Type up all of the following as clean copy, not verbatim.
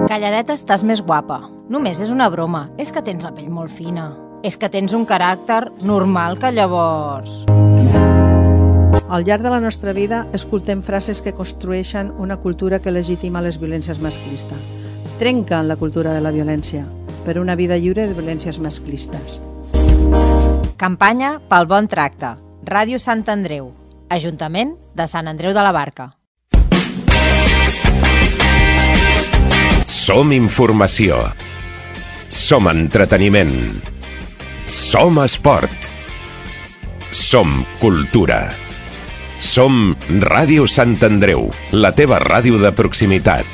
Calladeta estàs més guapa. Només és una broma. És que tens la pell molt fina. És que tens un caràcter normal que llavors... Al llarg de la nostra vida escoltem frases que construeixen una cultura que legitima les violències masclistes. Trenquen la cultura de la violència per una vida lliure de violències masclistes. Campanya pel bon tracte. Ràdio Sant Andreu. Ajuntament de Sant Andreu de la Barca. Som informació. Som entreteniment. Som esport. Som cultura. Som Ràdio Sant Andreu, la teva ràdio de proximitat.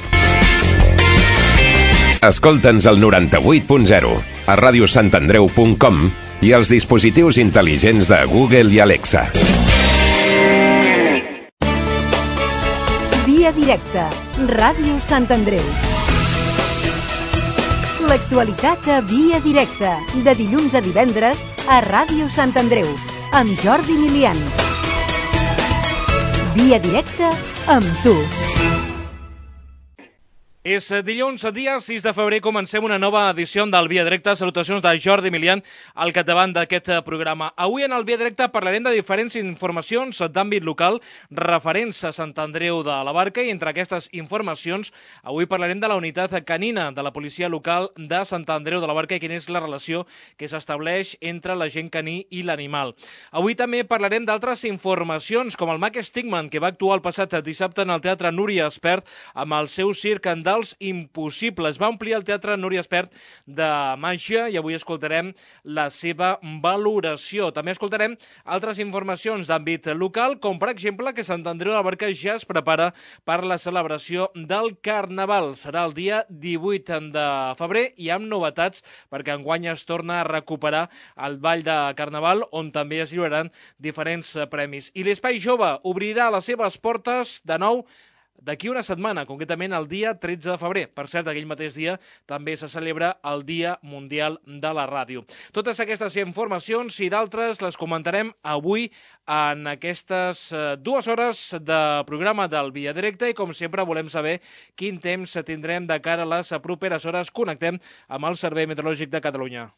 Escolta'ns al 98.0, a radiosantandreu.com i als dispositius intel·ligents de Google i Alexa. Via directa, Ràdio Sant Andreu. L'actualitat a Via directa, de dilluns a divendres a Ràdio Sant Andreu, amb Jordi Milian. Via directa amb tu. És dilluns, dia 6 de febrer, comencem una nova edició del Via Directa. Salutacions de Jordi Milian al capdavant d'aquest programa. Avui en el Via Directa parlarem de diferents informacions d'àmbit local referents a Sant Andreu de la Barca i entre aquestes informacions avui parlarem de la unitat canina de la policia local de Sant Andreu de la Barca i quina és la relació que s'estableix entre l'agent caní i l'animal. Avui també parlarem d'altres informacions com el Mac Stigman, que va actuar el passat dissabte en el Teatre Núria Espert amb el seu circ dels impossibles. Va omplir el Teatre Núria Espert de màgia i avui escoltarem la seva valoració. També escoltarem altres informacions d'àmbit local, com per exemple que Sant Andreu de la Barca ja es prepara per la celebració del Carnaval. Serà el dia 18 de febrer i amb novetats perquè enguany es torna a recuperar el Ball de Carnaval on també es lliuraran diferents premis. I l'Espai Jove obrirà les seves portes de nou d'aquí una setmana, concretament el dia 13 de febrer. Per cert, aquell mateix dia també se celebra el Dia Mundial de la Ràdio. Totes aquestes informacions i d'altres les comentarem avui en aquestes 2 hores de programa del Via Directa i, com sempre, volem saber quin temps tindrem de cara a les properes hores. Connectem amb el Servei Meteorològic de Catalunya.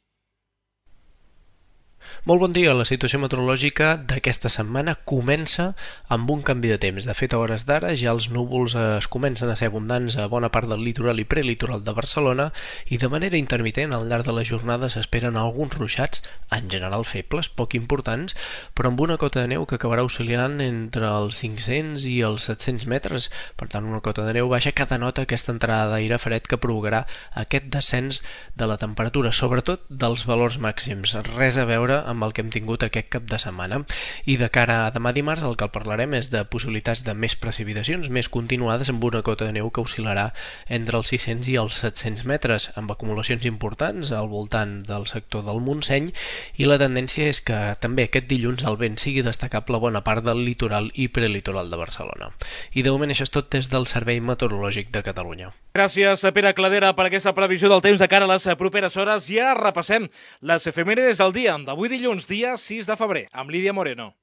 Molt bon dia. La situació meteorològica d'aquesta setmana comença amb un canvi de temps. De fet, a hores d'ara ja els núvols es comencen a ser abundants a bona part del litoral i prelitoral de Barcelona i de manera intermitent al llarg de la jornada s'esperen alguns ruixats, en general febles, poc importants, però amb una cota de neu que acabarà oscil·lant entre els 500 i els 700 metres. Per tant, una cota de neu baixa que denota aquesta entrada d'aire fred que provocarà aquest descens de la temperatura, sobretot dels valors màxims. Res a veure amb el que hem tingut aquest cap de setmana. I de cara a demà dimarts el que parlarem és de possibilitats de més precipitacions, més continuades amb una cota de neu que oscil·larà entre els 600 i els 700 metres, amb acumulacions importants al voltant del sector del Montseny, i la tendència és que també aquest dilluns el vent sigui destacable a bona part del litoral i prelitoral de Barcelona. I de moment això és tot des del Servei Meteorològic de Catalunya. Gràcies, Pere Cladera, per aquesta previsió del temps de cara a les properes hores. I ara repassem les efemèrides del dia d'avui dilluns, dia 6 de febrer, amb Lídia Moreno.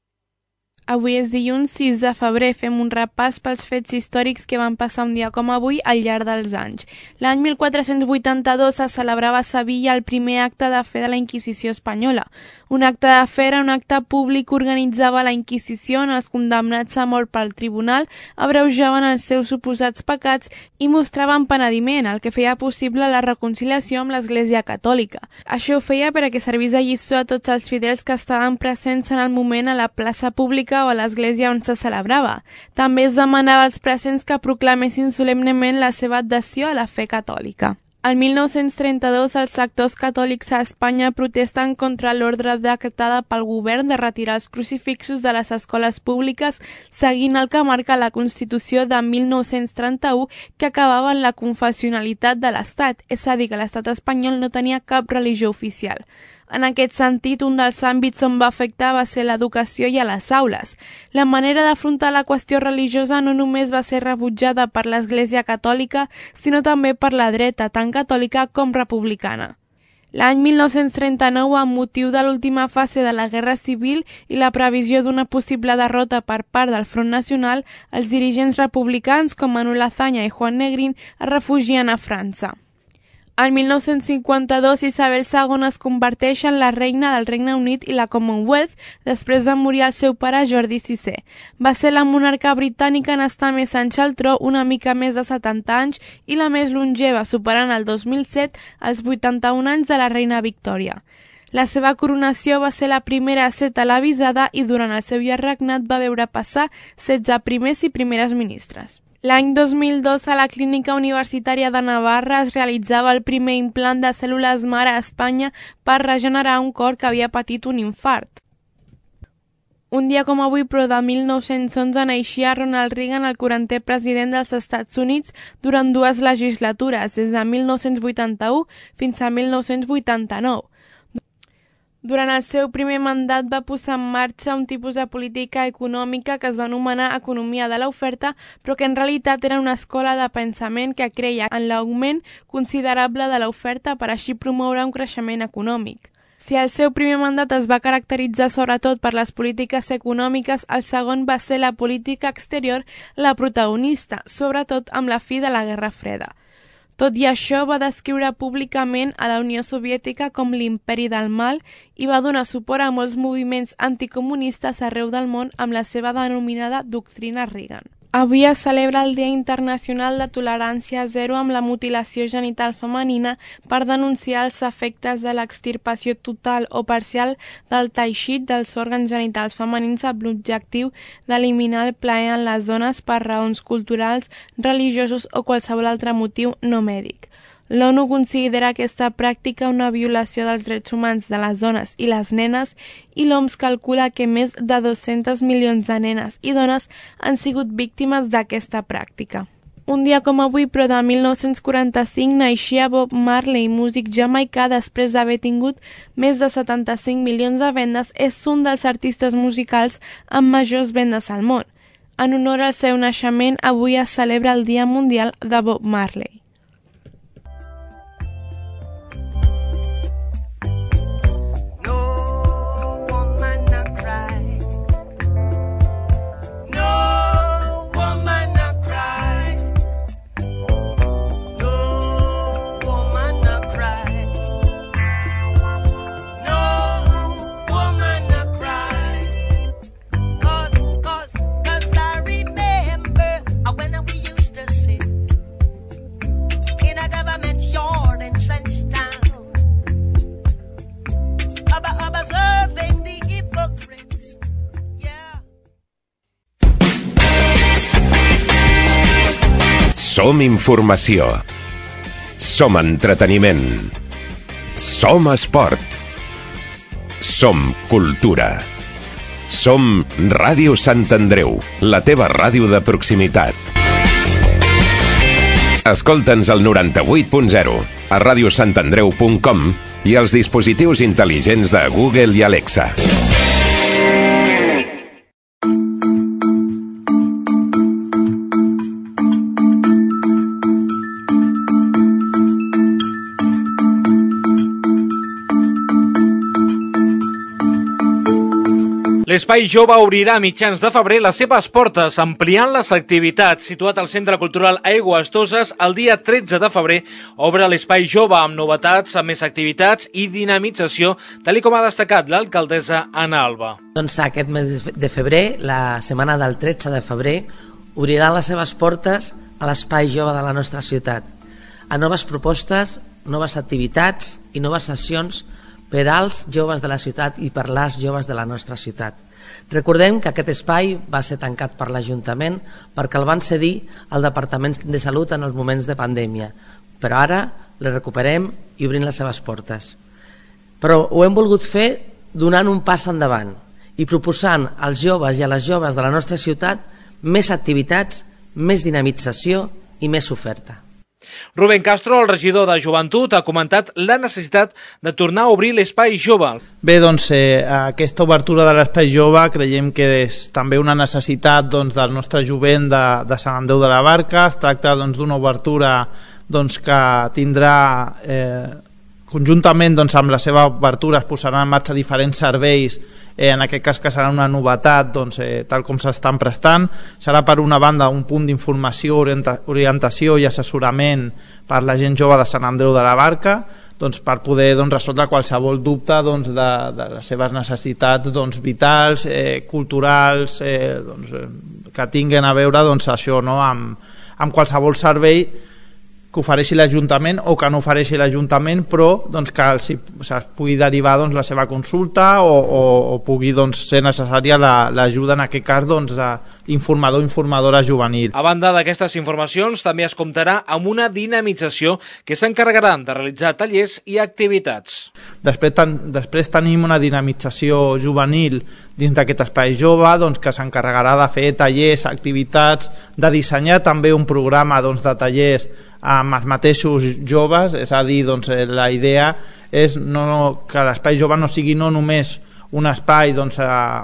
Avui és dilluns 6 de febrer, fem un repàs pels fets històrics que van passar un dia com avui al llarg dels anys. L'any 1482 se celebrava a Sevilla el primer acte de fe de la Inquisició espanyola. Un acte de fe era un acte públic que organitzava la Inquisició on els condemnats a mort pel tribunal abreujaven els seus suposats pecats i mostraven penediment, el que feia possible la reconciliació amb l'Església Catòlica. Això ho feia perquè servís de lliçó a tots els fidels que estaven presents en el moment a la plaça pública o a l'església on se celebrava. També es demanava als presents que proclamessin solemnement la seva adhesió a la fe catòlica. El 1932, els sectors catòlics a Espanya protesten contra l'ordre decretada pel govern de retirar els crucifixos de les escoles públiques seguint el que marca la Constitució de 1931 que acabava en la confessionalitat de l'Estat, és a dir, que l'Estat espanyol no tenia cap religió oficial. En aquest sentit, un dels àmbits on va afectar va ser l'educació i a les aules. La manera d'afrontar la qüestió religiosa no només va ser rebutjada per l'Església Catòlica, sinó també per la dreta, tant catòlica com republicana. L'any 1939, amb motiu de l'última fase de la Guerra Civil i la previsió d'una possible derrota per part del Front Nacional, els dirigents republicans com Manuel Azaña i Juan Negrín es refugien a França. En 1952, Isabel II es converteix en la reina del Regne Unit i la Commonwealth després de morir el seu pare Jordi VI. Va ser la monarca britànica en estar més anys al tro, una mica més de 70 anys, i la més longeva, superant el 2007 els 81 anys de la reina Victòria. La seva coronació va ser la primera a ser televisada i durant el seu llarg regnat va veure passar 16 primers i primeres ministres. L'any 2002, a la Clínica Universitària de Navarra es realitzava el primer implant de cèl·lules mare a Espanya per regenerar un cor que havia patit un infart. Un dia com avui, però de 1911, naixia Ronald Reagan, el 40è president dels Estats Units, durant 2 legislatures, des de 1981 fins a 1989. Durant el seu primer mandat va posar en marxa un tipus de política econòmica que es va anomenar economia de l'oferta, però que en realitat era una escola de pensament que creia en l'augment considerable de l'oferta per així promoure un creixement econòmic. Si el seu primer mandat es va caracteritzar sobretot per les polítiques econòmiques, el segon va ser la política exterior, la protagonista, sobretot amb la fi de la Guerra Freda. Tot i això, va descriure públicament a la Unió Soviètica com l'imperi del mal i va donar suport a molts moviments anticomunistes arreu del món amb la seva denominada doctrina Reagan. Avui es celebra el Dia Internacional de Tolerància Zero amb la mutilació genital femenina per denunciar els efectes de l'extirpació total o parcial del teixit dels òrgans genitals femenins amb l'objectiu d'eliminar el plaer en les dones per raons culturals, religiosos o qualsevol altre motiu no mèdic. L'ONU considera aquesta pràctica una violació dels drets humans de les dones i les nenes i l'OMS calcula que més de 200 milions de nenes i dones han sigut víctimes d'aquesta pràctica. Un dia com avui, però de 1945, naixia Bob Marley, músic jamaicà, després d'haver tingut més de 75 milions de vendes, és un dels artistes musicals amb majors vendes al món. En honor al seu naixement, avui es celebra el Dia Mundial de Bob Marley. Som informació. Som entreteniment. Som esport. Som cultura. Som Ràdio Sant Andreu, la teva ràdio de proximitat. Escolta'ns al 98.0, a radiosantandreu.com i als dispositius intel·ligents de Google i Alexa. L'Espai Jove obrirà a mitjans de febrer les seves portes, ampliant les activitats. Situat al Centre Cultural Aigües Toses, el dia 13 de febrer obre l'Espai Jove amb novetats, amb més activitats i dinamització, tal com ha destacat l'alcaldessa Anna Alba. Doncs aquest mes de febrer, la setmana del 13 de febrer, obriran les seves portes a l'Espai Jove de la nostra ciutat, a noves propostes, noves activitats i noves sessions per als joves de la ciutat i per les joves de la nostra ciutat. Recordem que aquest espai va ser tancat per l'Ajuntament perquè el van cedir al Departament de Salut en els moments de pandèmia, però ara el recuperem i obrim les seves portes. Però ho hem volgut fer donant un pas endavant i proposant als joves i a les joves de la nostra ciutat més activitats, més dinamització i més oferta. Rubén Castro, el regidor de Joventut, ha comentat la necessitat de tornar a obrir l'Espai Jove. Bé, doncs aquesta obertura de l'Espai Jove creiem que és també una necessitat del nostre jovent de Sant Andreu de la Barca. Es tracta d'una obertura que tindrà conjuntament doncs, amb la seva obertura es posaran en marxa diferents serveis, en aquest cas que serà una novetat doncs, tal com s'estan prestant. Serà per una banda un punt d'informació, orientació i assessorament per la gent jove de Sant Andreu de la Barca, doncs, per poder doncs, resoldre qualsevol dubte doncs, de les seves necessitats doncs, vitals, culturals, que tinguin a veure doncs, això, no? amb qualsevol servei que ofereixi l'Ajuntament o que no ofereixi l'Ajuntament, però doncs, que es pugui derivar doncs, la seva consulta o pugui doncs, ser necessària l'ajuda, en aquest cas, doncs, d'informador o informadora juvenil. A banda d'aquestes informacions, també es comptarà amb una dinamització que s'encarregaran de realitzar tallers i activitats. Després tenim una dinamització juvenil dins d'aquest espai jove, doncs, que s'encarregarà de fer tallers, activitats, de dissenyar també un programa doncs, de tallers amb els mateixos joves, és a dir, doncs, la idea és que l'espai jove no sigui no només un espai doncs,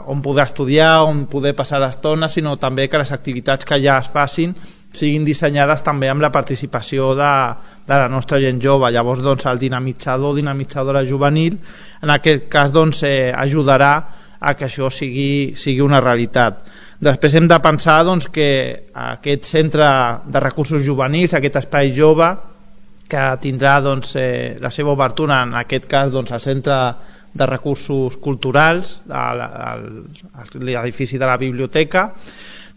on poder estudiar, on poder passar l'estona, sinó també que les activitats que ja es facin siguin dissenyades també amb la participació de la nostra gent jove. Llavors doncs, el dinamitzador o dinamitzadora juvenil en aquest cas doncs, ajudarà a que això sigui una realitat. Després hem de pensar doncs, que aquest centre de recursos juvenils, aquest espai jove, que tindrà doncs, la seva obertura, en aquest cas doncs, al centre de recursos culturals, a l'edifici de la biblioteca,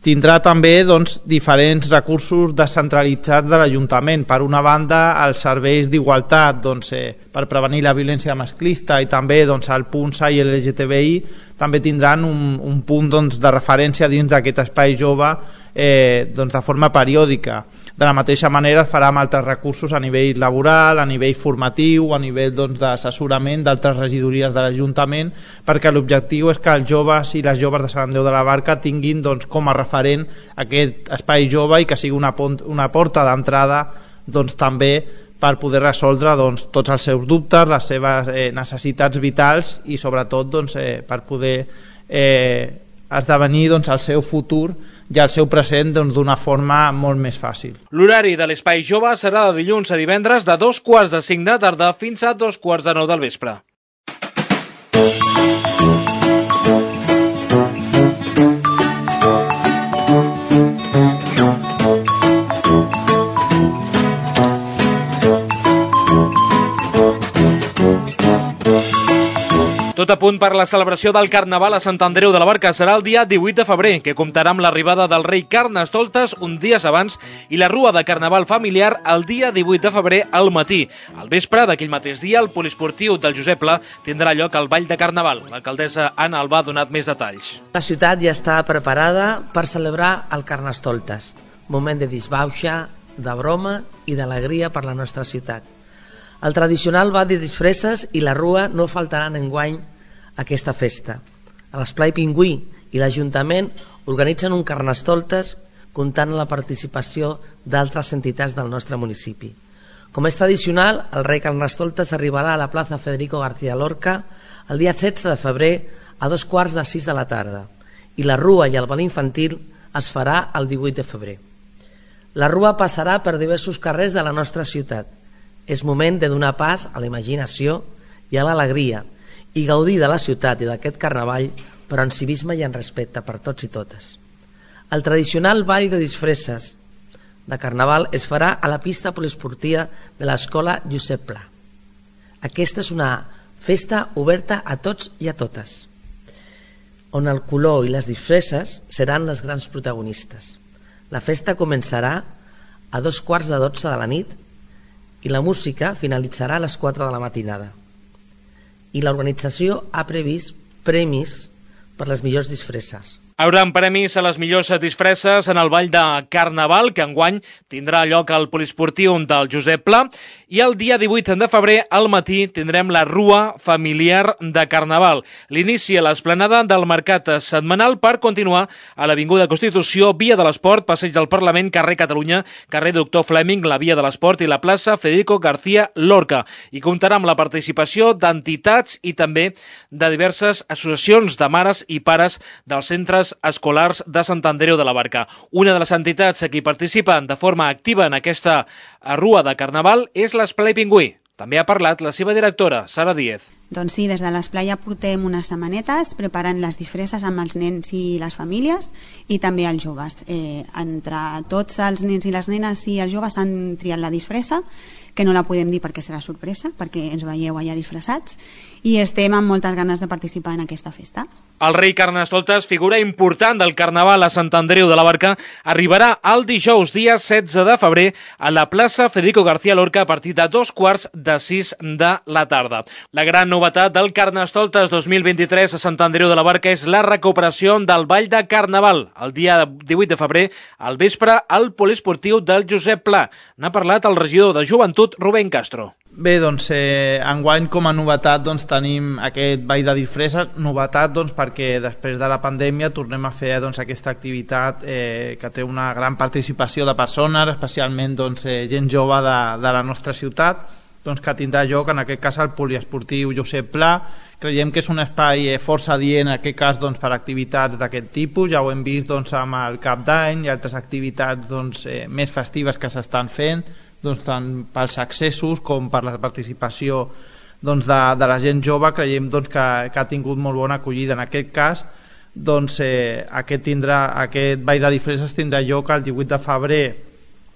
tindrà també doncs, diferents recursos descentralitzats de l'Ajuntament. Per una banda, els serveis d'igualtat doncs, per prevenir la violència masclista i també doncs, el punt SAI i LGTBI també tindran un punt doncs, de referència dins d'aquest espai jove doncs, de forma periòdica. De la mateixa manera es farà amb altres recursos a nivell laboral, a nivell formatiu, a nivell doncs, d'assessorament d'altres regidories de l'Ajuntament, perquè l'objectiu és que els joves i les joves de Sant Andreu de la Barca tinguin doncs, com a referent aquest espai jove i que sigui una porta d'entrada doncs, també per poder resoldre doncs, tots els seus dubtes, les seves necessitats vitals i sobretot doncs, per poder esdevenir doncs, el seu futur i el seu present doncs, d'una forma molt més fàcil. L'horari de l'Espai Jove serà de dilluns a divendres de 2:45 de la tarda fins a 2:45 del vespre. Tot a punt per la celebració del Carnaval a Sant Andreu de la Barca. Serà el dia 18 de febrer, que comptarà amb l'arribada del rei Carnestoltes uns dies abans i la rua de Carnaval familiar el dia 18 de febrer al matí. Al vespre d'aquell mateix dia, el poliesportiu del Josep Pla tindrà lloc al Ball de Carnaval. L'alcaldessa Anna Albà ha donat més detalls. La ciutat ja està preparada per celebrar el Carnestoltes, moment de disbauxa, de broma i d'alegria per la nostra ciutat. El tradicional ball de disfresses i la rua no faltaran enguany aquesta festa. A l'Esplai Pingüí i l'Ajuntament organitzen un Carnestoltes comptant amb la participació d'altres entitats del nostre municipi. Com és tradicional, el rei Carnestoltes arribarà a la plaça Federico García Lorca el dia 16 de febrer a 5:45 de la tarda i la rua i el ball infantil es farà el 18 de febrer. La rua passarà per diversos carrers de la nostra ciutat. És moment de donar pas a la imaginació i a l'alegria i gaudir de la ciutat i d'aquest carnaval, però en civisme i en respecte per tots i totes. El tradicional ball de disfresses de carnaval es farà a la pista poliesportiva de l'escola Josep Pla. Aquesta és una festa oberta a tots i a totes, on el color i les disfresses seran les grans protagonistes. La festa començarà a 2:15 de la nit i la música finalitzarà a les 4 de la matinada. I l'organització ha previst premis per les millors disfresses. Hi haurà premis a les millors disfresses en el Ball de Carnaval, que enguany tindrà lloc al poliesportiu del Josep Pla, i el dia 18 de febrer al matí tindrem la rua familiar de Carnaval. L'inici a l'esplanada del mercat setmanal per continuar a l'Avinguda Constitució, Via de l'Esport, Passeig del Parlament, carrer Catalunya, carrer Doctor Fleming, la Via de l'Esport i la plaça Federico García Lorca. I comptarà amb la participació d'entitats i també de diverses associacions de mares i pares dels centres escolars de Sant Andreu de la Barca. Una de les entitats que hi participen de forma activa en aquesta rua de Carnaval és l'Esplai Pingüí. també ha parlat la seva directora, Sara Díez. Doncs sí, des de l'Esplai ja portem unes setmanetes preparant les disfresses amb els nens i les famílies i també els joves. Entre tots els nens i les nenes i els joves han triat la disfressa, que no la podem dir perquè serà sorpresa, perquè ens veieu allà disfressats, i estem amb moltes ganes de participar en aquesta festa. El rei Carnestoltes, figura important del Carnaval a Sant Andreu de la Barca, arribarà el dijous, dia 16 de febrer, a la plaça Federico García Lorca a partir de 5:45 de la tarda. La gran novetat del Carnestoltes 2023 a Sant Andreu de la Barca és la recuperació del Ball de Carnaval. El dia 18 de febrer, al vespre, al poliesportiu del Josep Pla. N'ha parlat el regidor de Joventut, Rubén Castro. Bé, doncs, enguany com a novetat doncs, tenim aquest ball de disfresses, novetat doncs, perquè després de la pandèmia tornem a fer doncs, aquesta activitat que té una gran participació de persones, especialment doncs, gent jove de la nostra ciutat, doncs, que tindrà lloc en aquest cas al poliesportiu Josep Pla. Creiem que és un espai força adient en aquest cas doncs, per activitats d'aquest tipus, ja ho hem vist doncs, amb el Cap d'Any i altres activitats doncs, més festives que s'estan fent, doncs, tant pels accessos com per la participació doncs, de la gent jove. Creiem doncs, que ha tingut molt bona acollida. En aquest cas doncs, aquest ball de disfresses tindrà lloc el 18 de febrer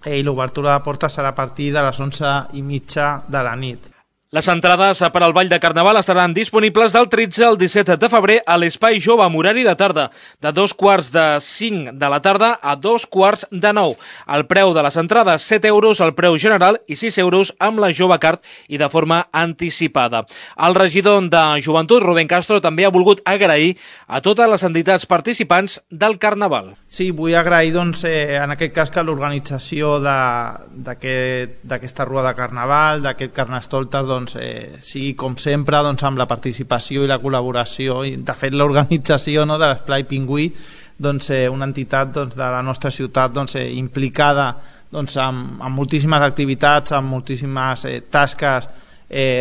i l'obertura de portes serà a partir de les 11:30 de la nit. Les entrades per al Ball de Carnaval estaran disponibles del 13 al 17 de febrer a l'Espai Jove amb horari de tarda, de 5:45 de la tarda a 9:15. El preu de les entrades, 7 euros el preu general i 6 euros amb la Jove Card i de forma anticipada. El regidor de Joventut, Rubén Castro, també ha volgut agrair a totes les entitats participants del Carnaval. Sí, vull agrair doncs, en aquest cas que l'organització d'aquesta rua de Carnaval, d'aquest Carnestoltes, doncs, sigui com sempre doncs, amb la participació i la col·laboració i de fet l'organització, no, de l'Esplai Pingüí, doncs, una entitat doncs, de la nostra ciutat doncs, implicada doncs, amb moltíssimes activitats, amb moltíssimes tasques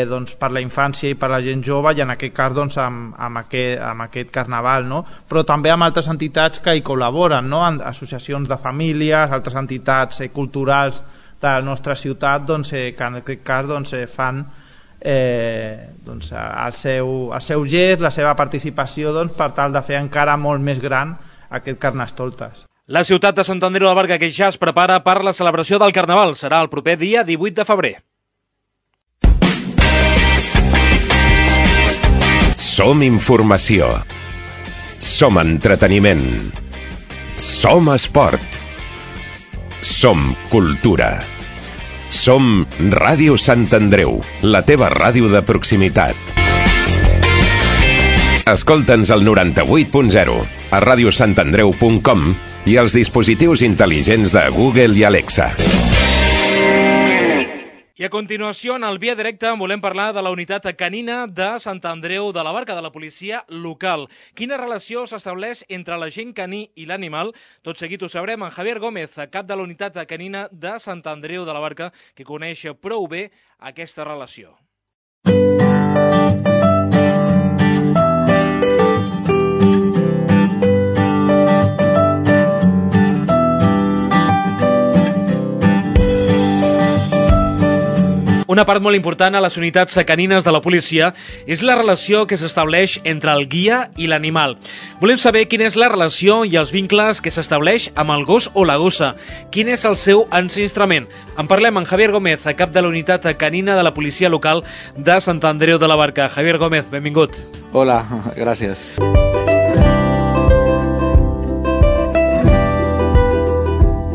doncs, per la infància i per la gent jove, i en aquest cas doncs, amb aquest Carnaval, no? Però també amb altres entitats que hi col·laboren, no? Associacions de famílies, altres entitats culturals de la nostra ciutat doncs, que en aquest cas doncs, fan doncs, el seu gest, la seva participació doncs, per tal de fer encara molt més gran aquest Carnestoltes. La ciutat de Sant Andreu de la Barca que ja es prepara per la celebració del Carnaval. Serà el proper dia 18 de febrer. Som informació. Som entreteniment. Som esport. Som cultura. Som Ràdio Sant Andreu, la teva ràdio de proximitat. Escolta'ns al 98.0, a radiosantandreu.com i als dispositius intel·ligents de Google i Alexa. I a continuació, en el Via Directa, volem parlar de la unitat canina de Sant Andreu de la Barca, de la policia local. Quina relació s'estableix entre l'agent caní i l'animal? Tot seguit ho sabrem amb Javier Gómez, cap de la unitat canina de Sant Andreu de la Barca, que coneix prou bé aquesta relació. Una part molt important a les unitats canines de la policia és la relació que s'estableix entre el guia i l'animal. Volem saber quina és la relació i els vincles que s'estableix amb el gos o la gossa. Quin és el seu enregistrament? En parlem amb Javier Gómez, cap de la unitat canina de la policia local de Sant Andreu de la Barca. Javier Gómez, benvingut. Hola, gràcies.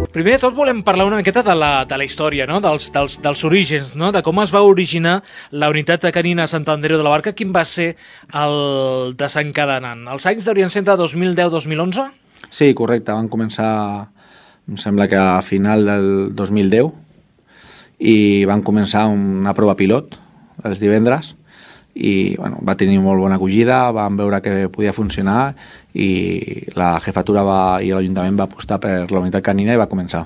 Primer de tot volem parlar una miqueta de la història, no? dels orígens, no? De com es va originar la unitat canina a Sant Andreu de la Barca. Quin va ser el desencadenant? Els anys deurien ser de 2010-2011? Sí, correcte. Van començar, em sembla que a final del 2010, i van començar una prova pilot els divendres, i bueno, va tenir molt bona acollida, vam veure que podia funcionar i la jefatura i l'Ajuntament va apostar per la unitat canina i va començar.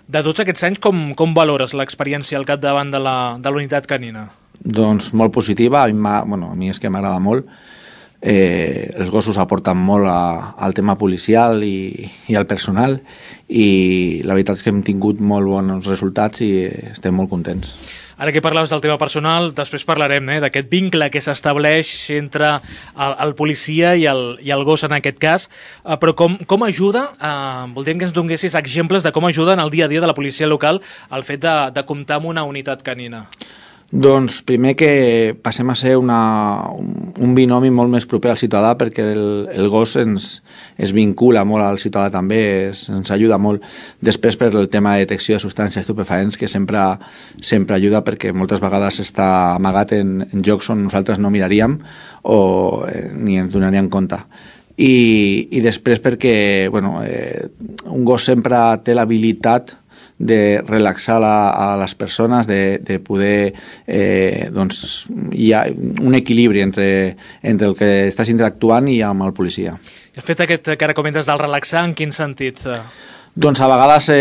De tots aquests anys, com valores l'experiència al capdavant de la unitat canina? Doncs molt positiva, a mi és que m'agrada molt. els gossos aporten molt al tema policial i al personal, i la veritat és que hem tingut molt bons resultats i estem molt contents. Ara que parlaves del tema personal, després parlarem d'aquest vincle que s'estableix entre el policia i el gos en aquest cas, però com ajuda, voldríem que ens donessis exemples de com ajuda en el dia a dia de la policia local el fet de comptar amb una unitat canina. Doncs primer que passem a ser un binomi molt més proper al ciutadà, perquè el gos es vincula molt al ciutadà també, ens ajuda molt. Després per el tema de detecció de substàncies estupefaents, que sempre ajuda, perquè moltes vegades està amagat en llocs on nosaltres no miraríem o ni ens donaríem compte. I després perquè un gos sempre té l'habilitat de relaxar a les persones, de poder hi ha un equilibri entre el que estàs interactuant i amb el policia. El fet aquest que ara comentes del relaxar, en quin sentit? Doncs a vegades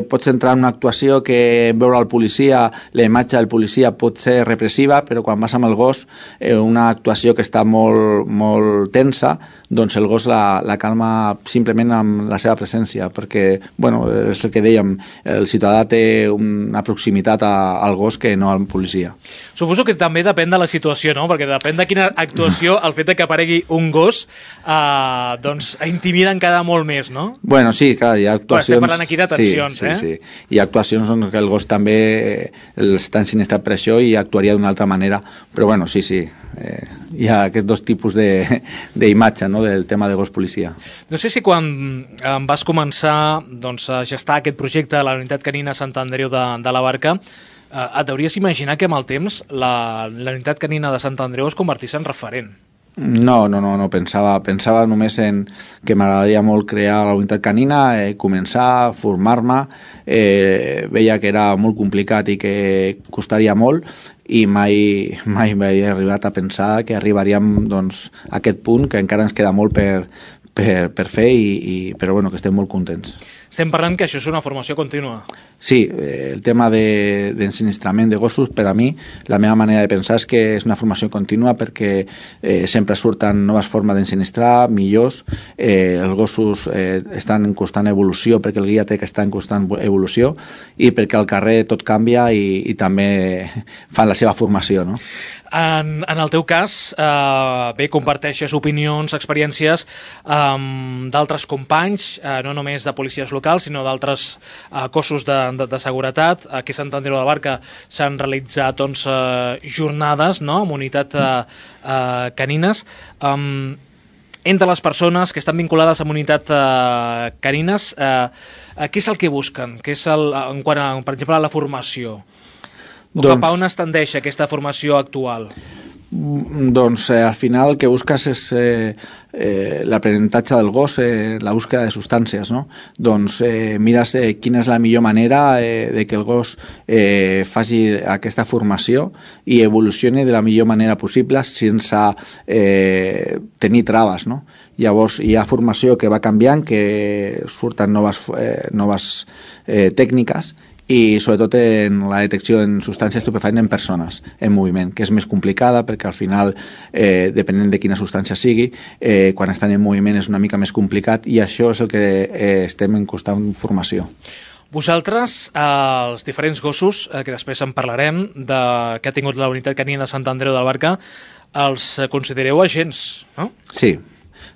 pots entrar en una actuació que veure el policia, la imatge del policia pot ser repressiva, però quan vas amb el gos, una actuació que està molt, molt tensa, doncs el gos la calma simplement amb la seva presència, perquè, és el que dèiem, el ciutadà té una proximitat al gos que no al policia. Suposo que també depèn de la situació, no? Perquè depèn de quina actuació, el fet que aparegui un gos, doncs intimida encara molt més, no? Bueno, sí, clar, hi ha actuacions... Estem parlant aquí de tensions, sí. Hi ha actuacions on el gos també està ensinistrat per això i actuaria d'una altra manera, però sí, hi ha aquests dos tipus d'imatge, no?, del tema de gos policia. No sé si quan vas començar a gestar aquest projecte de la unitat canina Sant Andreu de la Barca, et hauries imaginar que amb el temps la unitat canina de Sant Andreu es convertís en referent? No, pensava només en que m'agradaria molt crear la unitat canina, començar, formar-me, veia que era molt complicat i que costaria molt, i mai m'he arribat a pensar que arribaríem a aquest punt, que encara ens queda molt per fer, però que estem molt contents. Estem parlant que això és una formació contínua. Sí, el tema d'ensinistrament de gossos, per a mi, la meva manera de pensar és que és una formació contínua, perquè sempre surten noves formes d'ensinistrar, millors, els gossos estan en constant evolució, perquè el guia té que estar en constant evolució, i perquè al carrer tot canvia i també fan la seva formació, no? En el teu cas, comparteixes opinions, experiències d'altres companys, no només de policies locals, sinó d'altres cossos de seguretat. Aquí a Sant Andreu de la Barca s'han realitzat jornades amb unitat canines. Entre les persones que estan vinculades amb unitat canines, què és el que busquen? Què és en quant a, per exemple, a la formació? Cap a on es tendeix aquesta formació actual? Doncs al final el que busques és l'aprenentatge del gos, la búsqueda de substàncies, no? Doncs mires quina és la millor manera de que el gos faci aquesta formació i evolucioni de la millor manera possible sense tenir traves, no? Llavors hi ha formació que va canviant, que surten noves tècniques, i sobretot en la detecció en substàncies estupefaents en persones en moviment, que és més complicada perquè al final, depenent de quina substància sigui, quan estan en moviment és una mica més complicat, i això és el que estem en constant formació. Vosaltres, els diferents gossos, que després en parlarem, que ha tingut la unitat canina de Sant Andreu de la Barca, els considereu agents, no? Sí,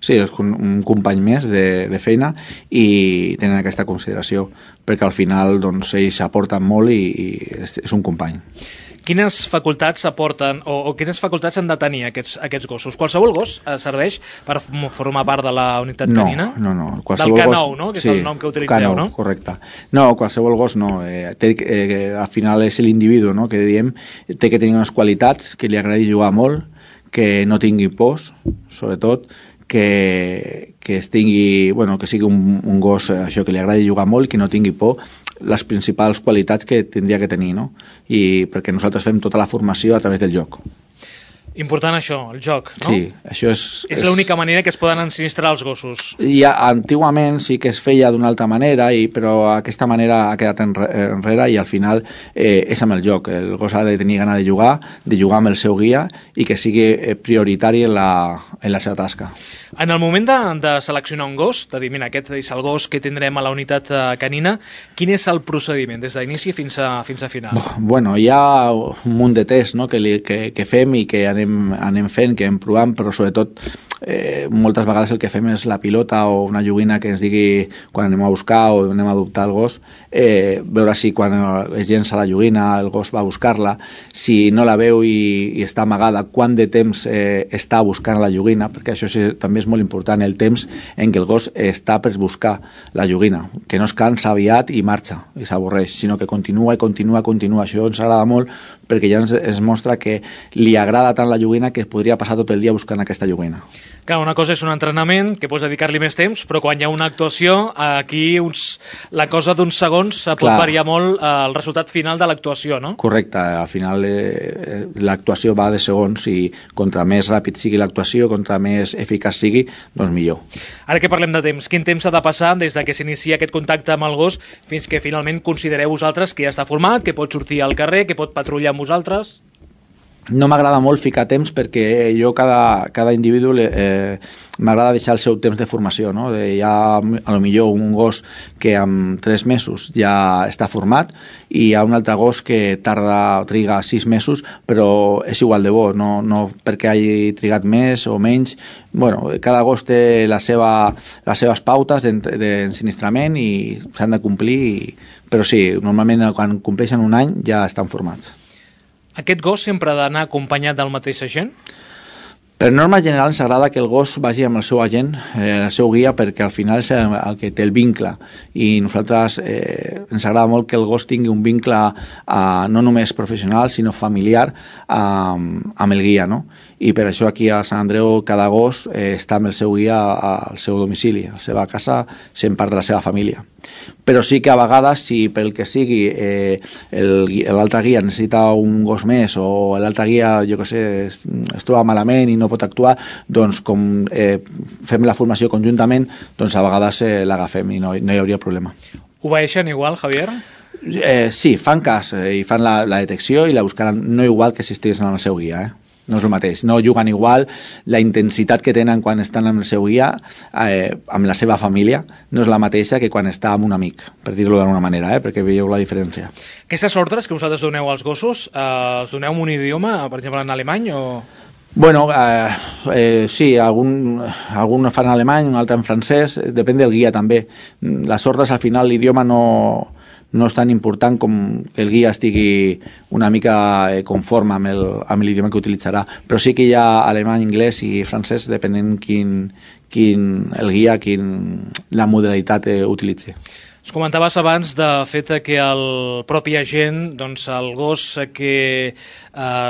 és un company més de feina i tenen aquesta consideració, perquè al final ells aporten molt i és un company. Quines facultats aporten o quines facultats han de tenir aquests gossos? Qualsevol gos serveix per formar part de la unitat canina? No. Del K9, no? Que és el nom que utilitzeu, K9, no? Correcte. No, qualsevol gos no. Al final és l'individu, no?, que diem, té que tenir unes qualitats, que li agradi jugar molt, que no tingui pors, sobretot, que sigui un gos això, que li agradi jugar molt i que no tingui por, les principals qualitats que tindria que tenir, no? I perquè nosaltres fem tota la formació a través del joc. Important això, el joc, no? Sí, això és... És l'única manera que es poden ensinistrar els gossos. Antigament sí que es feia d'una altra manera, però aquesta manera ha quedat enrere i al final és amb el joc. El gos ha de tenir gana de jugar amb el seu guia i que sigui prioritari en la seva tasca. En el moment de seleccionar un gos, de dir, mira, aquest és el gos que tindrem a la unitat canina, quin és el procediment des d'inici fins a final? Bueno, hi ha un munt de tests, no?, que fem i que anem fent, que anem provant, però sobretot moltes vegades el que fem és la pilota o una joguina que ens digui quan anem a buscar o anem a adoptar el gos, veure si quan es llença la joguina el gos va a buscar-la, si no la veu i està amagada, quant de temps està buscant la joguina, perquè això també és molt important, el temps en què el gos està per buscar la joguina, que no es cansa aviat i marxa i s'avorreix, sinó que continua i continua. Això ens agrada molt perquè ja es mostra que li agrada tant la joguina que podria passar tot el dia buscant aquesta joguina. Clar, una cosa és un entrenament, que pots dedicar-li més temps, però quan hi ha una actuació, aquí la cosa d'uns segons pot variar molt el resultat final de l'actuació, no? Correcte, al final l'actuació va de segons i contra més ràpid sigui l'actuació, contra més eficaç sigui, doncs millor. Ara que parlem de temps, quin temps ha de passar des que s'inicia aquest contacte amb el gos fins que finalment considereu vosaltres que ja està format, que pot sortir al carrer, que pot patrullar amb vosaltres? No m'agrada molt ficar temps perquè jo cada individu m'agrada deixar el seu temps de formació, no? Hi ha a lo millor un gos que en 3 mesos ja està format i hi ha un altre gos que triga 6 mesos però és igual de bo, no perquè hagi trigat més o menys. Bueno, cada gos té les seves pautes d'ensinistrament i s'han de complir, però sí, normalment quan compleixen un any ja estan formats. Aquest gos sempre ha d'anar acompanyat del mateix agent? Per norma general ens agrada que el gos vagi amb el seu agent, el seu guia, perquè al final és el que té el vincle i nosaltres ens agrada molt que el gos tingui un vincle no només professional sinó familiar amb el guia, no? I per això aquí a Sant Andreu cada gos està amb el seu guia al seu domicili, a la seva casa, sent part de la seva família. Però sí que a vegades, si pel que sigui l'altre guia necessita un gos més o l'altre guia, jo què sé, es troba malament i no pot actuar, doncs com fem la formació conjuntament, doncs a vegades l'agafem i no hi hauria problema. Obeeixen igual, Javier? Sí, fan cas i fan la detecció i la buscaran, no igual que si estiguessin amb el seu guia, no és el mateix, no juguen igual, la intensitat que tenen quan estan amb el seu guia, amb la seva família, no és la mateixa que quan està amb un amic, per dir-ho d'alguna manera, perquè veieu la diferència. Aquestes ordres que vosaltres doneu als gossos, els doneu en un idioma, per exemple en alemany o...? Bueno, sí, algun fan en alemany, un altre en francès, depèn del guia també. Les ordres al final l'idioma no és tan important com que el guia estigui una mica conforme amb l'idioma que utilitzarà, però sí que hi ha alemany, anglès i francès depenent el guia, la modalitat utilitzi. Es comentaves abans de fet que el propi agent, doncs el gos que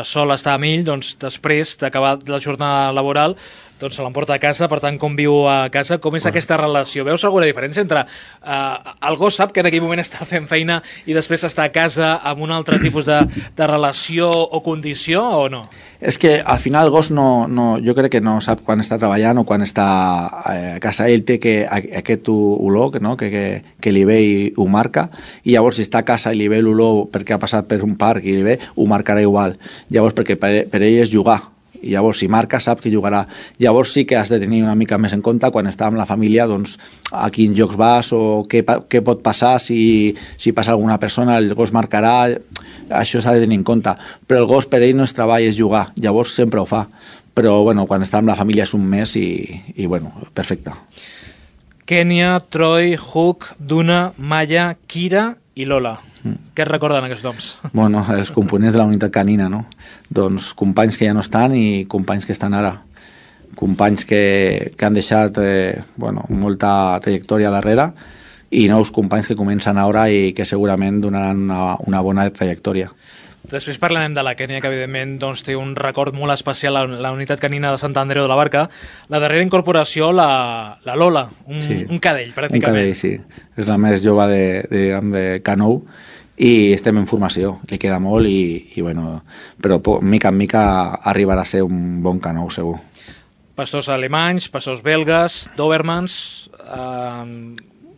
sol estar amb ell, doncs després d'acabar la jornada laboral, doncs se l'emporta a casa, per tant conviu a casa. Com és aquesta relació? Veus alguna diferència entre el gos sap que en aquell moment està fent feina i després està a casa amb un altre tipus de relació o condició o no? És que al final el gos jo crec que no sap quan està treballant o quan està a casa. Ell té aquest olor que li ve i ho marca, i llavors si està a casa i li ve l'olor perquè ha passat per un parc i li ve, ho marcarà igual. Llavors perquè per ell és jugar, i llavors si marca sap que jugarà. Llavors sí que has de tenir una mica més en compte quan està amb la família, doncs a quins jocs vas o què pot passar, si passa alguna persona el gos marcarà, això s'ha de tenir en compte. Però el gos per ell no és treball, és jugar, llavors sempre ho fa, però bueno, quan està amb la família és un mes i bueno, perfecte. Kènia, Troy, Hook, Duna, Maya, Kira i Lola. Què es recorden aquests noms? Bueno, els components de la unitat canina, no? Doncs companys que ja no estan i companys que estan ara. Companys que han deixat molta trajectòria darrere i nous companys que comencen ara i que segurament donaran una bona trajectòria. Després parlarem de la Kènia, que evidentment té un record molt especial a la unitat canina de Sant Andreu de la Barca. La darrera incorporació, la Lola, un cadell, pràcticament. Un cadell, sí. És la més jove de Canou i estem en formació, li queda molt bueno, però mica en mica arribarà a ser un bon canó segur. Pastors alemanys, pastors belgues, dobermans,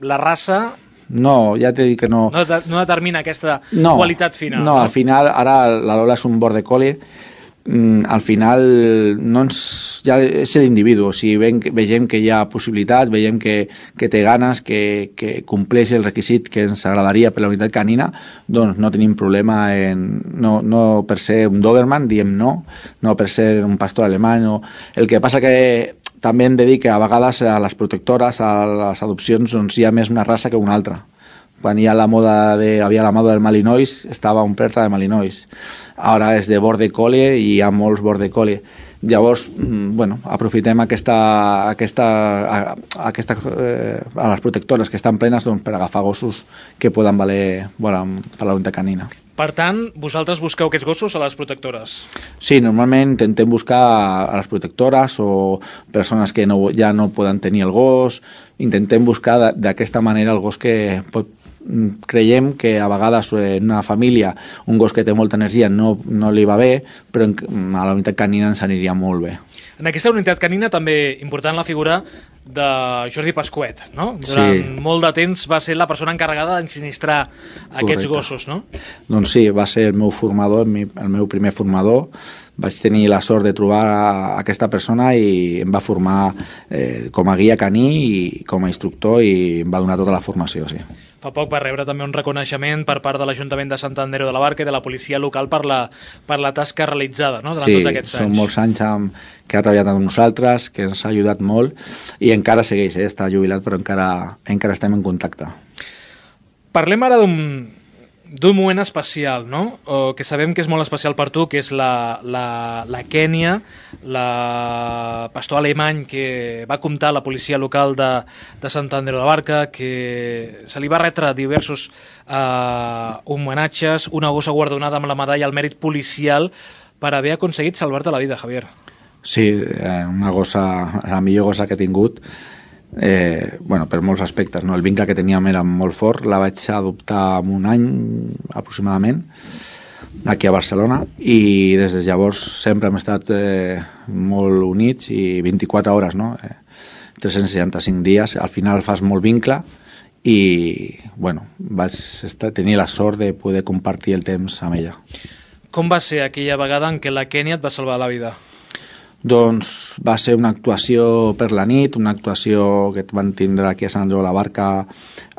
la raça... No, ja t'he dit que no... No determina aquesta qualitat final. No, al final, ara la Lola és un border collie, al final ja és l'individu, o sigui, vegem que hi ha possibilitats, veiem que té ganes, que compleix el requisit que ens agradaria per la unitat canina, doncs no tenim problema no per ser un Doberman, diem no per ser un pastor alemany. El que passa que també hem de dir que a vegades a les protectores, a les adopcions, doncs hi ha més una raça que una altra. Quan havia la moda del Malinois, estava un perta de Malinois. Ara és de border collie i hi ha molts border collie. Llavors, bueno, aprofitem a les protectores que estan plenes per agafar gossos que poden valer per la unitat canina. Per tant, vosaltres busqueu aquests gossos a les protectores? Sí, normalment intentem buscar a les protectores o persones que ja no poden tenir el gos. Intentem buscar d'aquesta manera el gos que creiem que a vegades en una família un gos que té molta energia no li va bé, però a la unitat canina ens aniria molt bé. En aquesta unitat canina també important la figura de Jordi Pasquet, no? Durant molt de temps va ser la persona encarregada d'ensinistrar aquests gossos, no? Doncs sí, va ser el meu formador, el meu primer formador. Vaig tenir la sort de trobar aquesta persona i em va formar com a guia caní i com a instructor i em va donar tota la formació, sí. Fa poc va rebre també un reconeixement per part de l'Ajuntament de Sant Andreu de la Barca i de la policia local per la tasca realitzada, no? Durant tots aquests anys. Sí, són molts anys que ha treballat amb nosaltres, que ens ha ajudat molt i encara segueix, està jubilat però encara estem en contacte. Parlem ara d'un moment especial, no? Que sabem que és molt especial per tu, que és la Kènia, la pastor alemany que va comptar la policia local de Sant Andreu de la Barca, que se li va retre diversos homenatges, una gossa guardonada amb la medalla al mèrit policial per haver aconseguit salvar-te la vida, Javier. Sí, una gossa, la millor gossa que he tingut, per molts aspectes, no? El vincle que teníem era molt fort. La vaig adoptar en un any aproximadament aquí a Barcelona i des de llavors sempre hem estat molt units i 24 hores, no? 365 dies, al final fas molt vincle i vaig tenir la sort de poder compartir el temps amb ella. Com va ser aquella vegada en què la Kènia et va salvar la vida? Doncs va ser una actuació per la nit, una actuació que van tindre aquí a Sant Andreu de la Barca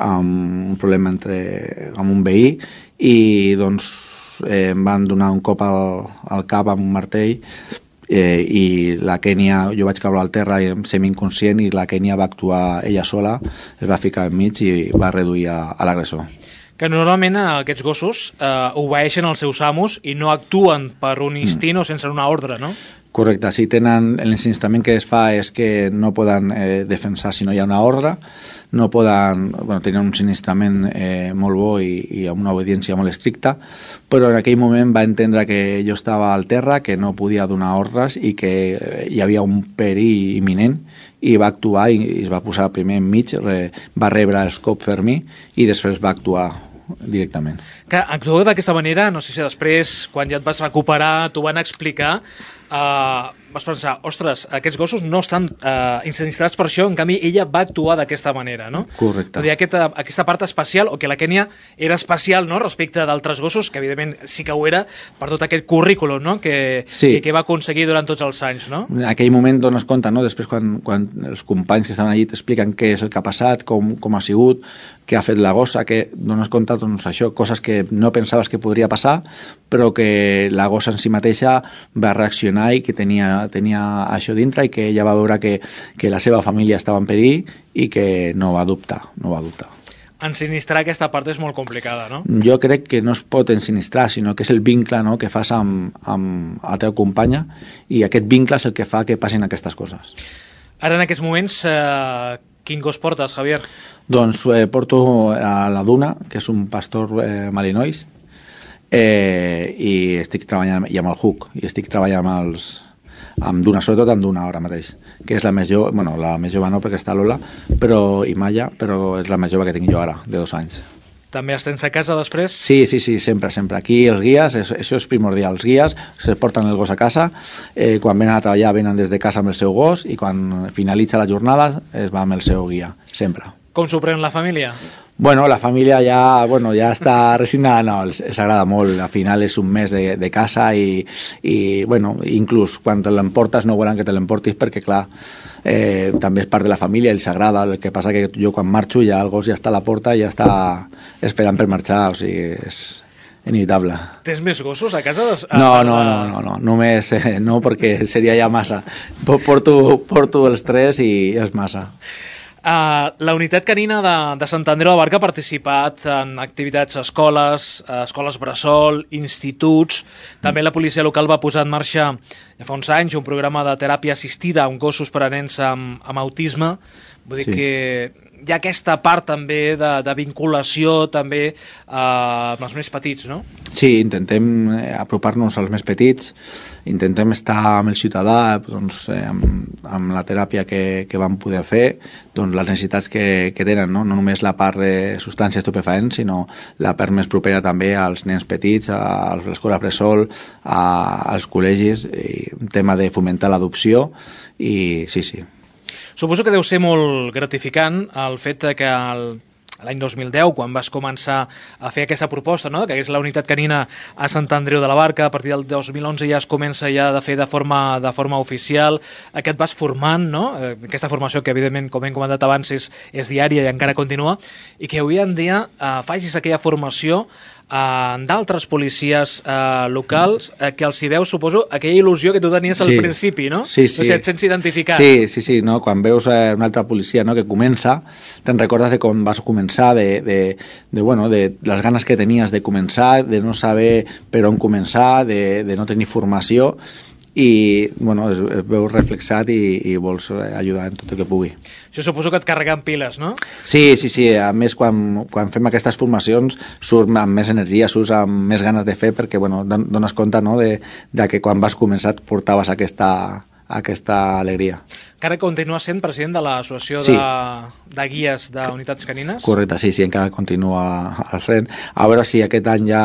amb un problema amb un veí i doncs em van donar un cop al cap amb un martell i la Kènia, jo vaig caure al terra semi-inconscient i la Kènia va actuar ella sola, es va ficar enmig i va reduir a l'agressor. Que normalment aquests gossos obeeixen els seus amos i no actuen per un instint o sense una ordre, no? Correcte, si tenen l'ensinistament que es fa és que no poden defensar si no hi ha una ordre, no poden, tenen un sinistrament molt bo i amb una obediència molt estricta, però en aquell moment va entendre que jo estava al terra, que no podia donar ordres i que hi havia un perill imminent i va actuar i es va posar primer enmig, va rebre els cops per mi i després va actuar directament. Que actuar d'aquesta manera, no sé si després, quan ja et vas recuperar, t'ho van explicar, vas pensar, ostres, aquests gossos no estan insinistrats per això, en canvi ella va actuar d'aquesta manera, no? Correcte. Aquesta part especial, o que la Kènia era especial, no?, respecte d'altres gossos, que evidentment sí que ho era, per tot aquest currículum, no?, que va aconseguir durant tots els anys, no? En aquell moment dones compte, no?, després quan els companys que estaven allí t'expliquen què és el que ha passat, com ha sigut, què ha fet la gossa, que dones compte, doncs això, coses que no pensaves que podria passar, però que la gossa en si mateixa va reaccionar i que tenia això dintre i que ella va veure que la seva família estava en perill i que no va dubtar. Ensinistrar aquesta part és molt complicada, no? Jo crec que no es pot ensinistrar, sinó que és el vincle, no?, que fas amb la teva companya i aquest vincle és el que fa que passin aquestes coses. Ara en aquests moments, quin gos portes, Javier? Doncs porto a la Duna, que és un pastor Malinois, i estic treballant amb el Hook, i estic treballant amb Duna, sobretot amb Duna ara mateix, que és la més jove, la més jove no perquè està Lola, i Maya, però és la més jove que tinc jo ara, de 2 anys. També els tens a casa després? Sí, sempre. Aquí els guies, això és primordial. Els guies se porten el gos a casa, quan venen a treballar venen des de casa amb el seu gos i quan finalitza la jornada es va amb el seu guia, sempre. Com s'ho pren la família? Bueno, la família ja està resignada, no, els agrada molt. Al final és un mes de casa i bueno, inclús quan te l'emportes no volen que te l'emportis perquè, clar, també és part de la família, els agrada. El que passa que jo quan marxo ja el gos ja està a la porta i ja està esperant per marxar, o sigui, és inevitable. Tens més gossos a casa? No, només no, perquè seria ja massa. Porto els 3 i és massa. La unitat canina de Sant Andreu de Barca ha participat en activitats a escoles bressol, instituts. També la policia local va posar en marxa ja fa uns anys un programa de teràpia assistida amb gossos per a nens amb autisme. Vull dir que hi ha aquesta part també de vinculació també amb els més petits, no? Sí, intentem apropar-nos als més petits, intentem estar amb el ciutadà, doncs, amb la teràpia que vam poder fer, doncs, les necessitats que tenen, no només la part de substàncies estupefaents, sinó la part més propera també als nens petits, a l'escola bressol, als col·legis, un tema de fomentar l'adopció i sí. Suposo que deu ser molt gratificant el fet que l'any 2010, quan vas començar a fer aquesta proposta, no?, que és la unitat canina a Sant Andreu de la Barca, a partir del 2011 ja es comença ja de fer de forma oficial, que et vas formant, no?, aquesta formació que evidentment, com hem comentat abans, és diària i encara continua, i que avui en dia facis aquella formació d'altres policies locals que els hi veus, suposo, aquella il·lusió que tu tenies al principi, no? Sí. O sigui, et sents identificat. Sí, no? Quan veus una altra policia, no?, que comença, te'n recordes de com vas començar, de les ganes que tenies de començar, de no saber per on començar, de no tenir formació, i es veu reflexat i vols ajudar en tot el que pugui. Això suposo que et carrega amb piles, no? Sí. A més, quan fem aquestes formacions surt amb més energia, surts amb més ganes de fer perquè dones compte, no?, de que quan vas començar et portaves aquesta alegria. Encara continues sent president de l'associació de guies d'unitats canines? Correcte, sí, encara continua al sent. A veure si aquest any ja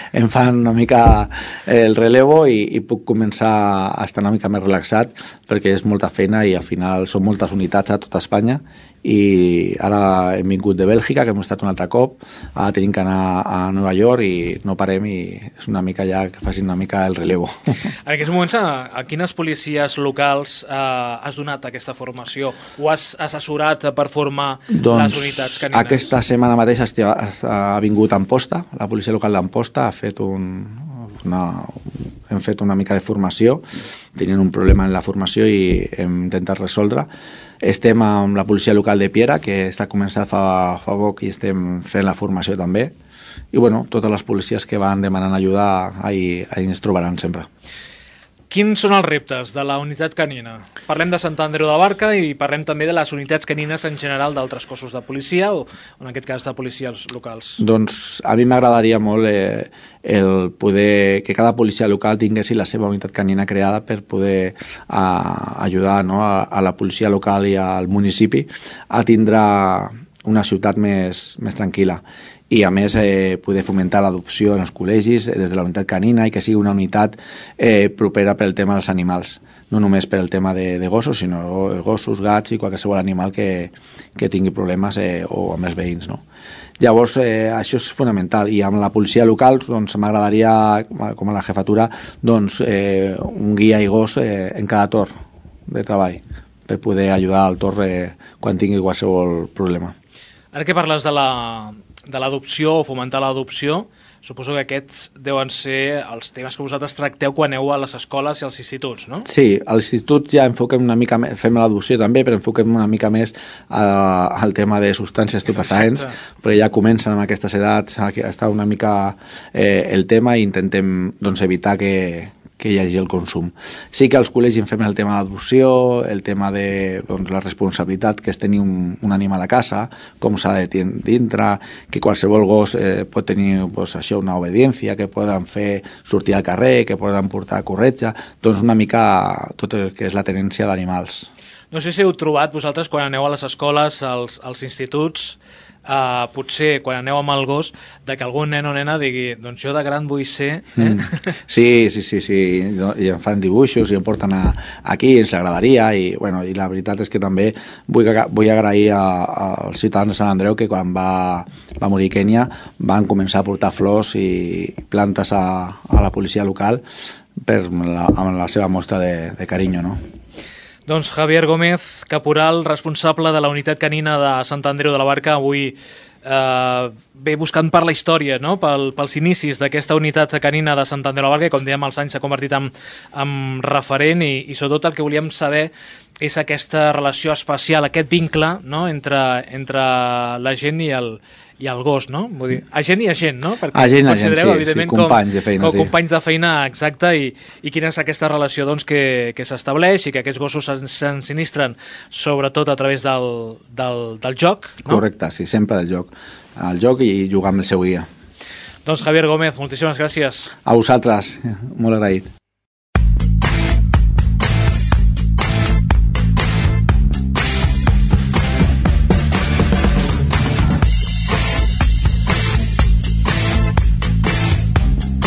em fan una mica el relevo i puc començar a estar una mica més relaxat perquè és molta feina i al final són moltes unitats a tota Espanya i ara hem vingut de Bèlgica, que hem estat un altre cop, ara tenim que anar a Nova York i no parem i és una mica ja que facin una mica el relevo. En aquests moments, a quines policies locals has donat aquesta formació o has assessorat per formar les unitats canines? Aquesta setmana mateix ha vingut Amposta, la policia local d'Amposta ha fet hem fet una mica de formació, tenien un problema en la formació i hem intentat resoldre. Estem amb la policia local de Piera, que està començant fa poc i estem fent la formació també. I totes les policies que van demanant ajuda ahí ens trobaran sempre. Quins són els reptes de la unitat canina? Parlem de Sant Andreu de la Barca i parlem també de les unitats canines en general d'altres cossos de policia o en aquest cas de policies locals. Doncs a mi m'agradaria molt el poder que cada policia local tingués la seva unitat canina creada per poder ajudar, no?, a la policia local i al municipi a tindre una ciutat més tranquil·la. I a més poder fomentar l'adopció en els col·legis des de la unitat canina i que sigui una unitat propera pel tema dels animals, no només per el tema de gossos, sinó gossos, gats i qualsevol animal que tingui problemes o amb els veïns, no? Llavors, això és fonamental i amb la policia local m'agradaria, com a la jefatura, un guia i gos en cada torn de treball per poder ajudar al torn quan tingui qualsevol problema. Ara que parles de l'adopció o fomentar l'adopció, suposo que aquests deuen ser els temes que vosaltres tracteu quan aneu a les escoles i als instituts, no? Sí, a l'institut ja enfoquem una mica més, fem l'adopció també, però enfoquem una mica més al tema de substàncies estupefaents, però ja comencen amb aquestes edats a estar una mica el tema i intentem evitar que hi hagi el consum. Sí que als col·legis fem el tema d'adopció, el tema de la responsabilitat que és tenir un animal a casa, com s'ha de dintre, que qualsevol gos pot tenir una obediència, que poden fer sortir al carrer, que poden portar corretja, una mica tot el que és la tenència d'animals. No sé si heu trobat vosaltres quan aneu a les escoles, als instituts, potser quan aneu amb el gos, de que algun nen o nena digui, doncs jo de gran vull ser... Sí, i em fan dibuixos i em porten aquí, ens agradaria, i la veritat és que també vull agrair als ciutadans de Sant Andreu que quan va morir Kènia van començar a portar flors i plantes a la policia local amb la seva mostra de carinyo, no? Doncs Javier Gómez, caporal, responsable de la unitat canina de Sant Andreu de la Barca, avui ve buscant per la història, no? Pels inicis d'aquesta unitat canina de Sant Andreu de la Barca, i com dèiem, als anys s'ha convertit en referent, i sobretot el que volíem saber és aquesta relació especial, aquest vincle, no? entre la gent i el gos, no? Vull dir, agent i agent, no? Perquè considereu, evidentment, companys de feina. Com companys de feina, exacte, i quina és aquesta relació doncs, que s'estableix i que aquests gossos s'ensinistren sobretot a través del joc, no? Correcte, sí, sempre del joc. El joc i jugar amb el seu guia. Doncs Javier Gómez, moltíssimes gràcies. A vosaltres, molt agraït.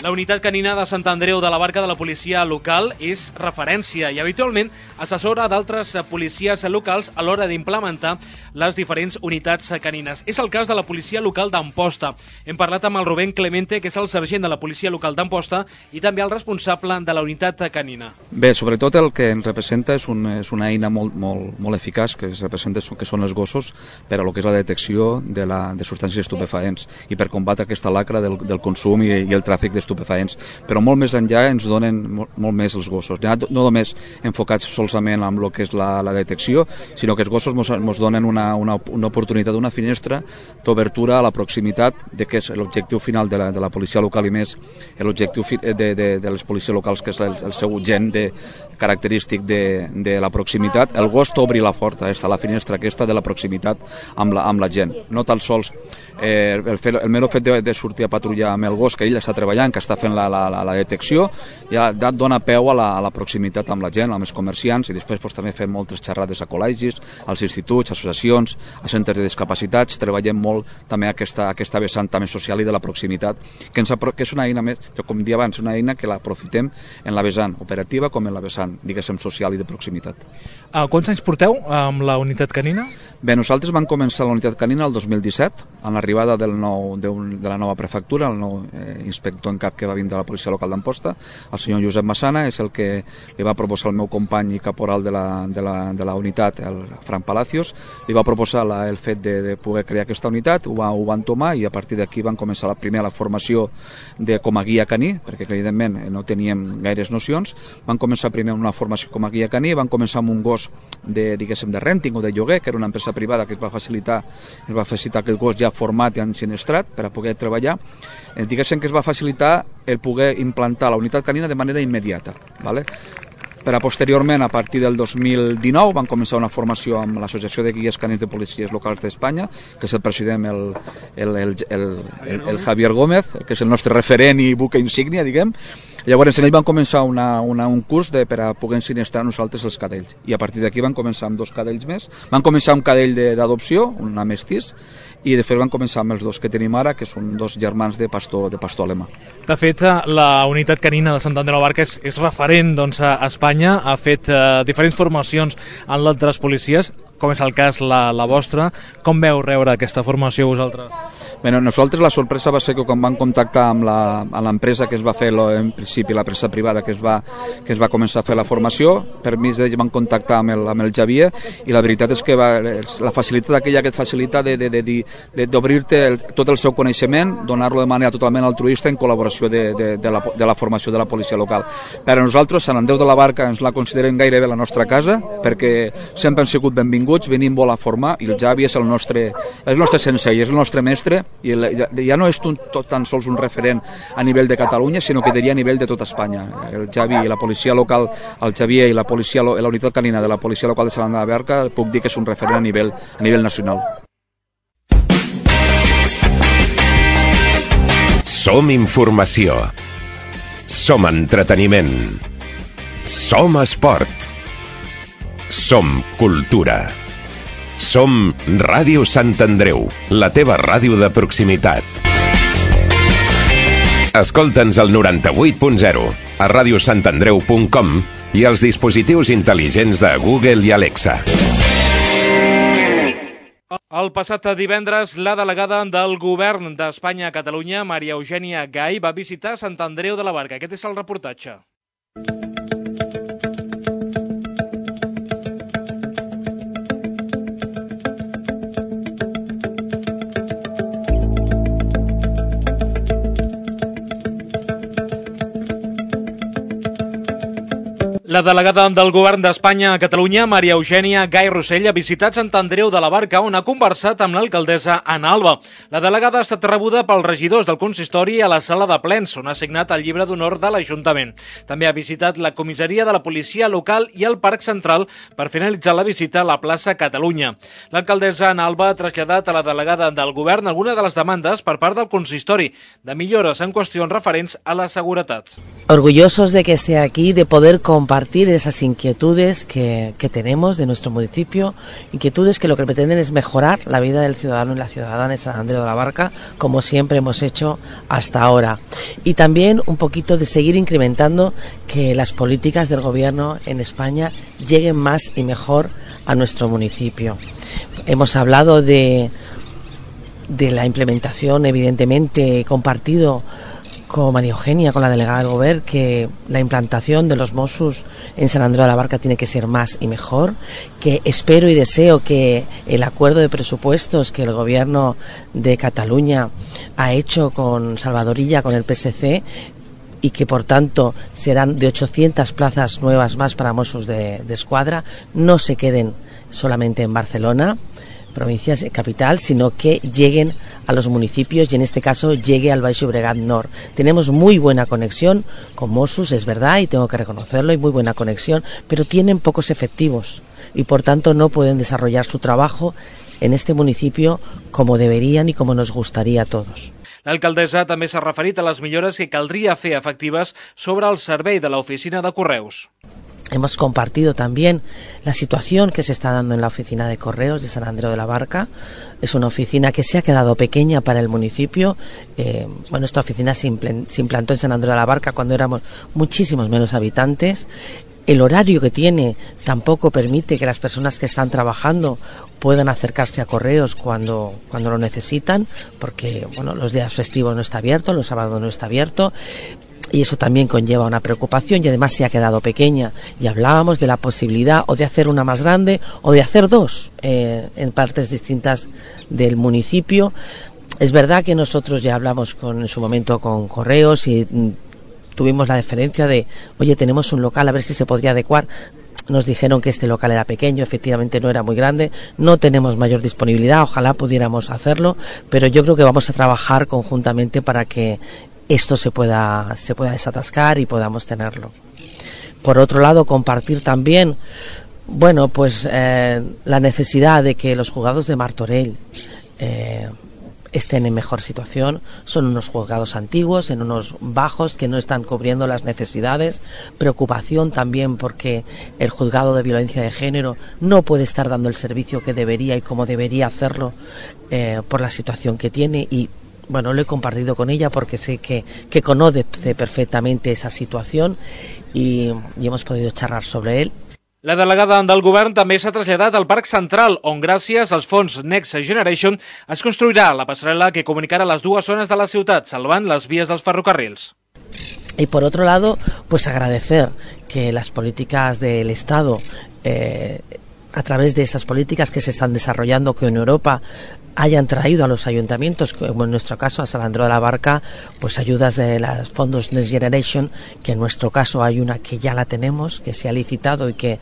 La unitat canina de Sant Andreu de la Barca de la policia local és referència i habitualment assessora d'altres policies locals a l'hora d'implementar les diferents unitats canines. És el cas de la policia local d'Amposta. Hem parlat amb el Rubén Clemente, que és el sergent de la policia local d'Amposta i també el responsable de la unitat canina. Bé, sobretot el que ens representa és una eina molt eficaç, que es representa que són els gossos per a lo que és la detecció de substàncies estupefaents i per combatre aquesta lacra del consum i el tràfic d'estupefaents. Però molt més enllà ens donen molt més els gossos, no només enfocats solament amb el que és la detecció, sinó que els gossos ens donen una oportunitat, una finestra d'obertura a la proximitat de què és l'objectiu final de la policia local i més l'objectiu de les policies locals, que és el seu gen característic de la proximitat. El gos t'obri la porta, la finestra aquesta de la proximitat amb la gent. No tan sols el mero fet de sortir a patrullar amb el gos, que ell està treballant, que està fent la detecció, ja et dona peu a la proximitat amb la gent, amb els comerciants, i després també fem moltes xerrades a col·legis, als instituts, associacions, a centres de discapacitats. Treballem molt també aquesta vessant també social i de la proximitat, que és una eina més, com dia abans, una eina que l'aprofitem en la vessant operativa com en la vessant, diguéssim, social i de proximitat. Quants anys porteu amb la unitat canina? Bé, nosaltres vam començar la unitat canina el 2017, amb l'arribada de la nova prefectura, el nou inspector en cap que va vindre de la policia local d'Amposta, el senyor Josep Massana, és el que li va proposar el meu company i caporal de la unitat, el Frank Palacios, li va proposar el fet de poder crear aquesta unitat, ho van tomar, i a partir d'aquí van començar la formació com a guia caní, perquè evidentment no teníem gaires nocions. Van començar primer una formació com a guia caní, van començar amb un gos de renting o de lloguer, que era una empresa privada que ens va facilitar que el gos ja format i ensinistrat per a poder treballar. Diguéssim que es va facilitar el poder implantar la unitat canina de manera immediata, ¿vale? Per a posteriorment, a partir del 2019, van començar una formació amb l'Associació de Guies Canins de Policies Locals d'Espanya, que és el president, el Javier Gómez, que és el nostre referent i buque insígnia, diguem. Llavors, ells van començar un curs per a poder ensinistrar nosaltres els cadells. I a partir d'aquí van començar amb 2 cadells més. Van començar un cadell d'adopció, un mestís, i de fet van començar amb els 2 que tenim ara, que són 2 germans de pastor alemà. De fet, la unitat canina de Sant Andreu de la Barca és referent a Espanya, ha fet diferents formacions en altres policies, com és el cas la vostra. Com veu rebre aquesta formació vosaltres? Bé, nosaltres la sorpresa va ser que quan vam contactar amb l'empresa que es va fer en principi, l'empresa privada que es va començar a fer la formació, per mi ells van contactar amb el Xavier, i la veritat és que la facilitat aquella que et facilita d'obrir-te tot el seu coneixement, donar-lo de manera totalment altruista en col·laboració de la formació de la policia local. Per a nosaltres, Sant Andreu de la Barca ens la considerem gairebé la nostra casa, perquè sempre han sigut benvinguts, venim molt a formar, i el Xavi és el nostre sensei, és el nostre mestre, i ja no és tan sols un referent a nivell de Catalunya, sinó que diria a nivell de tota Espanya. El Xavi i la policia local, el Xavier i la unitat canina de la policia local de Sant Andreu de la Barca, puc dir que és un referent a nivell nacional. Som informació. Som entreteniment. Som esport. Som cultura. Som Ràdio Sant Andreu, la teva ràdio de proximitat. Escolta'ns al 98.0, a radiosantandreu.com i als dispositius intel·ligents de Google i Alexa. El passat divendres, la delegada del Govern d'Espanya a Catalunya, Maria Eugènia Gai, va visitar Sant Andreu de la Barca. Aquest és el reportatge. La delegada del Govern d'Espanya a Catalunya, Maria Eugènia Gai Rossell, ha visitat Sant Andreu de la Barca, on ha conversat amb l'alcaldessa Ana Alba. La delegada ha estat rebuda pels regidors del consistori a la sala de plens, on ha signat el llibre d'honor de l'Ajuntament. També ha visitat la comissaria de la policia local i el Parc Central per finalitzar la visita a la plaça Catalunya. L'alcaldessa Ana Alba ha traslladat a la delegada del Govern alguna de les demandes per part del consistori de millores en qüestions referents a la seguretat. Orgullosos de que esté aquí, de poder compartir esas inquietudes que tenemos de nuestro municipio, inquietudes que lo que pretenden es mejorar la vida del ciudadano y la ciudadana de San Andreu de la Barca, como siempre hemos hecho hasta ahora. Y también un poquito de seguir incrementando que las políticas del gobierno en España lleguen más y mejor a nuestro municipio. Hemos hablado de la implementación, evidentemente, compartido con María Eugènia, con la delegada del Govern, que la implantación de los Mossos en San Andreu de la Barca tiene que ser más y mejor, que espero y deseo que el acuerdo de presupuestos que el Gobierno de Cataluña ha hecho con Salvador Illa, con el PSC, y que por tanto serán de 800 plazas nuevas más para Mossos de Escuadra, no se queden solamente en Barcelona, provincias capital, sino que lleguen a los municipios y en este caso llegue al Baix Llobregat Nord. Tenemos muy buena conexión con Mossos, es verdad, y tengo que reconocerlo, hay muy buena conexión, pero tienen pocos efectivos y por tanto no pueden desarrollar su trabajo en este municipio como deberían y como nos gustaría a todos. L'alcaldessa també s'ha referit a les millores que caldria fer efectives sobre el servei de l'oficina de correus. Hemos compartido también la situación que se está dando en la oficina de correos de San Andreu de la Barca. Es una oficina que se ha quedado pequeña para el municipio. Esta oficina se implantó en San Andreu de la Barca cuando éramos muchísimos menos habitantes. El horario que tiene tampoco permite que las personas que están trabajando puedan acercarse a correos cuando lo necesitan, porque los días festivos no está abierto, los sábados no está abierto. Y eso también conlleva una preocupación y además se ha quedado pequeña. Y hablábamos de la posibilidad o de hacer una más grande o de hacer dos en partes distintas del municipio. Es verdad que nosotros ya hablamos en su momento con correos y tuvimos la deferencia de, oye, tenemos un local, a ver si se podría adecuar. Nos dijeron que este local era pequeño, efectivamente no era muy grande, no tenemos mayor disponibilidad, ojalá pudiéramos hacerlo, pero yo creo que vamos a trabajar conjuntamente para que esto se pueda desatascar y podamos tenerlo. Por otro lado, compartir también la necesidad de que los juzgados de Martorell estén en mejor situación. Son unos juzgados antiguos, en unos bajos que no están cubriendo las necesidades. Preocupación también porque el juzgado de violencia de género no puede estar dando el servicio que debería y como debería hacerlo por la situación que tiene y lo he compartido con ella porque sé que conoce perfectamente esa situación y hemos podido charlar sobre él. La delegada del Govern també s'ha traslladat al Parc Central, on gràcies als fons Next Generation es construirà la passarel·la que comunicarà les dues zones de la ciutat, salvant les vies dels ferrocarrils. Y por otro lado, agradecer que las políticas del Estado, a través de esas políticas que se están desarrollando, que en Europa hayan traído a los ayuntamientos, como en nuestro caso a San Andreu de la Barca, ayudas de los fondos Next Generation, que en nuestro caso hay una que ya la tenemos, que se ha licitado y que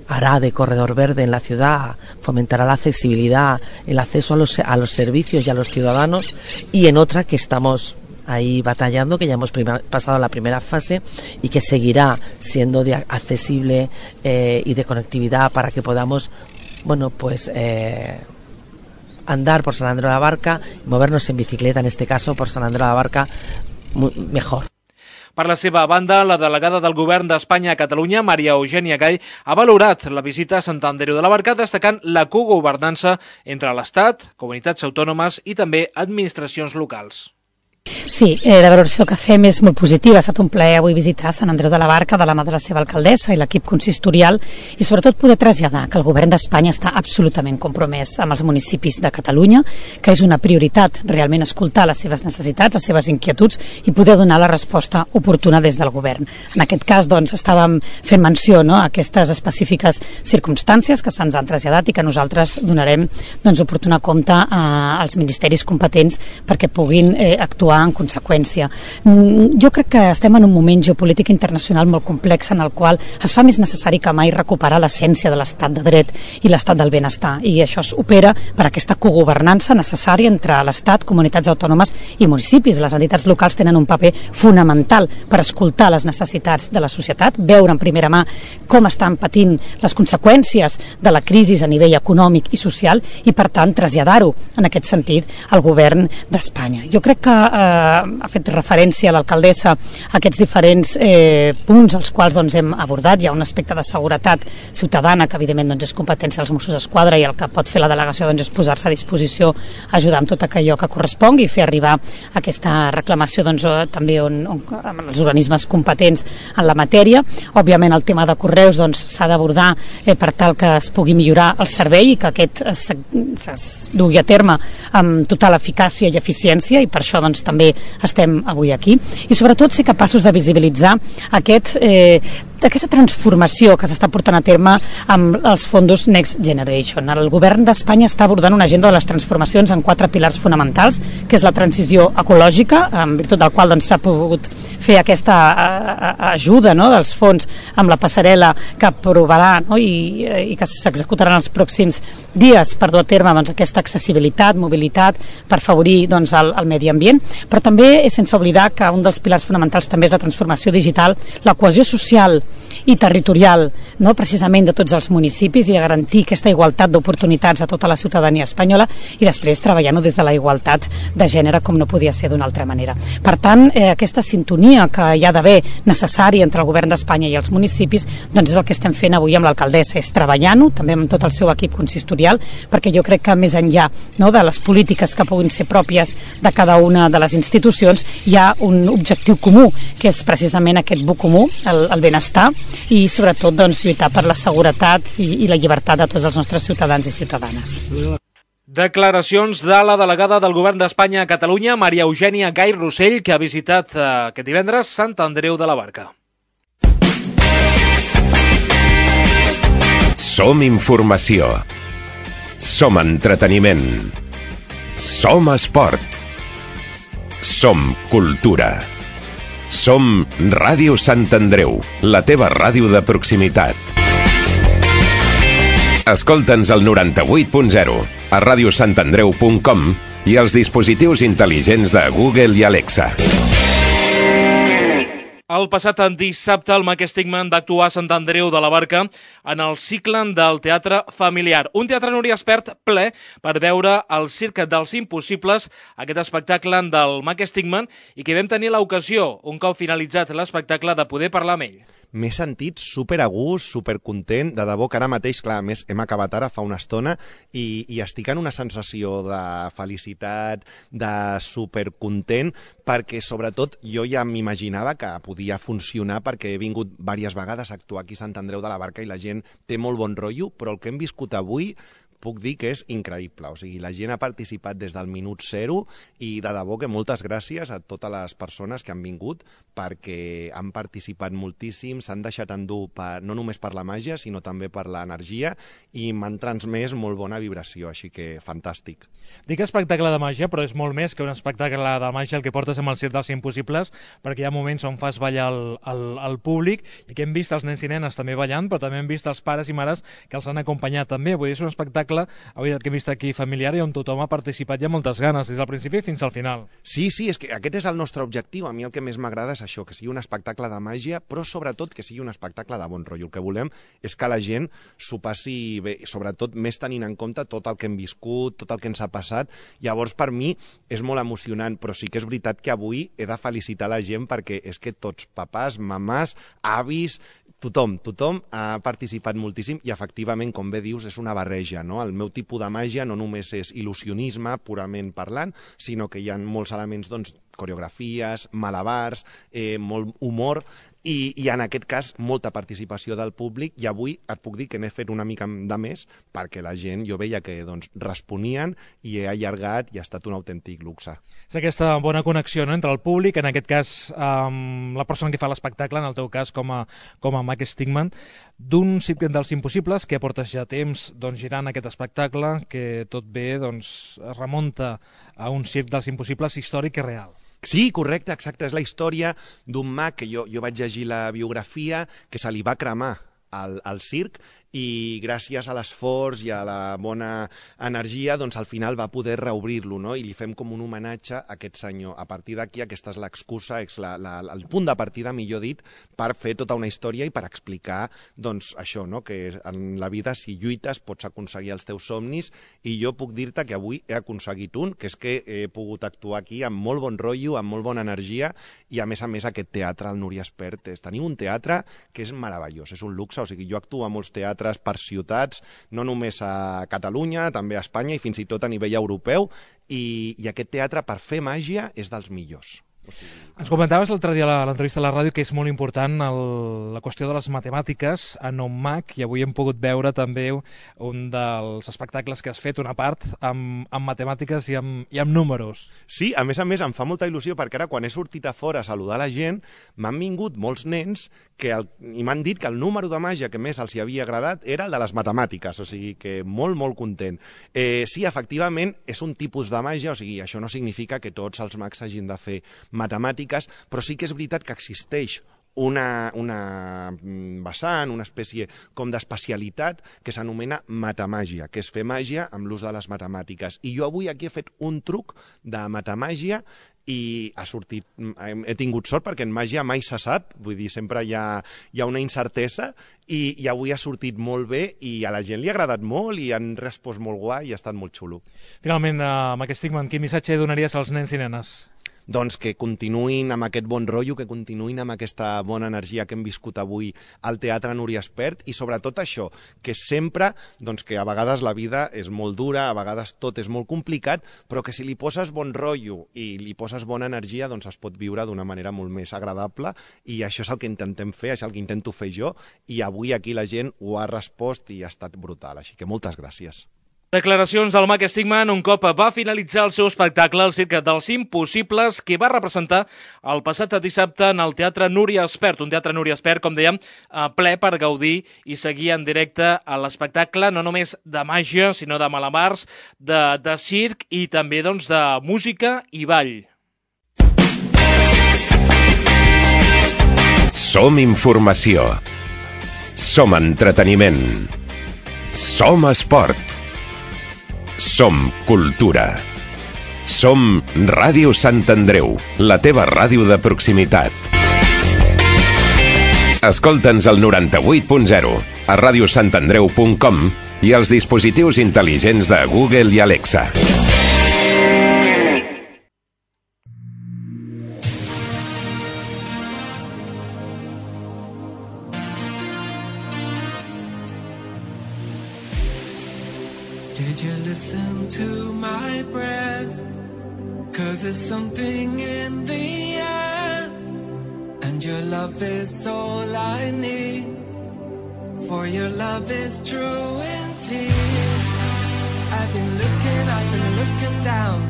hará de corredor verde en la ciudad, fomentará la accesibilidad, el acceso a los servicios y a los ciudadanos, y en otra que estamos ahí batallando, que ya hemos pasado la primera fase y que seguirá siendo accesible y de conectividad para que podamos andar por San Andreu de la Barca y movernos en bicicleta, en este caso por San Andreu de la Barca, mejor. Per la seva banda, la delegada del Govern d'Espanya a Catalunya, Maria Eugènia Gay, ha valorat la visita a Sant Andreu de la Barca, destacant la cogovernança entre l'Estat, comunitats autònomes i també administracions locals. Sí, la valoració que fem és molt positiva. Ha estat un plaer avui visitar Sant Andreu de la Barca de la mà de la seva alcaldessa i l'equip consistorial i sobretot poder traslladar que el govern d'Espanya està absolutament compromès amb els municipis de Catalunya, que és una prioritat realment escoltar les seves necessitats, les seves inquietuds i poder donar la resposta oportuna des del govern. En aquest cas, doncs, estàvem fent menció a aquestes específiques circumstàncies que se'ns han traslladat i que nosaltres donarem oportuna compte als ministeris competents perquè puguin actuar en conseqüència. Jo crec que estem en un moment geopolític internacional molt complex en el qual es fa més necessari que mai recuperar l'essència de l'estat de dret i l'estat del benestar, i això opera per aquesta cogovernança necessària entre l'Estat, comunitats autònomes i municipis. Les entitats locals tenen un paper fonamental per escoltar les necessitats de la societat, veure en primera mà com estan patint les conseqüències de la crisi a nivell econòmic i social i, per tant, traslladar-ho en aquest sentit al govern d'Espanya. Jo crec que ha fet referència a l'alcaldessa a aquests diferents punts als quals hem abordat. Hi ha un aspecte de seguretat ciutadana que evidentment és competència dels Mossos d'Esquadra i el que pot fer la delegació és posar-se a disposició, ajudar amb tot allò que correspongui i fer arribar aquesta reclamació també amb els organismes competents en la matèria. Òbviament el tema de correus s'ha d'abordar per tal que es pugui millorar el servei i que aquest es dugui a terme amb total eficàcia i eficiència, i per això també estem avui aquí, i sobretot ser capaços de visibilitzar aquesta transformació que s'està portant a terme amb els fons Next Generation. El govern d'Espanya està abordant una agenda de les transformacions en 4 pilars fonamentals, que és la transició ecològica, en virtut del qual s'ha pogut fer aquesta ajuda dels fons amb la passarel·la que aprovarà i que s'executarà en els pròxims dies per dur a terme aquesta accessibilitat, mobilitat, per afavorir el medi ambient, però també sense oblidar que un dels pilars fonamentals també és la transformació digital, la cohesió social i territorial, precisament de tots els municipis, i a garantir aquesta igualtat d'oportunitats a tota la ciutadania espanyola, i després treballant-ho des de la igualtat de gènere, com no podia ser d'una altra manera. Per tant, aquesta sintonia que hi ha d'haver necessària entre el govern d'Espanya i els municipis, és el que estem fent avui amb l'alcaldessa, és treballant-ho també amb tot el seu equip consistorial, perquè jo crec que més enllà de les polítiques que puguin ser pròpies de cada una de les institucions, hi ha un objectiu comú, que és precisament aquest bé comú, el benestar, i sobretot lluitar per la seguretat i la llibertat de tots els nostres ciutadans i ciutadanes. Declaracions de la delegada del Govern d'Espanya a Catalunya, Maria Eugènia Gay Rossell, que ha visitat aquest divendres Sant Andreu de la Barca. Som informació. Som entreteniment. Som esport. Som cultura. Som Ràdio Sant Andreu, la teva ràdio de proximitat. Escolta'ns al 98.0, a radiosantandreu.com i als dispositius intel·ligents de Google i Alexa. El passat dissabte, el Mac Stigman va actuar a Sant Andreu de la Barca en el cicle del teatre familiar. Un teatre, Núria Espert, ple per veure el Circ dels Impossibles, aquest espectacle del Mac Stigman, i que vam tenir l'ocasió, un cop finalitzat l'espectacle, de poder parlar amb ell. M'he sentit super a gust, super content, de debò que ara mateix, clar, a més hem acabat ara fa una estona i estic en una sensació de felicitat, de super content, perquè sobretot jo ja m'imaginava que podia funcionar perquè he vingut diverses vegades a actuar aquí a Sant Andreu de la Barca i la gent té molt bon rotllo, però el que hem viscut avui puc dir que és increïble. O sigui, la gent ha participat des del minut 0 i de debò que moltes gràcies a totes les persones que han vingut perquè han participat moltíssim, s'han deixat endur no només per la màgia, sinó també per l'energia i m'han transmès molt bona vibració, així que fantàstic. Dic espectacle de màgia, però és molt més que un espectacle de màgia el que portes amb el Circ dels Impossibles, perquè hi ha moments on fas ballar el públic i que hem vist els nens i nenes també ballant, però també hem vist els pares i mares que els han acompanyat també. Vull dir, és un espectacle espectacle, avui el que hem vist aquí familiar i on tothom ha participat i amb moltes ganes, des del principi fins al final. Sí, és que aquest és el nostre objectiu. A mi el que més m'agrada és això, que sigui un espectacle de màgia, però sobretot que sigui un espectacle de bon rotllo. El que volem és que la gent s'ho passi bé, sobretot més tenint en compte tot el que hem viscut, tot el que ens ha passat. Llavors, per mi, és molt emocionant, però sí que és veritat que avui he de felicitar la gent perquè és que tots, papàs, mamàs, avis, tothom ha participat moltíssim i efectivament, com bé dius, és una barreja, no? El meu tipus de màgia no només és il·lusionisme purament parlant, sinó que hi ha molts elements, doncs, coreografies, malabars, molt humor i en aquest cas molta participació del públic, i avui et puc dir que n'he fet una mica de més perquè la gent, jo veia que doncs, responien i he allargat i ha estat un autèntic luxe. És aquesta bona connexió, no?, entre el públic, en aquest cas la persona que fa l'espectacle, en el teu cas com a Mac Stigman, d'un circ dels impossibles que portes ja temps girant aquest espectacle, que tot bé es remunta a un circ dels impossibles històric i real. Sí, correcte, exacte. És la història d'un mag que jo vaig llegir la biografia, que se li va cremar al circ i gràcies a l'esforç i a la bona energia, doncs al final va poder reobrir-lo, no? I li fem com un homenatge a aquest senyor. A partir d'aquí, aquesta és l'excusa, el punt de partida, millor dit, per fer tota una història i per explicar, doncs, això, no? Que en la vida, si lluites, pots aconseguir els teus somnis, i jo puc dir-te que avui he aconseguit un, que és que he pogut actuar aquí amb molt bon rotllo, amb molt bona energia, i a més aquest teatre, el Núria Espert, teniu un teatre que és meravellós, és un luxe, o sigui, jo actuo a molts teatres per ciutats, no només a Catalunya, també a Espanya i fins i tot a nivell europeu, i aquest teatre per fer màgia és dels millors. Ens comentaves l'altre dia a l'entrevista a la ràdio que és molt important la qüestió de les matemàtiques en un mag, i avui hem pogut veure també un dels espectacles que has fet, una part amb matemàtiques i amb números. Sí, a més em fa molta il·lusió perquè ara quan he sortit a fora a saludar la gent m'han vingut molts nens i m'han dit que el número de màgia que més els hi havia agradat era el de les matemàtiques, o sigui que molt content. Sí, efectivament, és un tipus de màgia, o sigui, això no significa que tots els mags hagin de fer matemàtiques, però sí que és veritat que existeix una vessant, una espècie com d'especialitat que s'anomena matemàgia, que és fer màgia amb l'ús de les matemàtiques. I jo avui aquí he fet un truc de matemàgia i he tingut sort perquè en màgia mai se sap, vull dir, sempre hi ha una incertesa i avui ha sortit molt bé i a la gent li ha agradat molt i han respost molt guai i ha estat molt xulo. Finalment, Mac Stigman, quin missatge donaries als nens i nenes? Doncs que continuïn amb aquest bon rotllo, que continuïn amb aquesta bona energia que hem viscut avui al Teatre Núria Espert i sobretot això, que sempre, doncs que a vegades la vida és molt dura, a vegades tot és molt complicat, però que si li poses bon rotllo i li poses bona energia, doncs es pot viure d'una manera molt més agradable i això és el que intentem fer, això és el que intento fer jo i avui aquí la gent ho ha respost i ha estat brutal, així que moltes gràcies. Declaracions del Mac Stigman un cop va finalitzar el seu espectacle El Circ dels Impossibles, que va representar el passat dissabte en el Teatre Núria Espert. Un Teatre Núria Espert, com dèiem, ple per gaudir i seguir en directe a l'espectacle, no només de màgia, sinó de malabars, de circ i també doncs, de música i ball. Som informació. Som entreteniment. Som esport. Som cultura. Som Ràdio Sant Andreu, la teva ràdio de proximitat. Escolta'ns al 98.0, a radiosantandreu.com i als dispositius intel·ligents de Google i Alexa. Did you listen to my breath? 'Cause there's something in the air, and your love is all I need, for your love is true indeed. I've been looking down,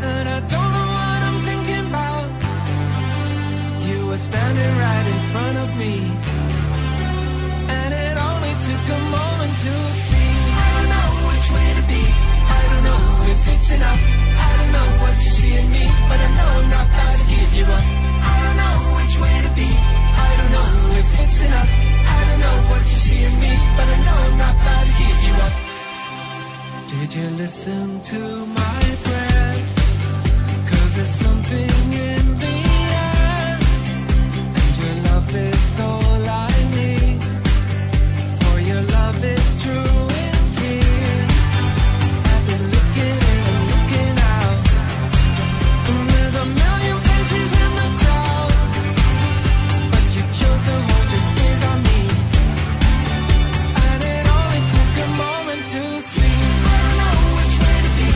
and I don't know what I'm thinking about. You were standing right in front of me, and it only took a moment to see. Way to be. I don't know if it's enough. I don't know what you see in me, but I know I'm not about to give you up. I don't know which way to be. I don't know if it's enough. I don't know what you see in me, but I know I'm not about to give you up. listen to my breath, 'cause there's something in the air, and your love is all I need, for your love is true indeed. I've been looking and looking out, and there's a million faces in the crowd, but you chose to hold your gaze on me, and it only took a moment to see. I don't know which way to be,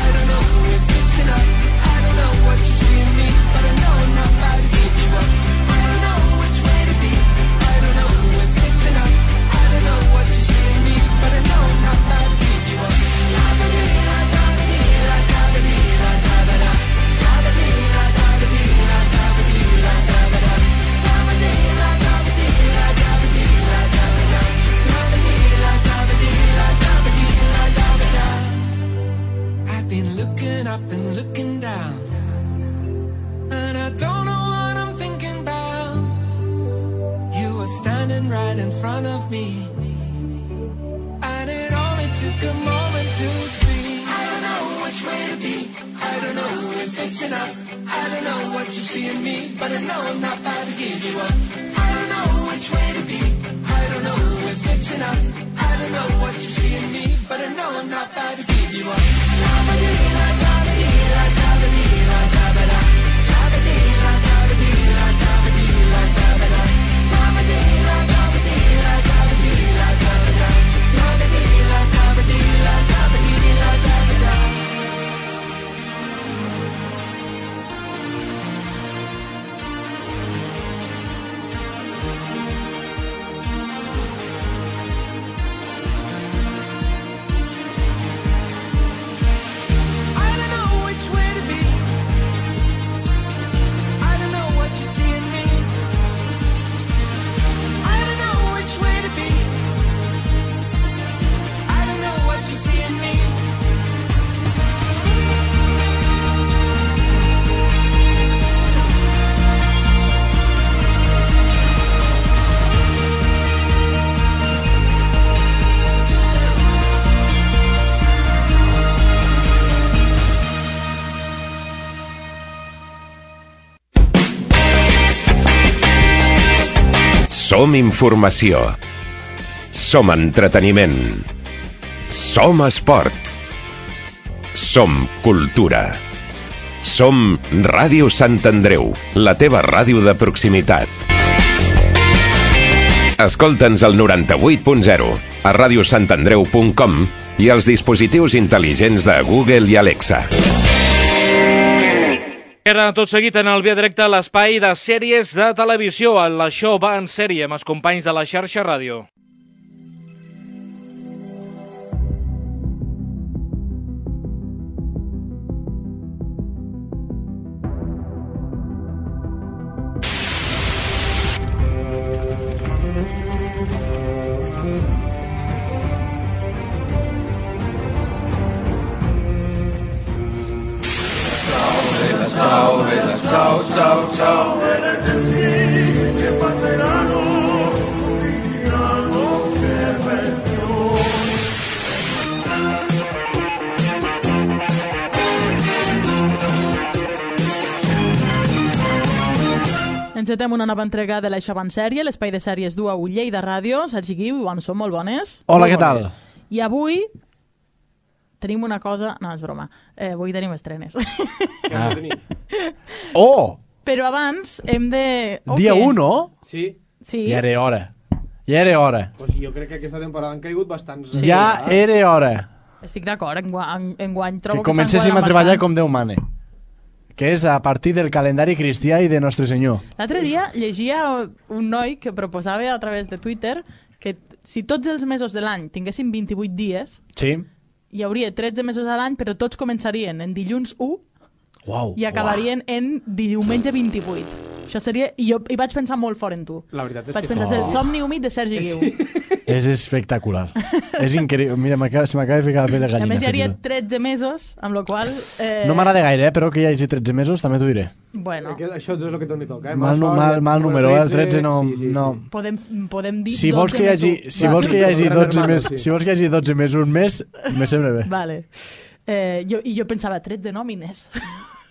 I don't know if it's enough, I don't know what you see in me, but I know I'm not about to give you up. I don't know which way to be, I don't know if it's enough, I don't know what you see in me, but I know I'm not about to give you up. I've been looking up and looking down, and I don't know what I'm thinking about. You were standing right in front of me, and it only took a moment to see. I don't know which way to be, I don't know if it's enough, I don't know what you see in me, but I know I'm not about to give you up. I don't know which way to be, I don't know if it's enough, I don't know what you see in me, but I know I'm not about to give you up. Som informació. Som entreteniment. Som esport. Som cultura. Som Ràdio Sant Andreu, la teva ràdio de proximitat. Escolta'ns al 98.0, a radiosantandreu.com i als dispositius intel·ligents de Google i Alexa. Era tot seguit en el Via Directe l'espai de sèries de televisió. Això va en sèrie amb els companys de la xarxa ràdio. Ciao, ciao, ciao. Encetem una nova entrega de l'Això va en sèrie, l'espai de sèries du a Lleida Ràdio. Sergi Guiu i Joan són molt bones. Hola, què tal? I avui tenim una cosa... No, és broma. Avui tenim estrenes. Ah. Oh! Però abans hem de... Dia 1, no? Sí. Sí. Ja era hora. Ja era hora. Pues jo crec que aquesta temporada han caigut bastants... Sí. Ja era hora. Estic d'acord, enguany trobo que comencéssim a treballar com Déu mane. Que és a partir del calendari cristià i de Nostre Senyor. L'altre dia llegia un noi que proposava a través de Twitter que si tots els mesos de l'any tinguessin 28 dies, sí, hi hauria 13 mesos a l'any, però tots començarien en dilluns 1 Uau, i acabarien en diumenge 28. Això seria... I jo hi vaig pensar molt fort en tu. La veritat és vaig que pensar, sí. el somni humit de Sergi Guiu. És espectacular. És increïble. Mira, se m'acaba de ficar la pell de A gallina. més, hi hauria 13 mesos, amb la qual... No m'agrada gaire, però que hi hagi 13 mesos, també t'ho diré. Bueno. Això és el que t'hi toca. Mal número, el 13 no... Podem dir si vols que hi hagi 12 mesos un mes, me sembla bé. Vale. Jo pensava 13 nòmines.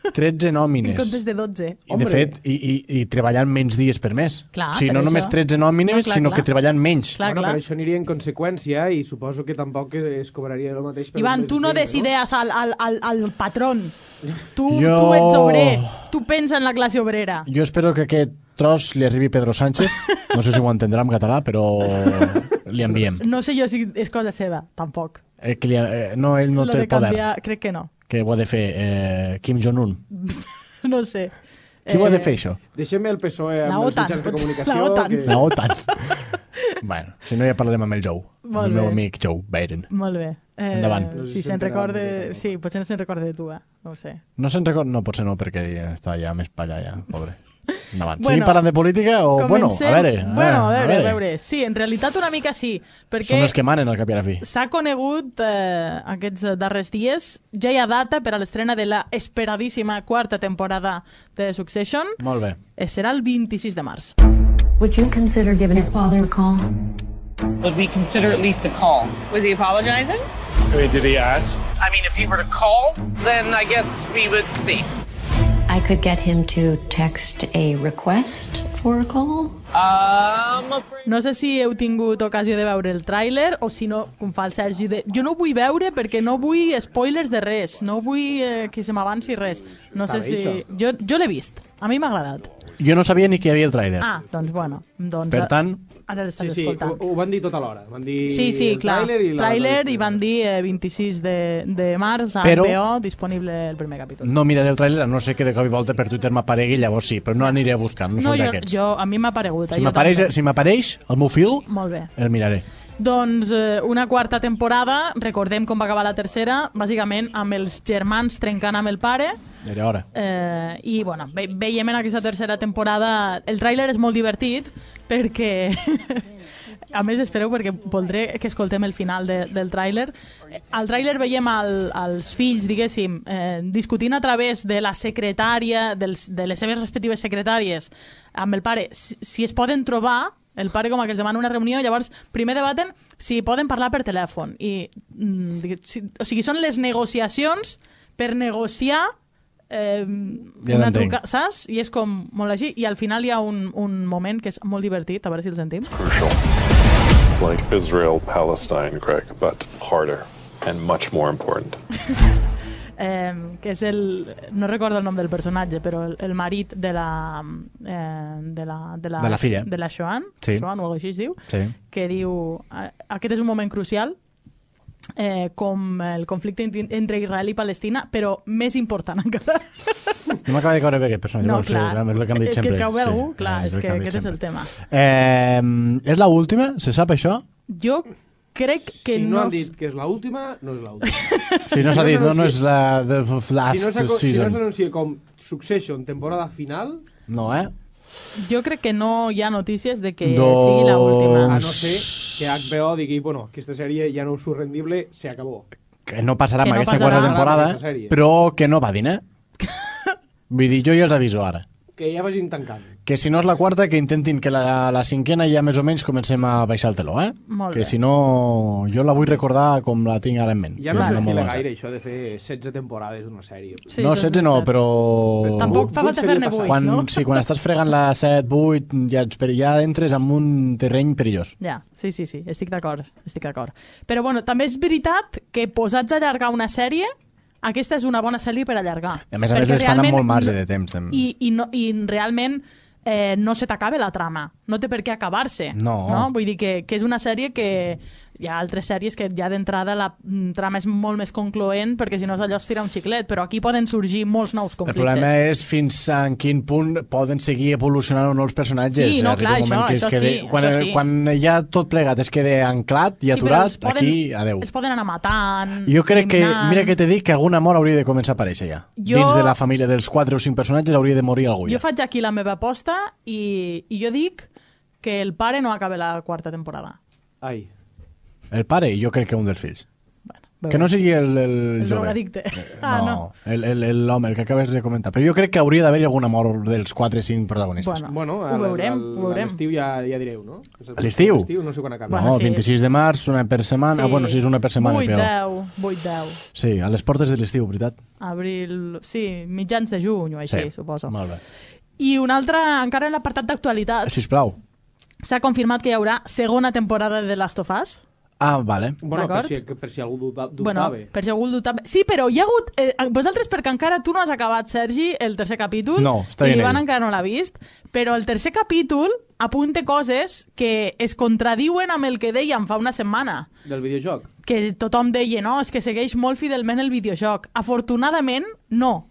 13 nòmines. En comptes de 12. I de fet, i treballant menys dies per mes. Clar, o sigui, no per només això. 13 nòmines, sinó que treballant menys. Però això aniria en conseqüència i suposo que tampoc es cobraria el mateix. Ivan, tu no decidees al patrón. Tu Jo- ets obrer. Tu pensa en la classe obrera. Jo espero que aquest tros li arribi Pedro Sánchez. No sé si ho entendrà en català, però li enviem. No sé jo si és cosa seva, tampoc. No, ell no Lo té de el poder. canviar, crec que no. Que ho ha de fer Kim Jong-un. No sé. Qui ho ha de fer, això? Deixem el PSOE La amb els OTAN, mitjans de potser. comunicació. La OTAN. La OTAN. Bueno, si no ja parlarem amb el Joe. Molt el meu bé. amic Joe Biden. Molt bé. Endavant. Si se'n recorde... Sí, potser no se'n recorde de tu, no ho sé. No se'n recorda? No, potser no, perquè està ja més per allà, ja, pobre. Endavant. Bueno, Seguim parlant de política o... Comencem... Bueno, a veure. Sí, en realitat una mica sí, perquè... Són els que manen al cap i a la fi. s'ha conegut aquests darrers dies, ja hi ha data per a l'estrena de la esperadíssima quarta temporada de Succession. Molt bé. Serà el 26 de març. Would you consider giving your father a call? Would we consider at least a call? Was he apologizing? I mean, did he ask? I mean, if he were to call, then I guess we would see. I could get him to text a request for a call. No sé si heu tingut ocasió de veure el tràiler o si no, com fa el Sergi, jo no vull veure perquè no vull spoilers de res, no vull que se m'avanci res. No sé si... Jo l'he vist, a mi m'ha agradat. Jo no sabia ni que hi havia el tràiler. Doncs bueno. Per tant... Ara l'estàs Sí, escoltant. ho van dir tot alhora. Van dir Sí, el clar. tràiler I van dir 26 de març a Però- HBO, disponible el primer capítol. No miraré el tràiler, a no sé que de cop i volta per Twitter m'aparegui, llavors sí, però no aniré a buscar, no són d'aquests. a mi m'ha aparegut. Si m'apareix el meu fil, Molt bé. el miraré. Doncs una quarta temporada, recordem com va acabar la tercera, bàsicament amb els germans trencant amb el pare. Era hora. I bueno, veiem en aquesta tercera temporada, el tràiler és molt divertit perquè a més espereu perquè voldré que escoltem el final del tràiler. Al tràiler veiem els fills, diguéssim, discutint a través de la secretària, de les seves respectives secretàries amb el pare, si es poden trobar. El pare com que els demana una reunió, llavors primer debaten si poden parlar per telèfon. O sigui, són les negociacions per negociar una truca, saps? I és com molt així. I al final hi ha un moment que és molt divertit, a veure si el sentim. Like Israel, Palestine, Greg, but harder and much more important. Que és no recordo el nom del personatge, però el marit de la filla. de la Shoan, Sí. Shoan o alguna cosa així es diu, Sí. que diu aquest és un moment crucial com el conflicte entre Israel i Palestina, però més important encara. No m'acaba de caure bé aquest personatge. No, no sé, clar, és el que hem dit és que sempre. et cau bé algú, clar, és el que hem dit aquest és sempre. el tema. És l'última? Se sap això? Jo crec que Si no no... han dit que és l'última, no és l'última. Si no s'ha dit, no és la de last Si no season. s'anuncia com Succession, temporada final... No, Jo crec que no hi ha notícies de que Doncs- sigui l'última. A no ser que HBO digui, bueno, aquesta sèrie ja no és rendible, se acabó. Que no passarà Que amb no aquesta passarà. quarta temporada, Aquesta sèrie. però que no va dir, Vull dir, jo ja els aviso ara. Que ja vagin tancant. Que si no és la quarta, que intentin que la cinquena ja més o menys comencem a baixar el teló, Molt que bé. si no, jo la vull recordar com la tinc ara en ment. Ja que no és una s'estila molt bona gaire això de fer 16 temporades d'una sèrie. Sí, no, això és 16 no, veritat. però... Tampoc fa falta fer-ne 8, quan, no? Sí, quan estàs fregant la 7, 8, ja entres en un terreny perillós. Ja, sí, estic d'acord. Però bueno, també és veritat que posats a allargar una sèrie, aquesta és una bona sèrie per allargar. A més, Perquè les fan amb realment molt marge de temps. També. I realment no se t'acaba la trama. No té per què acabar-se. No. Vull dir que és una sèrie que hi ha altres sèries que ja d'entrada la trama és molt més concloent, perquè si no és allò es tira un xiclet, però aquí poden sorgir molts nous conflictes. El problema és fins en quin punt poden seguir evolucionant o no els personatges. Sí, no, clar, això sí. Quan ja tot plegat es queda anclat i aturat, aquí, adeu. Els poden anar matant, jo crec que, mira que t'he dit que algun amor hauria de començar a aparèixer ja. Dins de la família dels 4 o 5 personatges hauria de morir algú ja. Jo faig aquí la meva aposta i jo dic que el pare no acaba la 4ª temporada. Ai. El pare? Jo crec que un dels fills. Que no sigui el jove. Drogadicte. No, l'home, el que acabes de comentar. Però jo crec que hauria d'haver-hi algun amor dels 4 o 5 protagonistes. Bueno, ho veurem. A l'estiu ja direu, no? A l'estiu? No sé quan acaba. No, 26 de març, una per setmana. Bueno, sí, és una per setmana. 8-10. Sí, a les portes de l'estiu, veritat? Abril, sí, mitjans de juny o així, suposo. Molt bé. I una altra, encara en l'apartat d'actualitat. Sisplau. S'ha confirmat que hi haurà segona temporada de The Last of Us. Ah, vale. Bueno, per si algú dubtava. Bueno, per si algú dubtava. Sí, però hi ha hagut... vosaltres, perquè encara tu no has acabat, Sergi, el tercer capítol. No, està i Ivan encara no l'ha vist. Però el tercer capítol apunta coses que es contradiuen amb el que dèiem fa una setmana. Del videojoc? Que tothom deia, no, és que segueix molt fidelment el videojoc. Afortunadament, no.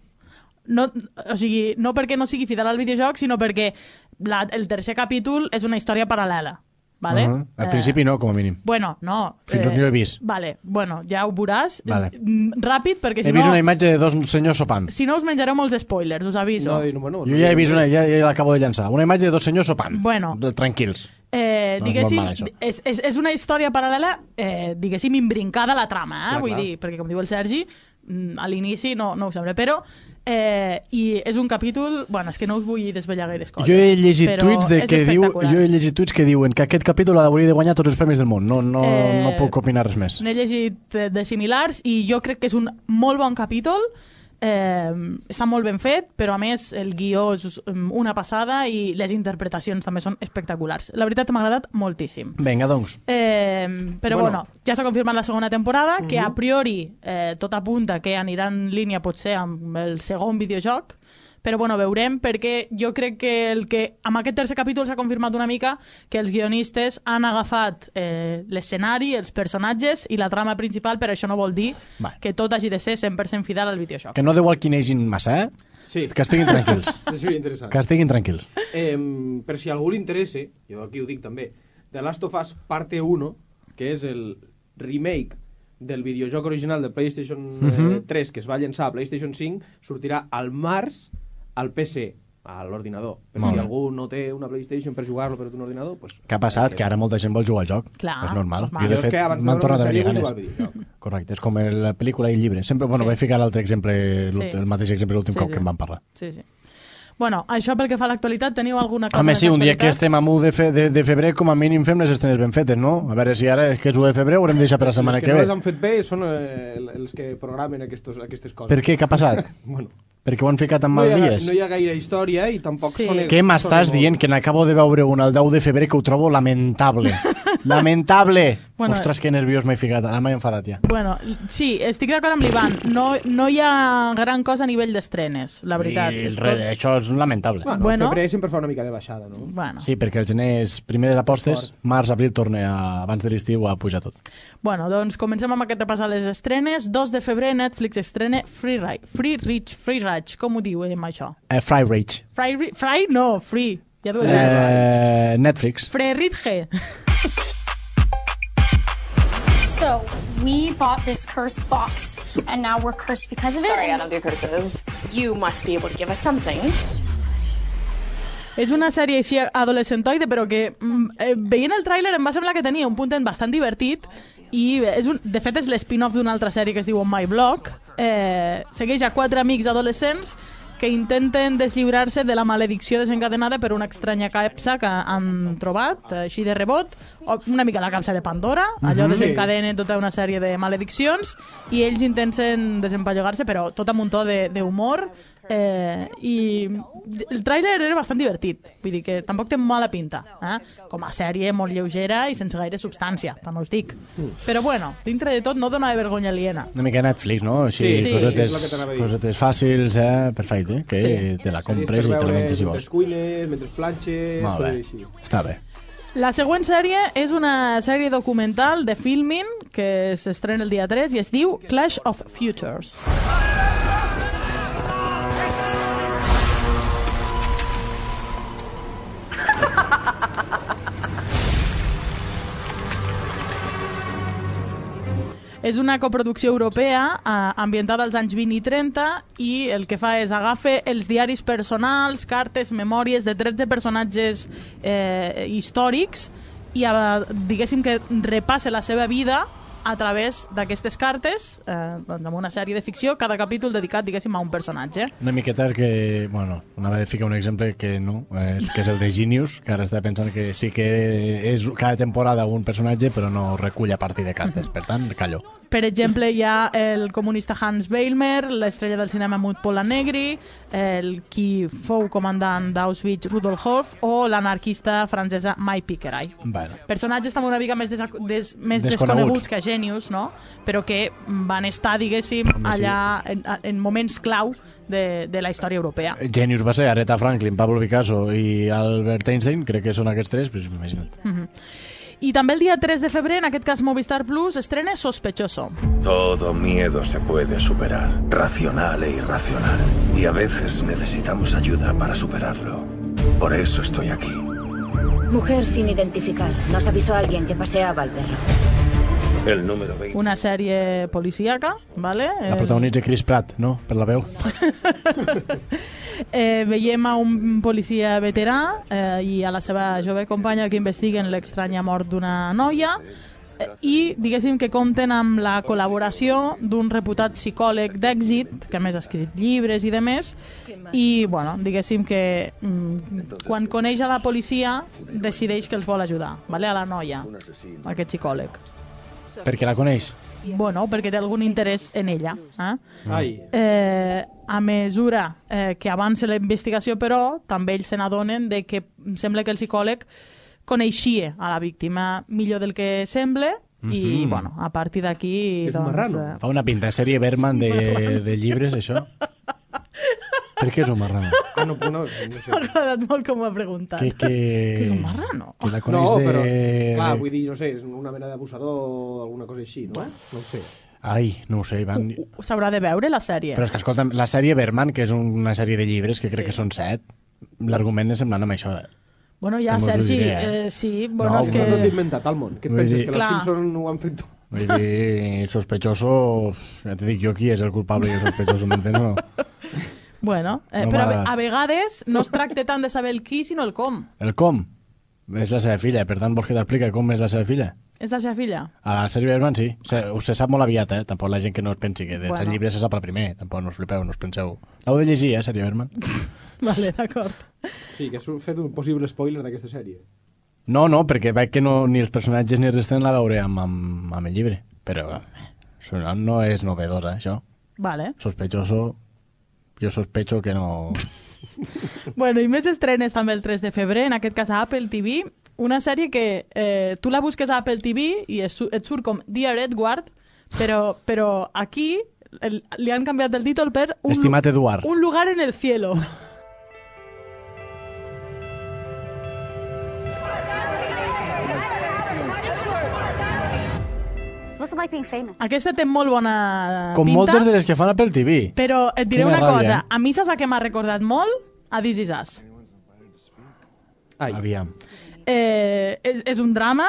O sigui, no perquè no sigui fidel al videojoc, sinó perquè el tercer capítol és una història paral·lela. Vale? Al principi no, com a mínim. Bueno, no. Fins on jo he vist. Vale, bueno, ja ho veuràs. Vale. Ràpid, perquè si no... He vist una imatge de 2 senyors sopant. Si no us menjareu molts spoilers, us aviso. No, jo ja he vist una, ja l'acabo de llançar. Una imatge de 2 senyors sopant. Bueno. Tranquils. Diguéssim, és una història paral·lela, diguéssim, imbrincada a la trama, vull dir, perquè com diu el Sergi, a l'inici no ho sembla, però i és un capítol, bueno, és que no us vull desvetllar gaires coses, jo he llegit tuits que diuen que aquest capítol hauria de guanyar tots els premis del món, no puc opinar res més. N'he llegit de similars i jo crec que és un molt bon capítol, està molt ben fet, però a més el guió és una passada i les interpretacions també són espectaculars. La veritat m'ha agradat moltíssim. Vinga, doncs. Però bueno, ja s'ha confirmat la segona temporada, que a priori tot apunta que anirà en línia potser amb el segon videojoc, però bueno, veurem, perquè jo crec que amb aquest tercer capítol s'ha confirmat una mica que els guionistes han agafat l'escenari, els personatges i la trama principal, però això no vol dir que tot hagi de ser 100% fidel al videojoc. Que no deu alquinegin massa, Sí. Que estiguin tranquils. Sí, interessant. Que estiguin tranquils. Per si a algú li interessa, jo aquí ho dic també, The Last of Us parte 1, que és el remake del videojoc original de PlayStation 3 que es va llançar a PlayStation 5, sortirà al març al PC, a l'ordinador. Per si algú no té una PlayStation per jugar-lo per un ordinador, pues... Què ha passat? Que ara molta gent vol jugar al joc. Clar, és normal. normal. Jo, de fet, m'han tornat a venir ganes. Correcte, és com la pel·lícula i el llibre. Sempre, bueno, vaig ficar l'altre exemple, el mateix exemple l'últim cop que em van parlar. Sí. Bueno, això pel que fa a l'actualitat, teniu alguna cosa... Home, sí, un dia que estem a 1 de febrer, com a mínim fem les estrenes ben fetes, no? A veure si ara, que és 1 de febrer, ho haurem de deixar per la setmana que ve. Els que no les han fet bé són els que programen aquestes coses. Per què? Què ha passat? Bueno... Perquè ho han ficat en mal dies. No hi ha gaire història i tampoc són... Què m'estàs dient? Que n'acabo de veure un el 10 de febrer que ho trobo lamentable. Lamentable! Bueno, ostres, que nerviós m'he ficat. Ara m'he enfadat ja. Bueno, sí, estic d'acord amb l'Ivan. No hi ha gran cosa a nivell d'estrenes, la veritat. Això és lamentable. Bueno, el febrer sempre fa una mica de baixada, no? Bueno. Sí, perquè el gener és primer de l'apostes, març, abril torna abans de l'estiu a pujar tot. Bueno, doncs comencem amb aquest repàs a les estrenes. 2 de febrer Netflix estrena Free Rage, com ho diu això? Free Rage. Free? No, Free. Ja Netflix. Free Rage. So, we bought this cursed box, and now we're cursed because of it. Sorry, I don't do curses. You must be able to give us something. És una sèrie així adolescentoide, però que veient el tràiler em va semblar que tenia un punt bastant divertit i de fet és l'spin-off d'una altra sèrie que es diu On My Block. Segueix a 4 amics adolescents que intenten deslliurar-se de la maledicció desencadenada per una estranya capsa que han trobat, així de rebot, una mica la capsa de Pandora, allò desencadena tota una sèrie de malediccions, i ells intenten desempallogar-se, però tot amb un to d'humor, i el tràiler era bastant divertit, vull dir que tampoc té mala pinta, com a sèrie molt lleugera i sense gaire substància, també us dic, però bueno, dintre de tot no dona vergonya aliena. Una mica Netflix, no? Així, cosetes fàcils, perfecte, que te la compres i te la menges si vols. Mentre cuines, mentre planxes... Molt bé, està bé. La següent sèrie és una sèrie documental de Filmin que s'estrena el dia 3 i es diu Clash of Futures. És una coproducció europea ambientada als anys 20 i 30 i el que fa és agafa els diaris personals, cartes, memòries de 13 personatges històrics i diguéssim que repassa la seva vida a través d'aquestes cartes, amb una sèrie de ficció, cada capítol dedicat, diguéssim, a un personatge. Una miqueta que, bueno, anava a ficar un exemple que no, que és el de Genius, que ara està pensant que sí que és cada temporada un personatge, però no recull a partir de cartes, per tant, callo. Per exemple, hi ha el comunista Hans Weilmer, l'estrella del cinema Mut Polanegri, el qui fou comandant d'Auschwitz Rudolf Hof o l'anarquista francesa Mai Picqueray. Bueno. Personatges també una mica més desconeguts que Genius, no? Però que van estar, diguéssim, allà en moments clau de la història europea. Genius va ser Aretha Franklin, Pablo Picasso i Albert Einstein, crec que són aquests tres, pues imagina't. I també el dia 3 de febrer, en aquest cas Movistar Plus, estrena Sospechoso. Todo miedo se puede superar, racional e irracional. Y a veces necesitamos ayuda para superarlo. Por eso estoy aquí. Mujer sin identificar. Nos avisó alguien que paseaba al perro. El número 20. Una sèrie policíaca, ¿vale? La protagonitza Chris Pratt, no? Per la veu. Veiem a un policia veterà i a la seva jove companya que investiguen l'estranya mort d'una noia i diguéssim que compten amb la col·laboració d'un reputat psicòleg d'èxit que a més ha escrit llibres i demés i bueno, diguéssim que quan coneix a la policia decideix que els vol ajudar, ¿vale? A la noia, aquest psicòleg. Perquè la coneix? Bueno, perquè té algun interès en ella. A mesura que avança la investigació, però, també ells se n'adonen de que sembla que el psicòleg coneixia a la víctima millor del que sembla i, bueno, a partir d'aquí... És un marrano. Fa una pinta de sèrie Berman de llibres, això. Per què és un marrano? No sé. M'ha agradat molt com ho ha preguntat. Que és un marrano? Que la coneix però, clar, vull dir, no sé, és una mena d'abusador o alguna cosa així, no? No ho sé. Ai, no ho sé, Ivan. S'haurà de veure la sèrie. Però és que, escolta'm, la sèrie Berman, que és una sèrie de llibres, que crec que són 7, l'argument és semblant amb això. Bueno, ja, Sergi, sí, bueno, és que... No t'he inventat al món. Què et penses, que els Simpsons ho han fet tu? Vull dir, sospechoso, ja t'he dit jo qui és el culpable i el sospechoso, m'entens o no? Bueno, però a vegades no es tracta tant de saber el qui, sinó el com. El com? És la seva filla, per tant vols que t'expliqui com és la seva filla? És la seva filla? A la sèrie Berman sí, se sap molt aviat, tampoc la gent que no es pensi que dels llibres se sap el primer, tampoc no us flipeu, no us penseu. L'heu de llegir, sèrie Berman. Vale, d'acord. Sí, que has fet un possible spoiler d'aquesta sèrie. No, perquè veig que ni els personatges ni res tenen la veure amb el llibre, però no és novedosa, això. Vale. Sospechoso... Jo sospecho que no... Bueno, i més estrenes també el 3 de febrer, en aquest cas a Apple TV, una sèrie que tu la busques a Apple TV i et surt com Dear Edward, però aquí li han canviat el títol per Estimat Eduard. Un lugar en el cielo. Aquesta té molt bona pinta. Com moltes de les que fan Apple TV. Però et diré una cosa, a mi saps que m'ha recordat molt? A This Is Us. Aviam. És un drama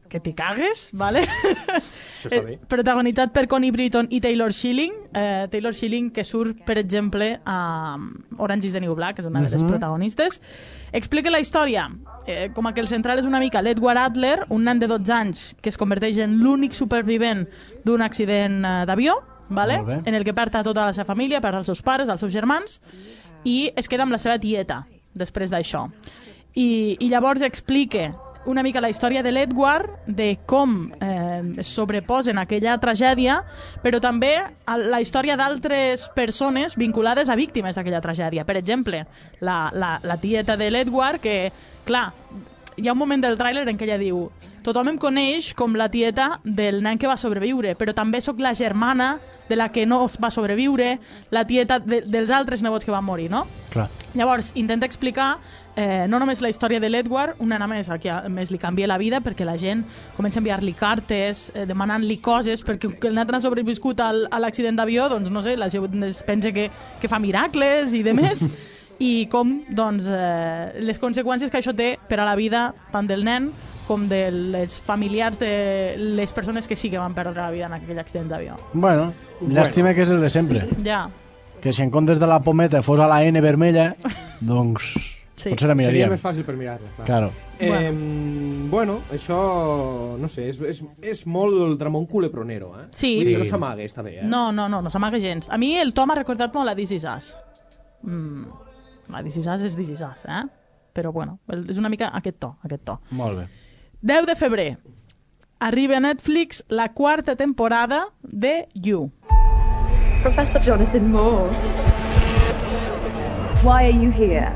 que t'hi cagues, ¿vale? Això està bé. Protagonitzat per Connie Britton i Taylor Schilling. Taylor Schilling, que surt, per exemple, a Orange is the New Black, és una de les protagonistes. Explica la història. Com que el central és una mica l'Edward Adler, un nen de 12 anys que es converteix en l'únic supervivent d'un accident d'avió, ¿vale? En el que perd a tota la seva família, perd els seus pares, els seus germans, i es queda amb la seva tieta després d'això. I llavors explica una mica la història de l'Edward, de com es sobreposen a aquella tragèdia, però també la història d'altres persones vinculades a víctimes d'aquella tragèdia. Per exemple, la tieta de l'Edward, que, clar, hi ha un moment del tràiler en què ella diu: tothom em coneix com la tieta del nen que va sobreviure, però també sóc la germana de la que no va sobreviure, la tieta dels altres nebots que van morir, no? Clar. Llavors, intenta explicar no només la història de l'Edward, una nena més, que a més li canvia la vida perquè la gent comença a enviar-li cartes, demanant-li coses, perquè el nen ha sobreviscut a l'accident d'avió, doncs no sé, la gent es pensa que fa miracles i demés, i com, doncs, les conseqüències que això té per a la vida tant del nen com de les familiars de les persones que sí que van perdre la vida en aquell accident d'avió. Bueno, llàstima que és el de sempre. Ja. Que si en comptes de la pometa fos a la N vermella, doncs sí. potser la miraríem. Seria més fàcil per mirar-la. Claro. Bueno, això, no sé, és molt el Ramon Culepronero, eh? Sí. Vull dir, no s'amaga, està bé, eh? No s'amaga gens. A mi el to m'ha recordat molt a This Is Us. La This Is Us és This Is Us, eh? Però bueno, és una mica aquest to. Molt bé. 10 de febrer. Arriba a Netflix la 4ª temporada de You. Professor Jonathan Moore. Why are you here?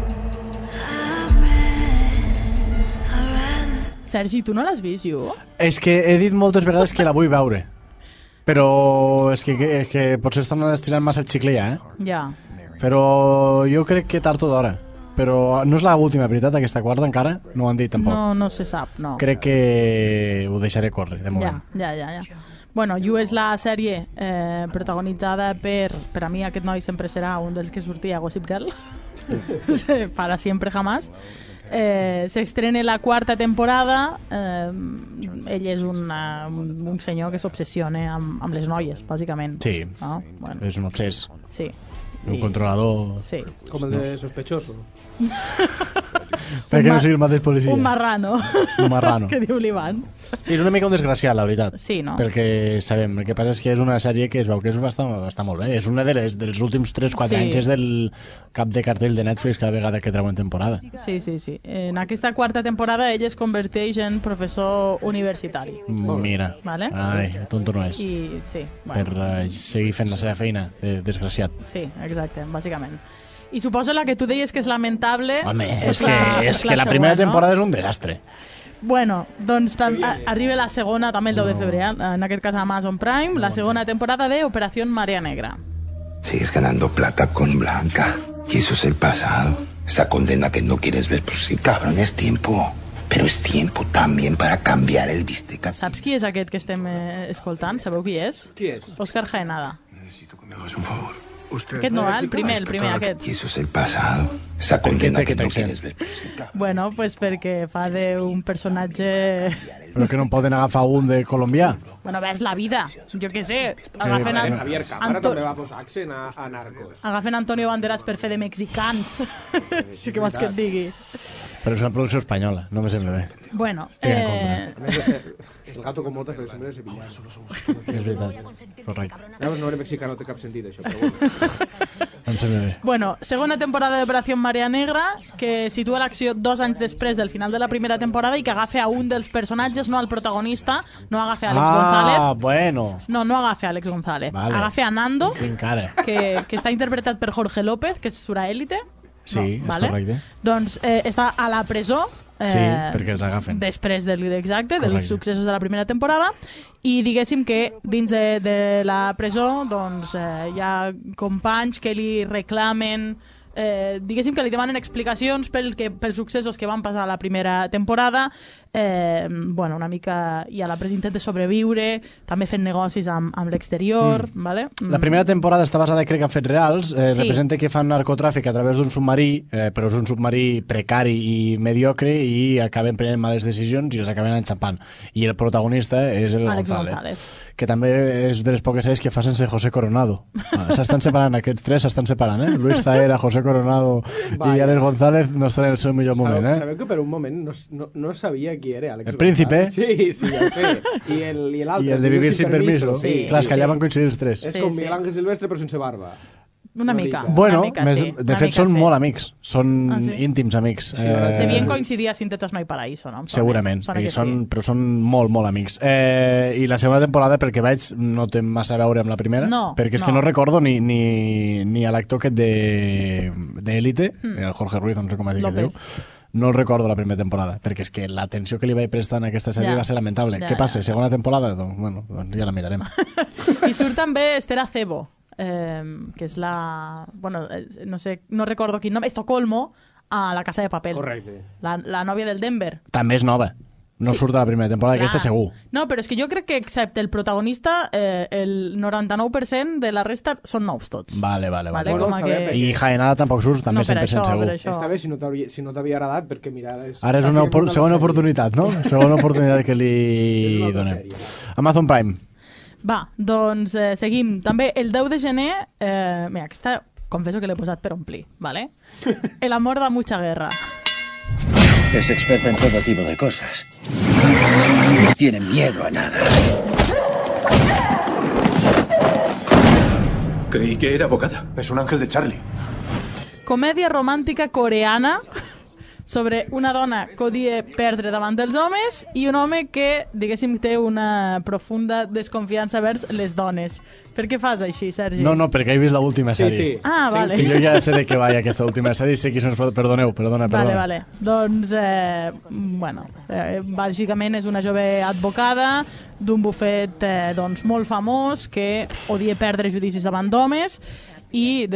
Sergi, tu no l'has vist, You? És que he dit moltes vegades que la vull veure. Però és que potser estan estirant massa el xicle ja, eh? Ja. Però jo crec que tard o d'hora. Però no és l'última, veritat, aquesta quarta encara? No ho han dit tampoc. No se sap, no. Crec que ho deixaré córrer, de moment. Ja. Bueno, You és la sèrie protagonitzada per a mi aquest noi sempre serà un dels que sortia a Gossip Girl. Para siempre jamás. S'estrena la 4ª temporada. Ell és un senyor que s'obsessiona amb les noies, bàsicament. Sí, no? Bueno. És un obsès. Sí. Un controlador. Sí. Com el de Sospechoso. Perquè no sigui el mateix policia. Un marrano. Un marrano. Que diu l'Ivan. Sí, és una mica un desgraciat, la veritat. Sí, no? Pel que sabem. El que passa és que és una sèrie que es veu que està molt bé. És una dels últims 3-4 anys, és del cap de cartell de Netflix cada vegada que treuen temporada. Sí. En aquesta 4ª temporada ell es converteix en professor universitari. Mira. Vale? Ai, tonto no és. I, sí, bueno. Per seguir fent la seva feina, desgraciat. Sí, exacte, bàsicament. I suposo la que tu deies que és lamentable... Home, és que la primera temporada és un desastre. Bueno, doncs arriba la segona, també el 10 de febrer, en aquest cas a Amazon Prime, la segona temporada de Operación Marea Negra. Sigues ganando plata con Blanca. Y eso es el pasado. Esa condena que no quieres ver, pues sí, cabrón, es tiempo. Pero es tiempo también para cambiar el bistec. Saps qui és aquest que estem escoltant? Sabeu qui és? Qui és? Óscar Jaenada. Necesito que me hagas un favor. Aquest no, el primer, aquest. Y eso es el pasado. Esa condena que no quieres ver. Bueno, pues perquè fa d'un personatge... Però que no en poden agafar un de colombià? Bueno, ves la vida, jo què sé. Agafen Javier Cámara també va posar accent a Narcos. Agafen Antonio Banderas per fer de mexicans. Sí que vols que et digui. Però és una producció espanyola, no me sembla bé. Bueno, el gato con botas que sembla de Sevilla. És veritat, correcte. No era mexicà, no té cap sentit això, però bueno. Em sembla bé. Bueno, segona temporada d'Operació Marea Negra, que situa l'acció 2 anys després del final de la primera temporada i que agafa a un dels personatges, no al protagonista, no agafa a Alex González. Bueno. No agafa a Alex González. Vale. Agafa a Nando, sí, que està interpretat per Jorge López, que surt a Élite. Sí, no, és correcte. Doncs està a la presó sí, perquè els agafen. Després dels successos de la primera temporada i diguéssim que dins de la presó doncs, hi ha companys que li reclamen diguéssim que li demanen explicacions pels successos que van passar a la primera temporada. Bueno, una mica i a la presa intenta sobreviure, també fent negocis amb l'exterior, vale? La primera temporada està basada, crec, en fets reals. Sí. Representa que fan narcotràfic a través d'un submarí, però és un submarí precari i mediocre i acaben prenent males decisions i els acaben enxampant. I el protagonista és el González, que també és de les poques sèries que fa sense José Coronado. S'estan separant, aquests tres s'estan separant, eh? Luis Zahera, José Coronado i Alex González no estan en el seu millor moment, eh? Sabeu que per un moment no sabia qui era Alex el príncipe. Sí, el fe. I l'altre. I el de vivir sin permiso. Sí. Clar, que allà van coincidir els tres. És com Miguel Ángel Silvestre però sense barba. Una mica. Bueno, una mica, sí. De fet són molt amics. Són íntims amics. Devien coincidir a Sintetas No hay Paraíso, no? Segurament, però són molt, molt amics. I la segona temporada, pel que veig, no té massa a veure amb la primera, perquè és que no recordo ni a l'actor aquest d'Élite, el Jorge Ruiz, no sé com es diu. no el recordo la primera temporada, perquè és que l'atenció que li vaig prestar en aquesta sèrie va ser lamentable. Què passa? Segona temporada? Doncs ja la mirarem. I surt també Esther Acebo, que és la... Bueno, no recordo quin nom, Estocolmo, a La Casa de Papel. Correcte. La nòvia del Denver. També és nova. No surt a la primera temporada, aquesta segur. No, però és que jo crec que excepte el protagonista, el 99% de la resta són nous tots. Vale. Bueno, I Jaenada tampoc surt, també 100% segur. Està bé si no t'havia agradat, perquè mira... Ara és una segona oportunitat, no? Segona oportunitat que li donem. Amazon Prime. Va, doncs seguim. També el 10 de gener... Mira, aquesta confesso que l'he posat per omplir, ¿vale? El amor da mucha guerra. Es experta en todo tipo de cosas. No tiene miedo a nada. Creí que era abogada. Es un ángel de Charlie. Comèdia romàntica coreana sobre una dona que odia perdre davant dels homes i un home que, diguéssim, té una profunda desconfiança vers les dones. Per què fas així, Sergi? No, perquè he vist l'última sèrie. Sí. Ah, vale. I jo ja sé de què va aquesta última sèrie i sé qui són els... Perdona. Vale. Doncs, bàsicament és una jove advocada d'un bufet molt famós que odia perdre judicis davant d'homes i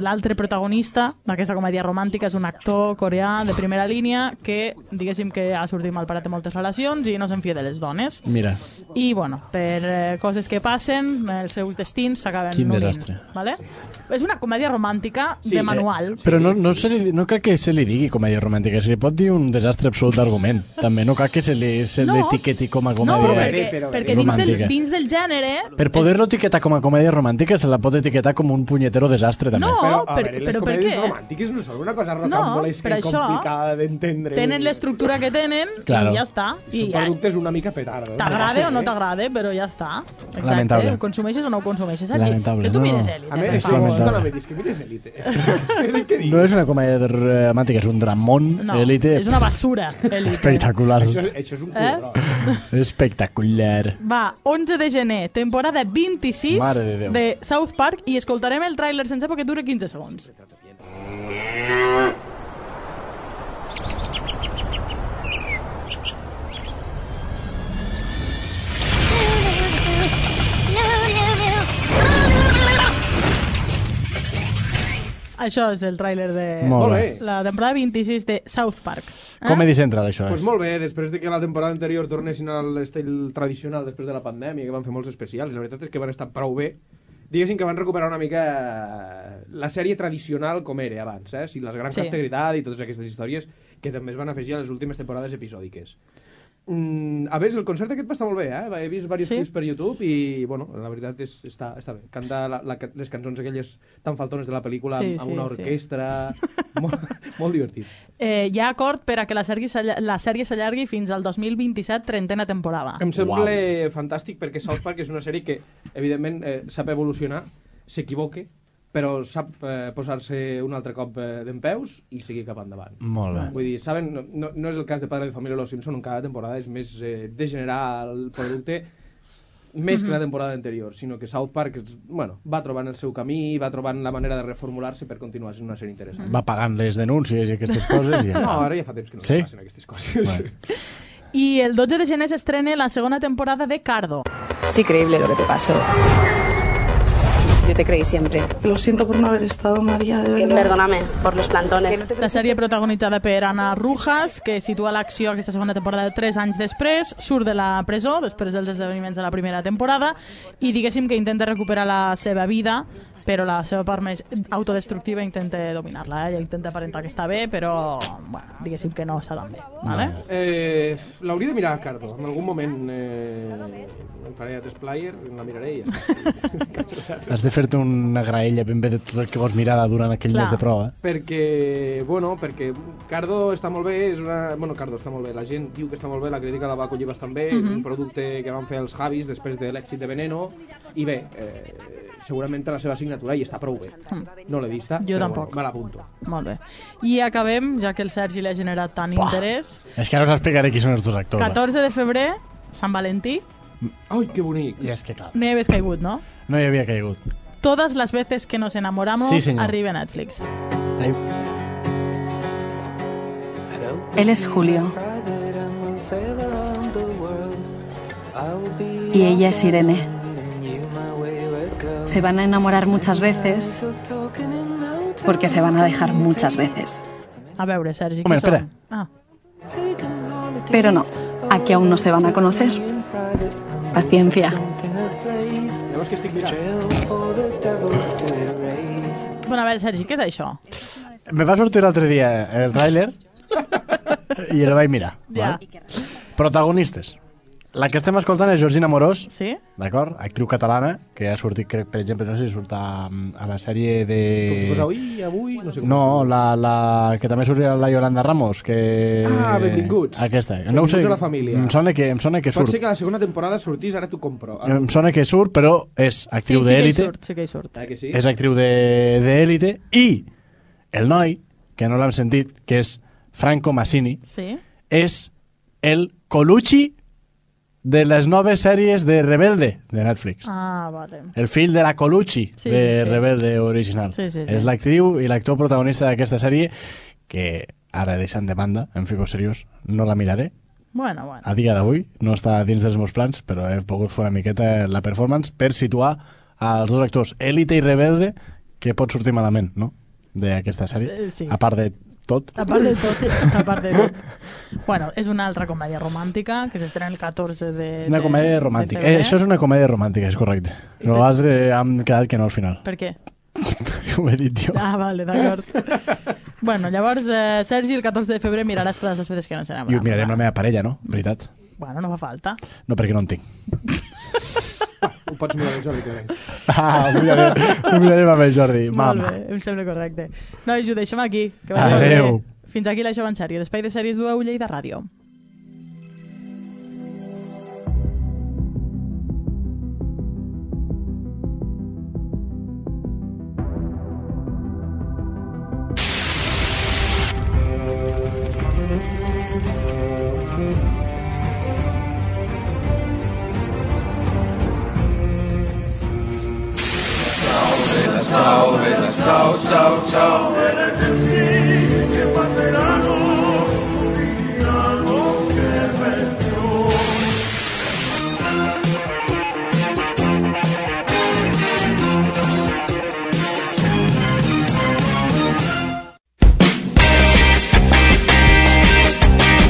l'altre protagonista d'aquesta comèdia romàntica és un actor coreà de primera línia que, diguéssim, que ha sortit malparat de moltes relacions i no s'enfia de les dones. Mira. I, per coses que passen, els seus destins s'acaben unint. Quin desastre. Vale? És una comèdia romàntica de manual. Però no cal que se li digui comèdia romàntica, se li pot dir un desastre absolut d'argument. També no cal que se l'etiqueti com a comèdia perquè dins del gènere... Per poder-lo etiquetar com a comèdia romàntica se la pot etiquetar com un punyetero desastre també. No, les comèdies romàntiques no són una cosa rocambolesca i complicada d'entendre. Tenen l'estructura que tenen i ja està. Són productes una mica petards. T'agrada o no t'agrada, però ja està. Lamentable. Ho consumeixes o no ho consumeixes. Lamentable. Que tu mires Elite. A més, no me dis que mires Elite. No és una comèdia romàntica, és un dramón. Elite. És una basura, Elite. Espectacular. Això és un culo. Espectacular. Va, 11 de gener, temporada 26 de South Park i escoltarem el tràiler sense perquè dura 15 segons. Això és el tràiler de la temporada 26 de South Park. Comedy Central, això és. Pues molt bé, després de que la temporada anterior tornessin a l'estil tradicional després de la pandèmia, que van fer molts especials, la veritat és que van estar prou bé. Diguéssim que van recuperar una mica la sèrie tradicional com era abans, si les grans castegritat i totes aquestes històries que també es van afegir a les últimes temporades episòdiques. A més, el concert aquest va estar molt bé, he vist diversos clips per YouTube i, bueno, la veritat està bé. Canta les cançons aquelles tan faltones de la pel·lícula amb una orquestra... Molt divertit. Hi ha acord per a que la sèrie s'allargui fins al 2027, 30a temporada. Em sembla fantàstic perquè South Park és una sèrie que, evidentment, sap evolucionar, s'equivoca, però sap posar-se un altre cop d'empeus i seguir cap endavant. Molt bé. Vull dir, saben, no és el cas de Padre de Família o Los Simpson, on cada temporada és més degenerar el producte més que la temporada anterior, sinó que South Park va trobant el seu camí, va trobant la manera de reformular-se per continuar sent una sèrie interessant. Va pagant les denúncies i aquestes coses i ja no, ara ja fa temps que no passen aquestes coses. Bueno. I el 12 de gener s'estrena la segona temporada de Cardo. Es increíble lo que te pasó. Yo te creí siempre. Lo siento por no haber estado, María, de verdad. Perdóname por los plantones. La sèrie protagonitzada per Ana Rujas, que situa l'acció aquesta segona temporada 3 anys després, surt de la presó després dels esdeveniments de la primera temporada i diguéssim que intenta recuperar la seva vida, però la seva part més autodestructiva intenta dominar-la. Ella intenta aparentar que està bé, però diguéssim que no està tan bé. Vale? L'hauria de mirar a Cardo. En algun moment em faré a Test-Player, la miraré i ja. Has de fer-te una graella ben bé de tot el que vols mirar durant aquell mes de prova. Perquè Cardo està molt bé, Cardo està molt bé, la gent diu que està molt bé, la crítica la va acollir bastant bé, és un producte que van fer els Javis després de l'èxit de Veneno, i bé, segurament té la seva signatura i està prou bé. No l'he vista, jo però tampoc. Me l'apunto. Molt bé. I acabem, ja que el Sergi l'ha generat tant interès. És que ara us explicaré qui són els dos actors. 14 de febrer, Sant Valentí. Ai, que bonic. I és que clar. No hi havies caigut, no? No hi havia caigut. Todas las veces que nos enamoramos arriba a Netflix. Ai. Hello? Él es Julio. Y ella es Irene. Se van a enamorar muchas veces porque se van a dejar muchas veces. A veure, Sergi, Home, espera. Pero no, aquí aún no se van a conocer. Paciencia. Llavors que estic mirant? Bueno, a veure, Sergi, què és això? Me va sortir l'altre dia el tràiler i el vaig mirar. Ja. Val? Protagonistes. La que estem escoltant és Georgina Morós, sí? D'acord? Actriu catalana, que ha sortit, crec, per exemple, no sé si surt a la sèrie de... Com si fos avui, no sé com. No, la que també surt la Yolanda Ramos, que... Ah, Benvinguts. Aquesta. No ho sé, Benvinguts a la família. em sona que surt. Pot ser que la segona temporada sortís, ara t'ho compro. Em sona que surt, però és actriu d'élite. Sí que hi surt. Que sí? És actriu d'élite. I el noi, que no l'hem sentit, que és Franco Massini, sí? És el Colucci de les noves sèries de Rebelde, de Netflix. Ah, vale. El fill de la Colucci de Rebelde original. Sí. És l'actriu i l'actor protagonista d'aquesta sèrie, que ara deixant de banda, en fico seriós, no la miraré. Bueno. A dia d'avui no està dins dels meus plans, però he pogut fer una miqueta la performance per situar els dos actors, Élite i Rebelde, que pot sortir malament, no?, d'aquesta sèrie. Sí. A part de tot. A part de tot. Bueno, és una altra comèdia romàntica que s'estrena el 14 de Una comèdia romàntica. de febrer. Això és una comèdia romàntica, és correcte. Nosaltres hem quedat que no al final. Per què? Ho he dit jo. Ah, vale, d'acord. Bueno, llavors, Sergi, el 14 de febrer miraràs totes les veces que no se n'enamoren. I ho miraré amb la meva parella, no? Veritat. Bueno, no fa falta. No, perquè no en tinc. Ho pots mirar amb Jordi, crec. Ho mirarem amb el Jordi. Molt Mama. bé, em sembla correcte. Nois, ho deixem aquí. Que Adéu. Fins aquí l'Això en sèrie. D'Espai de Sèries d'UEU Lleida Ràdio.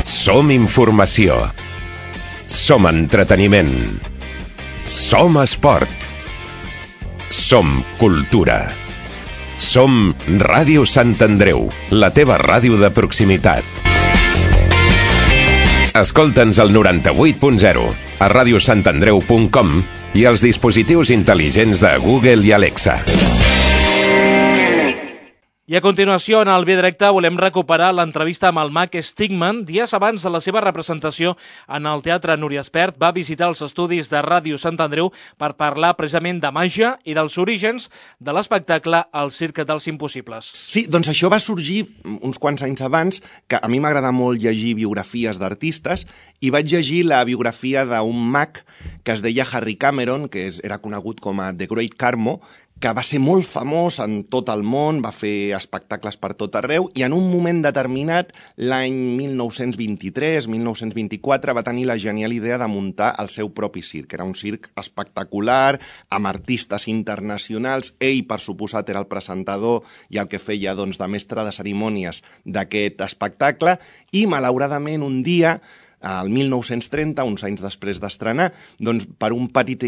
Som informació. Som entreteniment. Som esport. Som cultura. Som Ràdio Sant Andreu, la teva ràdio de proximitat. Escolta'ns al 98.0, a radiosantandreu.com i als dispositius intel·ligents de Google i Alexa. I a continuació, en el Via Directe, volem recuperar l'entrevista amb el mag Stigman. Dies abans de la seva representació en el Teatre Núria Espert, va visitar els estudis de Ràdio Sant Andreu per parlar precisament de màgia i dels orígens de l'espectacle El Circ dels Impossibles. Sí, doncs això va sorgir uns quants anys abans, que a mi m'agrada molt llegir biografies d'artistes, i vaig llegir la biografia d'un mag que es deia Harry Cameron, que era conegut com a The Great Carmo, que va ser molt famós en tot el món, va fer espectacles per tot arreu, i en un moment determinat, l'any 1923-1924, va tenir la genial idea de muntar el seu propi circ. Era un circ espectacular, amb artistes internacionals. Ell, per suposat, era el presentador i el que feia doncs, de mestre de cerimònies d'aquest espectacle, i malauradament un dia, al 1930, uns anys després d'estrenar, doncs, per un petit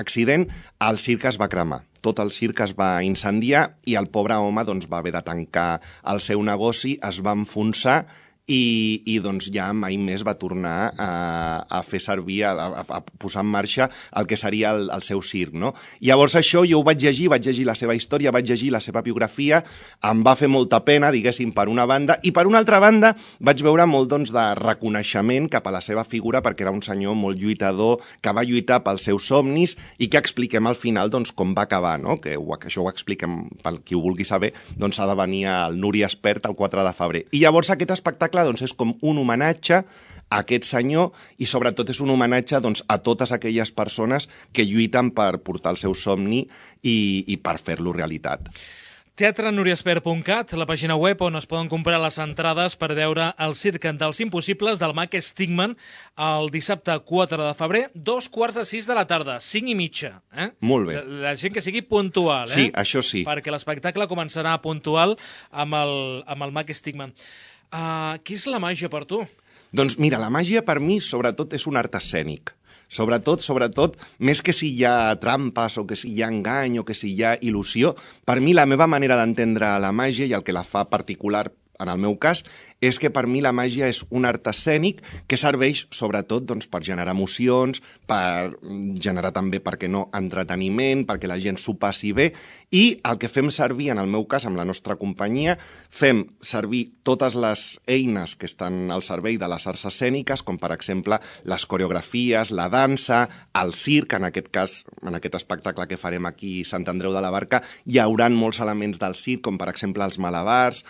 accident, el circ es va cremar. Tot el circ es va incendiar i el pobre home doncs, va haver de tancar el seu negoci, es va enfonsar i doncs ja mai més va tornar a fer servir, a posar en marxa el que seria el seu circ, no? Llavors això jo ho vaig llegir la seva història, vaig llegir la seva biografia, em va fer molta pena, diguéssim, per una banda, i per una altra banda vaig veure molt doncs, de reconeixement cap a la seva figura, perquè era un senyor molt lluitador, que va lluitar pels seus somnis i que expliquem al final doncs, com va acabar, no? Que això ho expliquem pel qui ho vulgui saber, doncs ha de venir al Núria Espert el 4 de febrer. I llavors aquest espectacle doncs, és com un homenatge a aquest senyor i sobretot és un homenatge doncs, a totes aquelles persones que lluiten per portar el seu somni i per fer-lo realitat. teatrenuriesper.cat, la pàgina web on es poden comprar les entrades per veure el Circ dels Impossibles del Mac Stigman el dissabte 4 de febrer, 5:45 de la tarda, 5:30. Molt bé. La gent que sigui puntual, Sí, això sí. Perquè l'espectacle començarà puntual amb el Mac Stigman. Què és la màgia per tu? Doncs mira, la màgia per mi sobretot és un art escènic. Sobretot, més que si hi ha trampes o que si hi ha engany o que si hi ha il·lusió, per mi la meva manera d'entendre la màgia i el que la fa particular en el meu cas, és que per mi la màgia és un art escènic que serveix sobretot doncs, per generar emocions, per generar també, per què no, entreteniment, perquè la gent s'ho passi bé, i el que fem servir, en el meu cas, amb la nostra companyia, fem servir totes les eines que estan al servei de les arts escèniques, com per exemple les coreografies, la dansa, el circ, en aquest cas, en aquest espectacle que farem aquí a Sant Andreu de la Barca, hi haurà molts elements del circ, com per exemple els malabars,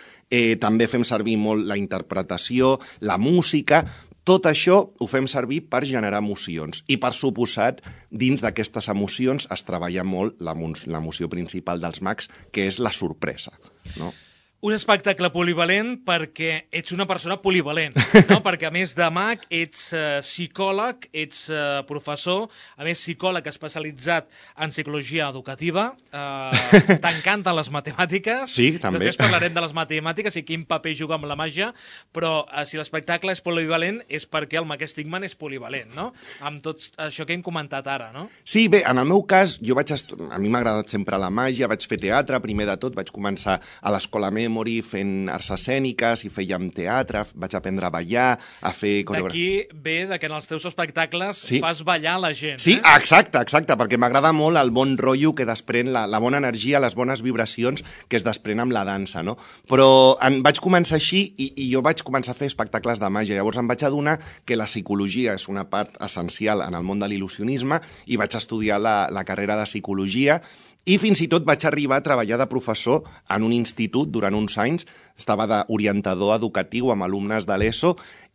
també fem servir molt la interpretació, la música. Tot això ho fem servir per generar emocions. I, per suposat, dins d'aquestes emocions es treballa molt l'emoció principal dels mags, que és la sorpresa, no? Un espectacle polivalent perquè ets una persona polivalent, no? Perquè a més de mag ets psicòleg, ets professor, a més psicòleg especialitzat en psicologia educativa, t'encanten les matemàtiques, sí, també. Després parlarem de les matemàtiques i quin paper juga amb la màgia, però si l'espectacle és polivalent és perquè el Mag Stigman és polivalent, no? Amb tot això que hem comentat ara, no? Sí, bé, en el meu cas, a mi m'ha agradat sempre la màgia, vaig fer teatre, primer de tot vaig començar a l'Escola Memory fent arts escèniques i fèiem teatre, vaig aprendre a ballar, a fer coreografia. D'aquí ve que en els teus espectacles sí. Fas ballar la gent. Sí, exacte, perquè m'agrada molt el bon rotllo que desprèn, la bona energia, les bones vibracions que es desprèn amb la dansa, no? Però vaig començar així i jo vaig començar a fer espectacles de màgia. Llavors em vaig adonar que la psicologia és una part essencial en el món de l'il·lusionisme i vaig estudiar la carrera de psicologia. I fins i tot vaig arribar a treballar de professor en un institut durant uns anys, estava d'orientador educatiu amb alumnes de l'ESO,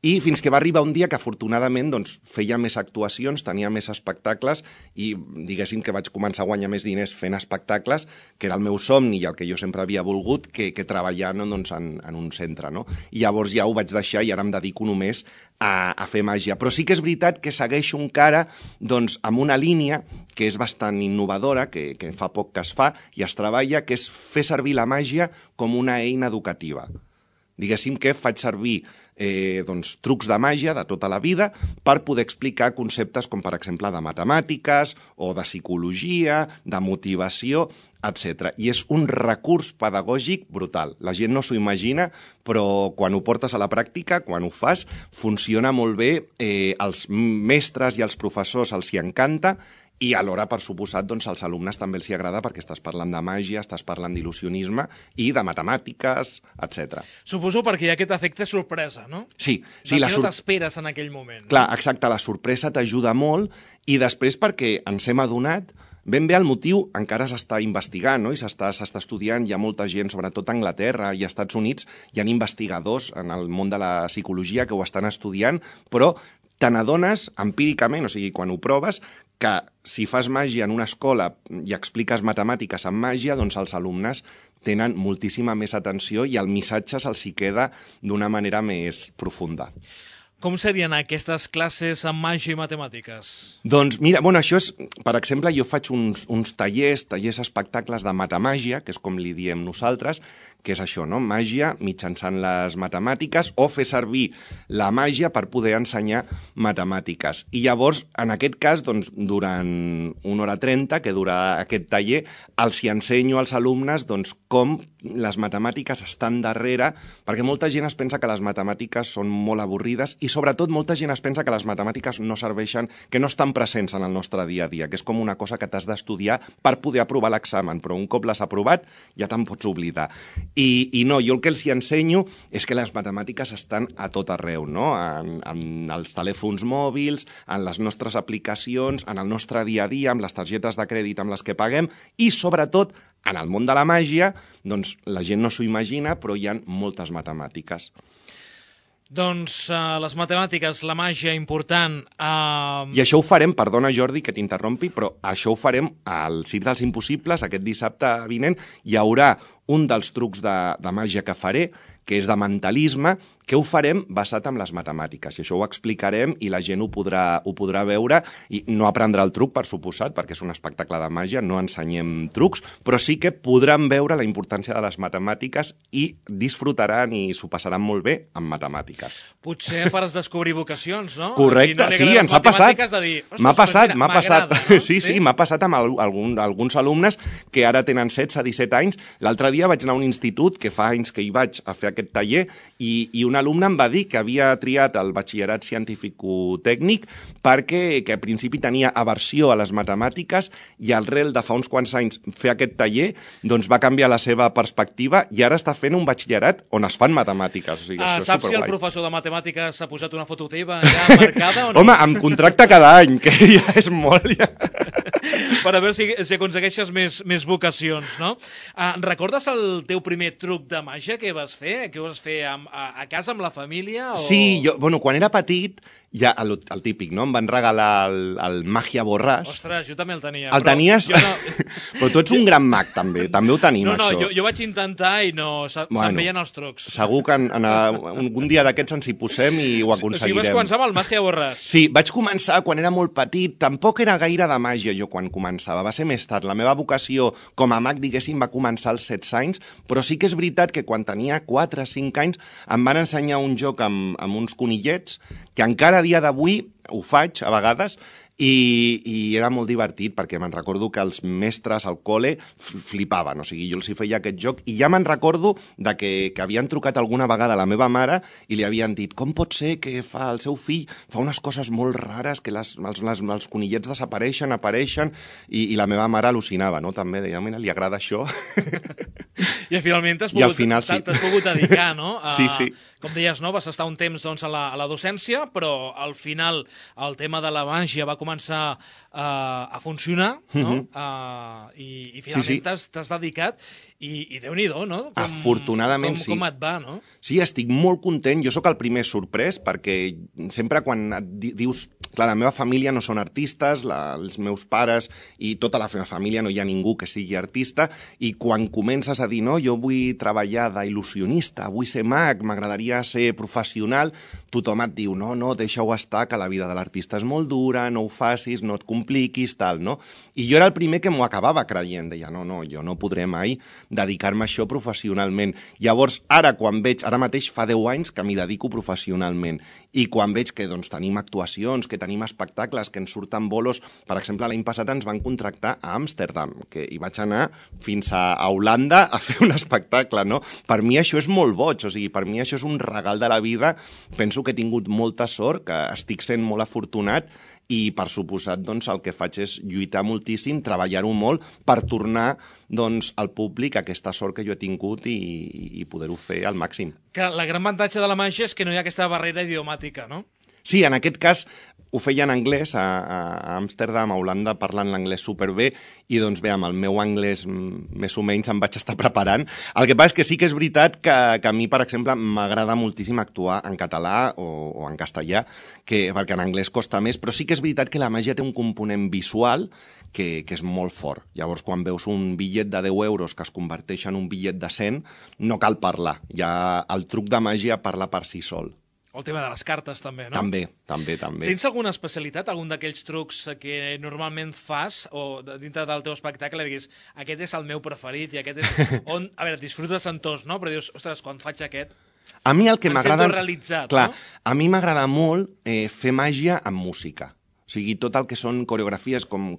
i fins que va arribar un dia que afortunadament doncs, feia més actuacions, tenia més espectacles i diguéssim que vaig començar a guanyar més diners fent espectacles, que era el meu somni i el que jo sempre havia volgut, que treballar doncs, en un centre. No? I llavors ja ho vaig deixar i ara em dedico només a fer màgia. Però sí que és veritat que segueixo encara doncs, amb una línia que és bastant innovadora, que fa poc que es fa i es treballa, que és fer servir la màgia com una eina educativa. Diguéssim que faig servir doncs, trucs de màgia de tota la vida per poder explicar conceptes com, per exemple, de matemàtiques o de psicologia, de motivació, etc. I és un recurs pedagògic brutal. La gent no s'ho imagina, però quan ho portes a la pràctica, quan ho fas, funciona molt bé. Els mestres i els professors els hi encanta, i alhora, per suposat, doncs, als alumnes també els hi agrada perquè estàs parlant de màgia, estàs parlant d'il·lusionisme i de matemàtiques, etc. Suposo perquè hi ha aquest efecte sorpresa, no? Sí. No t'esperes en aquell moment. Clar, exacte, la sorpresa t'ajuda molt i després perquè ens hem adonat ben bé el motiu encara s'està investigant, no? I s'està estudiant, hi ha molta gent, sobretot a Anglaterra i als Estats Units, hi ha investigadors en el món de la psicologia que ho estan estudiant, però te n'adones empíricament, o sigui, quan ho proves, que si fas màgia en una escola i expliques matemàtiques amb màgia, doncs els alumnes tenen moltíssima més atenció i el missatge se'ls hi queda d'una manera més profunda. Com serien aquestes classes amb màgia i matemàtiques? Doncs mira, això és, per exemple, jo faig uns tallers, espectacles de matemàgia, que és com li diem nosaltres, que és això, no? Màgia mitjançant les matemàtiques o fer servir la màgia per poder ensenyar matemàtiques. I llavors, en aquest cas, doncs, durant 1 hora 30, que dura aquest taller, els hi ensenyo als alumnes doncs, com les matemàtiques estan darrere, perquè molta gent es pensa que les matemàtiques són molt avorrides i sobretot molta gent es pensa que les matemàtiques no serveixen, que no estan presents en el nostre dia a dia, que és com una cosa que t'has d'estudiar per poder aprovar l'examen, però un cop l'has aprovat ja te'n pots oblidar. I no, jo el que els hi ensenyo és que les matemàtiques estan a tot arreu, no? En els telèfons mòbils, en les nostres aplicacions, en el nostre dia a dia, amb les targetes de crèdit amb les que paguem i sobretot en el món de la màgia, doncs la gent no s'ho imagina, però hi ha moltes matemàtiques. Doncs les matemàtiques, la màgia important... I això ho farem, perdona Jordi que t'interrompi, però això ho farem al Circ dels Impossibles, aquest dissabte vinent. Hi haurà un dels trucs de màgia que faré, que és de mentalisme, que ho farem basat en les matemàtiques. I això ho explicarem i la gent ho podrà veure i no aprendrà el truc, per suposat, perquè és un espectacle de màgia, no ensenyem trucs, però sí que podran veure la importància de les matemàtiques i disfrutaran i s'ho passaran molt bé amb matemàtiques. Potser faràs descobrir vocacions, no? Correcte, sí, ens ha passat. M'ha passat. No? Sí, m'ha passat amb alguns alumnes que ara tenen 16-17 anys. L'altre dia vaig anar a un institut, que fa anys que hi vaig a fer aquest taller, i un alumne em va dir que havia triat el batxillerat científico-tècnic perquè al principi tenia aversió a les matemàtiques i al rel de fa uns quants anys fer aquest taller doncs va canviar la seva perspectiva i ara està fent un batxillerat on es fan matemàtiques. O sigui, saps si el professor de matemàtiques s'ha posat una foto teva ja marcada o no? Home, em contracta cada any, que ja és molt. Ja. Per a veure si aconsegueixes més vocacions, no? Recordes el teu primer truc de màgia que vas fer? Que ho vas fer a casa amb la família? O... Sí, quan era petit, ja el típic, no? Em van regalar el Màgia Borràs. Ostres, jo també el tenia. El tenies? No... Però tu ets un gran mag, també ho tenim, això. No, jo vaig intentar i no, se'n veien els trucs. Segur que un dia d'aquests ens hi posem i ho aconseguirem. O sigui, vas començar amb el Màgia Borràs. Sí, vaig començar quan era molt petit, tampoc era gaire de màgia jo quan començava, va ser més tard. La meva vocació com a mag, diguéssim, va començar als 16 anys, però sí que és veritat que quan tenia 4 o 5 anys em van ensenyar un joc amb uns conillets que encara a dia d'avui ho faig a vegades i era molt divertit perquè me'n recordo que els mestres al col·le flipaven, o sigui, jo els hi feia aquest joc i ja me'n recordo que havien trucat alguna vegada a la meva mare i li havien dit, com pot ser que el seu fill fa unes coses molt rares, que els conillets desapareixen, apareixen, i la meva mare al·lucinava, no? També deia, mira, li agrada això. I finalment t'has pogut dedicar, no? Sí. Com deies, no? Vas estar un temps a la docència, però al final el tema de la màgia va començar a funcionar, no? I finalment t'has dedicat i Déu-n'hi-do, no? Afortunadament sí. Com et va, no? Sí, estic molt content. Jo sóc el primer sorprès perquè sempre quan et dius... Clar, la meva família no són artistes, els meus pares i tota la meva família no hi ha ningú que sigui artista i quan comences a dir, no, jo vull treballar d'il·lusionista, vull ser mag, m'agradaria ser professional, tothom et diu, no, deixa-ho estar, que la vida de l'artista és molt dura, no ho facis, no et compliquis, tal, no? I jo era el primer que m'ho acabava creient, deia, no, jo no podré mai dedicar-me a això professionalment. Llavors, ara mateix fa 10 anys que m'hi dedico professionalment i quan veig que doncs, tenim actuacions, que tenim espectacles, que ens surten bolos. Per exemple, l'any passat ens van contractar a Amsterdam, que hi vaig anar fins a Holanda a fer un espectacle, no? Per mi això és molt boig, o sigui, per mi això és un regal de la vida. Penso que he tingut molta sort, que estic sent molt afortunat i, per suposat, doncs, el que faig és lluitar moltíssim, treballar-ho molt per tornar doncs, al públic aquesta sort que jo he tingut i poder-ho fer al màxim. Que la gran avantatge de la màgia és que no hi ha aquesta barrera idiomàtica, no? Sí, en aquest cas ho feia en anglès a Amsterdam, a Holanda, parlant l'anglès superbé i doncs bé, amb el meu anglès més o menys em vaig estar preparant. El que passa és que sí que és veritat que a mi, per exemple, m'agrada moltíssim actuar en català o en castellà, perquè en anglès costa més, però sí que és veritat que la màgia té un component visual que és molt fort. Llavors, quan veus un bitllet de 10 euros que es converteix en un bitllet de 100, no cal parlar. Ja el truc de màgia parla per si sol. O el tema de les cartes, també, no? També. Tens alguna especialitat, algun d'aquells trucs que normalment fas, o dintre del teu espectacle, diguis, aquest és el meu preferit, i aquest és on... A veure, disfrutes en tots, no? Però dius, ostres, quan faig aquest... A mi el que m'agrada... Em sento realitzat, clar, no? A mi m'agrada molt fer màgia amb música. O sigui, tot el que són coreografies, com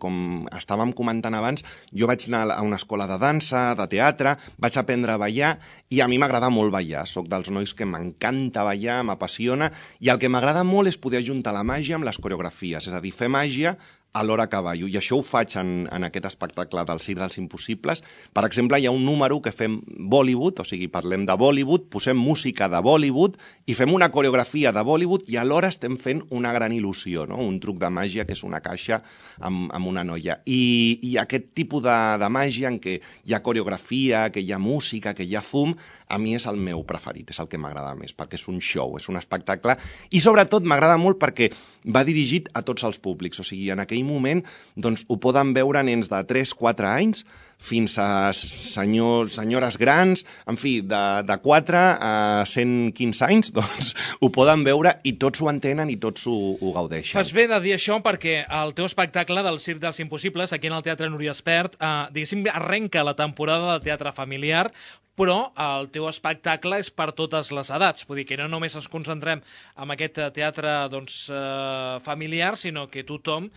estàvem comentant abans, jo vaig anar a una escola de dansa, de teatre, vaig aprendre a ballar, i a mi m'agrada molt ballar. Soc dels nois que m'encanta ballar, m'apassiona, i el que m'agrada molt és poder ajuntar la màgia amb les coreografies, és a dir, fer màgia alhora que ballo, i això ho faig en aquest espectacle del Circ dels Impossibles. Per exemple, hi ha un número que fem Bollywood, o sigui, parlem de Bollywood, posem música de Bollywood i fem una coreografia de Bollywood i alhora estem fent una gran il·lusió, no? Un truc de màgia que és una caixa amb una noia. I aquest tipus de màgia en què hi ha coreografia, que hi ha música, que hi ha fum, a mi és el meu preferit, és el que m'agrada més, perquè és un show, és un espectacle, i sobretot m'agrada molt perquè va dirigit a tots els públics, o sigui, en aquell moment doncs, ho poden veure nens de 3-4 anys fins a senyores grans, en fi, de 4 a 115 anys, doncs ho poden veure i tots ho entenen i tots ho gaudeixen. Fas bé de dir això perquè el teu espectacle del Circ dels Impossibles, aquí en el Teatre Núria Espert, diguéssim, arrenca la temporada de teatre familiar, però el teu espectacle és per totes les edats. Vull dir que no només ens concentrem en aquest teatre familiar, sinó que tothom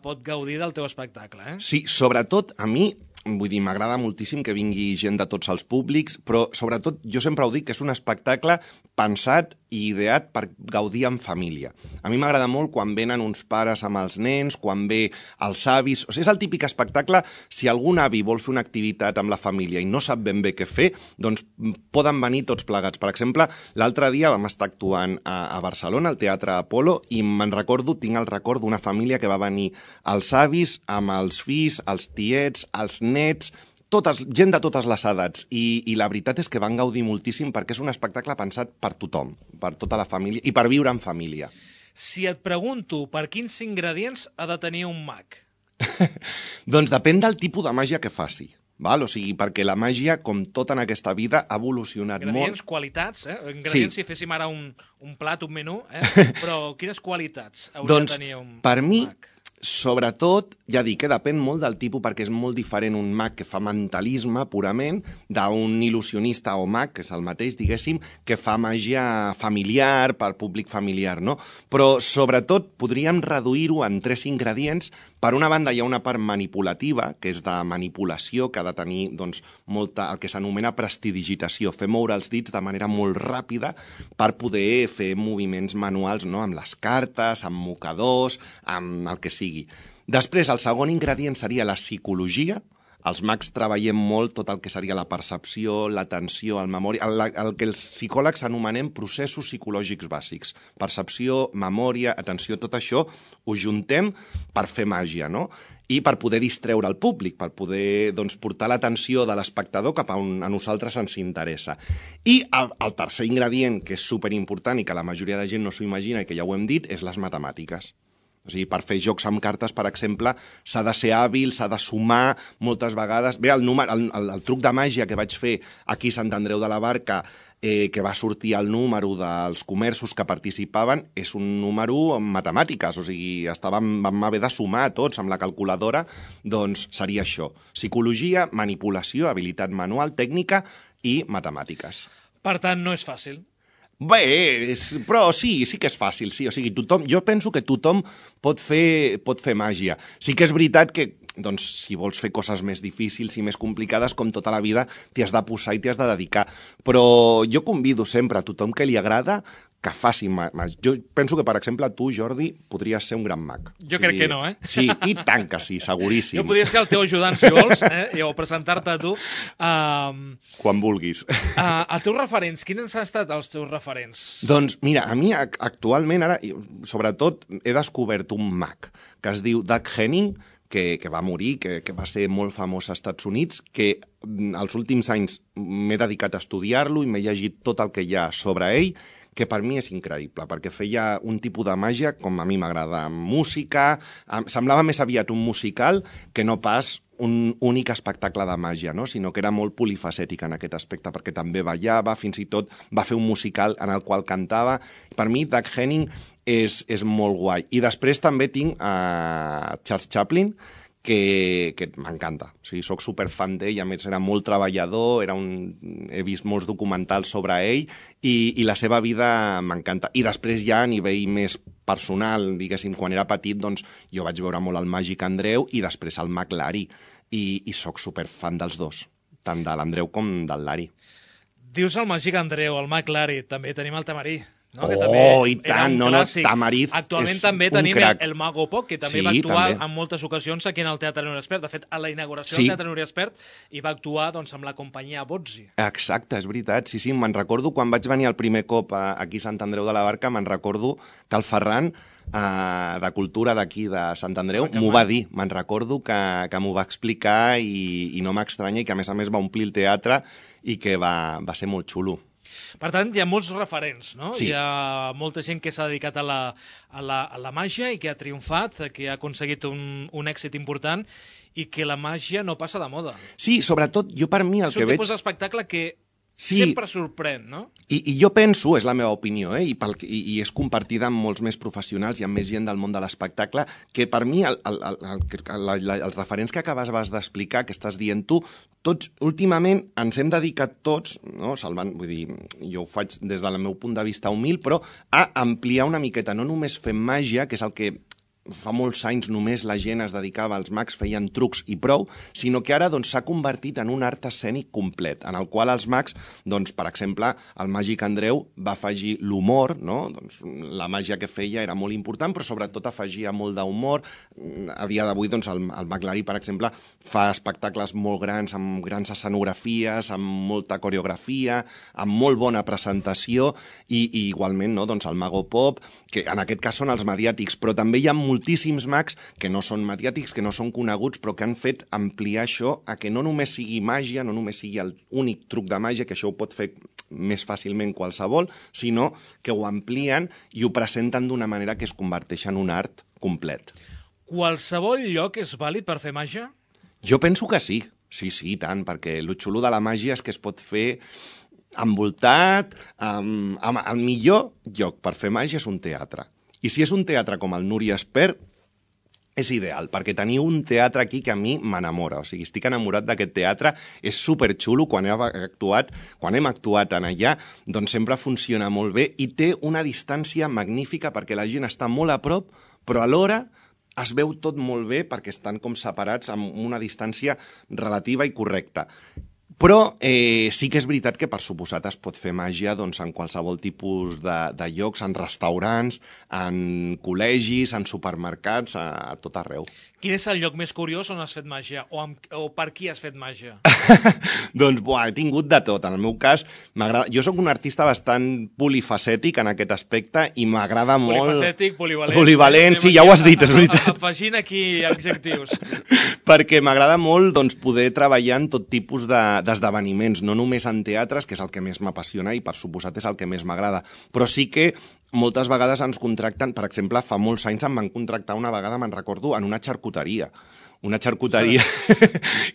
pot gaudir del teu espectacle. Sí, sobretot a mi, vull dir, m'agrada moltíssim que vingui gent de tots els públics, però sobretot jo sempre ho dic que és un espectacle pensat i ideat per gaudir en família. A mi m'agrada molt quan venen uns pares amb els nens, quan ve els avis... O sigui, és el típic espectacle, si algun avi vol fer una activitat amb la família i no sap ben bé què fer, doncs poden venir tots plegats. Per exemple, l'altre dia vam estar actuant a Barcelona, al Teatre Apolo, i tinc el record d'una família que va venir els avis amb els fills, els tiets, els nets, gent de totes les edats, i la veritat és que van gaudir moltíssim perquè és un espectacle pensat per tothom, per tota la família i per viure en família. Si et pregunto per quins ingredients ha de tenir un mag? Doncs depèn del tipus de màgia que faci. Val? O sigui, perquè la màgia, com tot en aquesta vida, ha evolucionat ingredients, molt. Qualitats, ingredients, sí. Si féssim ara un plat, un menú, però quines qualitats hauria de tenir un mag? Per mi, sobretot, ja dic, depèn molt del tipus, perquè és molt diferent un mag que fa mentalisme purament d'un il·lusionista o mag, que és el mateix, diguéssim, que fa màgia familiar, per públic familiar, no? Però, sobretot, podríem reduir-ho en 3 ingredients. Per una banda, hi ha una part manipulativa, que és de manipulació, que ha de tenir doncs, el que s'anomena prestidigitació, fer moure els dits de manera molt ràpida per poder fer moviments manuals, no? Amb les cartes, amb mocadors, amb el que sigui. Després, el segon ingredient seria la psicologia. Els mags treballem molt tot el que seria la percepció, l'atenció, la memòria, el que els psicòlegs anomenem processos psicològics bàsics. Percepció, memòria, atenció, tot això ho juntem per fer màgia, no? I per poder distreure el públic, per poder portar l'atenció de l'espectador cap a on a nosaltres ens interessa. I el tercer ingredient, que és superimportant i que la majoria de gent no s'ho imagina i que ja ho hem dit, és les matemàtiques. O sigui, per fer jocs amb cartes, per exemple, s'ha de ser hàbil, s'ha de sumar moltes vegades. Bé, el truc de màgia que vaig fer aquí a Sant Andreu de la Barca, que va sortir el número dels comerços que participaven, és un número amb matemàtiques, o sigui, vam haver de sumar tots amb la calculadora, doncs seria això. Psicologia, manipulació, habilitat manual, tècnica i matemàtiques. Per tant, no és fàcil. Bé, però sí que és fàcil, sí. O sigui, jo penso que tothom pot fer màgia. Sí que és veritat que, doncs, si vols fer coses més difícils i més complicades, com tota la vida, t'hi has de posar i t'hi has de dedicar. Però jo convido sempre a tothom que li agrada que faci màgia. Jo penso que, per exemple, tu, Jordi, podries ser un gran mag. Jo crec que no, Sí, i tant que sí, seguríssim. Jo podria ser el teu ajudant, si vols, o presentar-te a tu. Quan vulguis. Els teus referents, quins han estat els teus referents? Doncs, mira, a mi actualment, ara, sobretot, he descobert un mag que es diu Doug Henning, que va morir, que va ser molt famós als Estats Units, que els últims anys m'he dedicat a estudiar-lo i m'he llegit tot el que hi ha sobre ell, que per mi és increïble, perquè feia un tipus de màgia, com a mi m'agrada, amb música, semblava més aviat un musical que no pas un únic espectacle de màgia, no? Sinó que era molt polifacètic en aquest aspecte, perquè també ballava, fins i tot va fer un musical en el qual cantava. Per mi, Doug Henning és molt guai. I després també tinc Charles Chaplin, que m'encanta. O sigui, soc superfan d'ell, a més era molt treballador, he vist molts documentals sobre ell i la seva vida m'encanta. I després ja a nivell més personal, diguéssim, quan era petit, doncs jo vaig veure molt el Màgic Andreu i després el Mag Larry. I soc superfan dels dos, tant de l'Andreu com del Larry. Dius el Màgic Andreu, el Mag Larry, també tenim el Tamarí. No? I tant, Tamariz actualment també tenim el Mago Poc, que també va actuar en moltes ocasions aquí en el Teatre Núria Espert. De fet, a la inauguració del Teatre Núria Espert hi va actuar amb la companyia Bozzi. Exacte, és veritat. Sí, me'n recordo quan vaig venir el primer cop aquí a Sant Andreu de la Barca, me'n recordo que el Ferran de Cultura d'aquí de Sant Andreu m'ho va dir. Me'n recordo que m'ho va explicar i no m'estranya, i que a més va omplir el teatre i que va ser molt xulo. Per tant, hi ha molts referents, no? Sí. Hi ha molta gent que s'ha dedicat a la màgia i que ha triomfat, que ha aconseguit un èxit important i que la màgia no passa de moda. Sí, sobretot, jo per mi el que veig... És un tipus d'espectacle que sempre sorprèn, no? I jo penso, és la meva opinió, i és compartida amb molts més professionals i amb més gent del món de l'espectacle, que per mi els referents que acabaves d'explicar, que estàs dient tu, tots últimament ens hem dedicat tots, no, salvant, vull dir, jo ho faig des del meu punt de vista humil, però a ampliar una miqueta, no només fem màgia, que és el que fa molts anys només la gent es dedicava, els mags feien trucs i prou, sinó que ara s'ha convertit en un art escènic complet, en el qual els mags, per exemple, el Màgic Andreu va afegir l'humor, no? La màgia que feia era molt important, però sobretot afegia molt d'humor. A dia d'avui, el Maglarí, per exemple, fa espectacles molt grans, amb grans escenografies, amb molta coreografia, amb molt bona presentació, i igualment el Mago Pop, que en aquest cas són els mediàtics, però també hi ha moltíssims mags que no són mediàtics, que no són coneguts, però que han fet ampliar això a que no només sigui màgia, no només sigui l'únic truc de màgia, que això ho pot fer més fàcilment qualsevol, sinó que ho amplien i ho presenten d'una manera que es converteix en un art complet. Qualsevol lloc és vàlid per fer màgia? Jo penso que sí. Sí, i tant, perquè el xulo de la màgia és que es pot fer envoltat, el millor lloc per fer màgia és un teatre. I si és un teatre com el Núria Espert, és ideal, perquè teniu un teatre aquí que a mi m'enamora. O sigui, estic enamorat d'aquest teatre, és superxulo. Quan hem actuat en allà, doncs sempre funciona molt bé i té una distància magnífica perquè la gent està molt a prop, però alhora es veu tot molt bé perquè estan com separats amb una distància relativa i correcta. Però sí que és veritat que, per suposat, es pot fer màgia en qualsevol tipus de llocs, en restaurants, en col·legis, en supermercats, a tot arreu. Quin és el lloc més curiós on has fet màgia? O per qui has fet màgia? Doncs, he tingut de tot. En el meu cas, m'agrada... Jo sóc un artista bastant polifacètic en aquest aspecte i m'agrada molt... Polifacètic, polivalent... Polivalent, sí, ja ho has dit, és veritat. Afegint aquí adjectius. Perquè m'agrada molt poder treballar en tot tipus d'esdeveniments, no només en teatres, que és el que més m'apassiona i per suposat és el que més m'agrada, però sí que moltes vegades ens contracten, per exemple, fa molts anys em van contractar una vegada, me'n recordo, en una xarcuteria. Una xarcuteria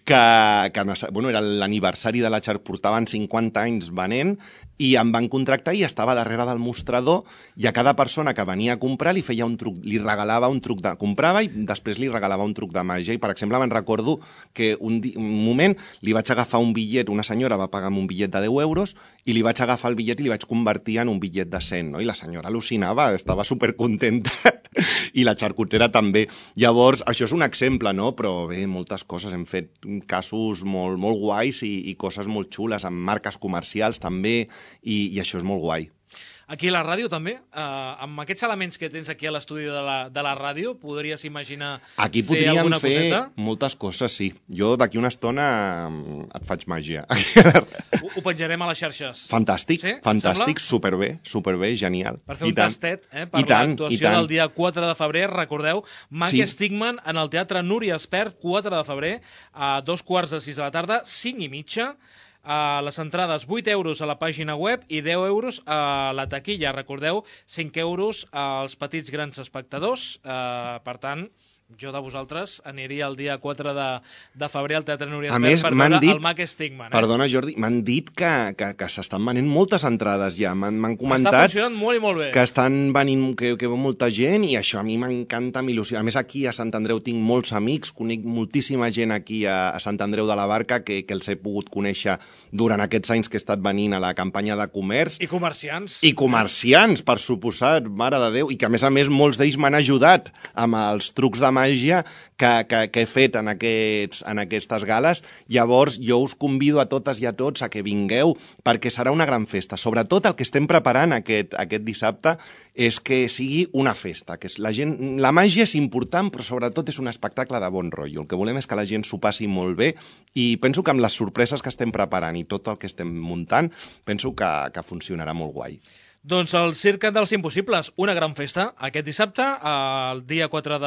que era l'aniversari de la xarcuteria, portaven 50 anys venent i em van contractar i estava darrere del mostrador i a cada persona que venia a comprar li feia un truc, li regalava un truc de... Comprava i després li regalava un truc de màgia. I, per exemple, me'n recordo que un moment li vaig agafar un bitllet, una senyora va pagar un bitllet de 10 euros i li vaig agafar el bitllet i li vaig convertir en un bitllet de 100, no? I la senyora al·lucinava, estava supercontenta i la xarcutera també. Llavors, això és un exemple, no? Però bé, moltes coses. Hem fet casos molt, molt guais i coses molt xules, amb marques comercials també, i això és molt guai. Aquí a la ràdio també, amb aquests elements que tens aquí a l'estudi de la ràdio, podries imaginar aquí fer alguna coseta? Aquí podríem fer moltes coses, sí. Jo d'aquí una estona et faig màgia. Ho penjarem a les xarxes. Fantàstic, sí? Fantàstic, superbé, genial. Per fer un tastet, per l'actuació del dia 4 de febrer, recordeu, Mag Stigman en el Teatre Núria Espert, 4 de febrer, a 2:45 de la tarda, 5:30. Les entrades 8 euros a la pàgina web i 10 euros a la taquilla. Recordeu, 5 euros als petits grans espectadors. Per tant, jo de vosaltres aniria el dia 4 de febrer al Teatre Núria Espert per veure el Mag Stigman. Perdona, Jordi, m'han dit que s'estan venent moltes entrades ja. M'han comentat... Està funcionant molt i molt bé. Que estan venint, que veu molta gent i això a mi m'encanta, m'il·lusiona. A més, aquí a Sant Andreu tinc molts amics, conec moltíssima gent aquí a Sant Andreu de la Barca que els he pogut conèixer durant aquests anys que he estat venint a la campanya de comerç. I comerciants. I comerciants, per suposat, mare de Déu. I que, a més, molts d'ells m'han ajudat amb els trucs de màgia que he fet en aquestes gales. Llavors, jo us convido a totes i a tots a que vingueu, perquè serà una gran festa. Sobretot el que estem preparant aquest dissabte és que sigui una festa. Que la màgia és important, però sobretot és un espectacle de bon rotllo. El que volem és que la gent s'ho passi molt bé i penso que amb les sorpreses que estem preparant i tot el que estem muntant, penso que funcionarà molt guai. Doncs el Circ dels Impossibles, una gran festa, aquest dissabte, el dia 4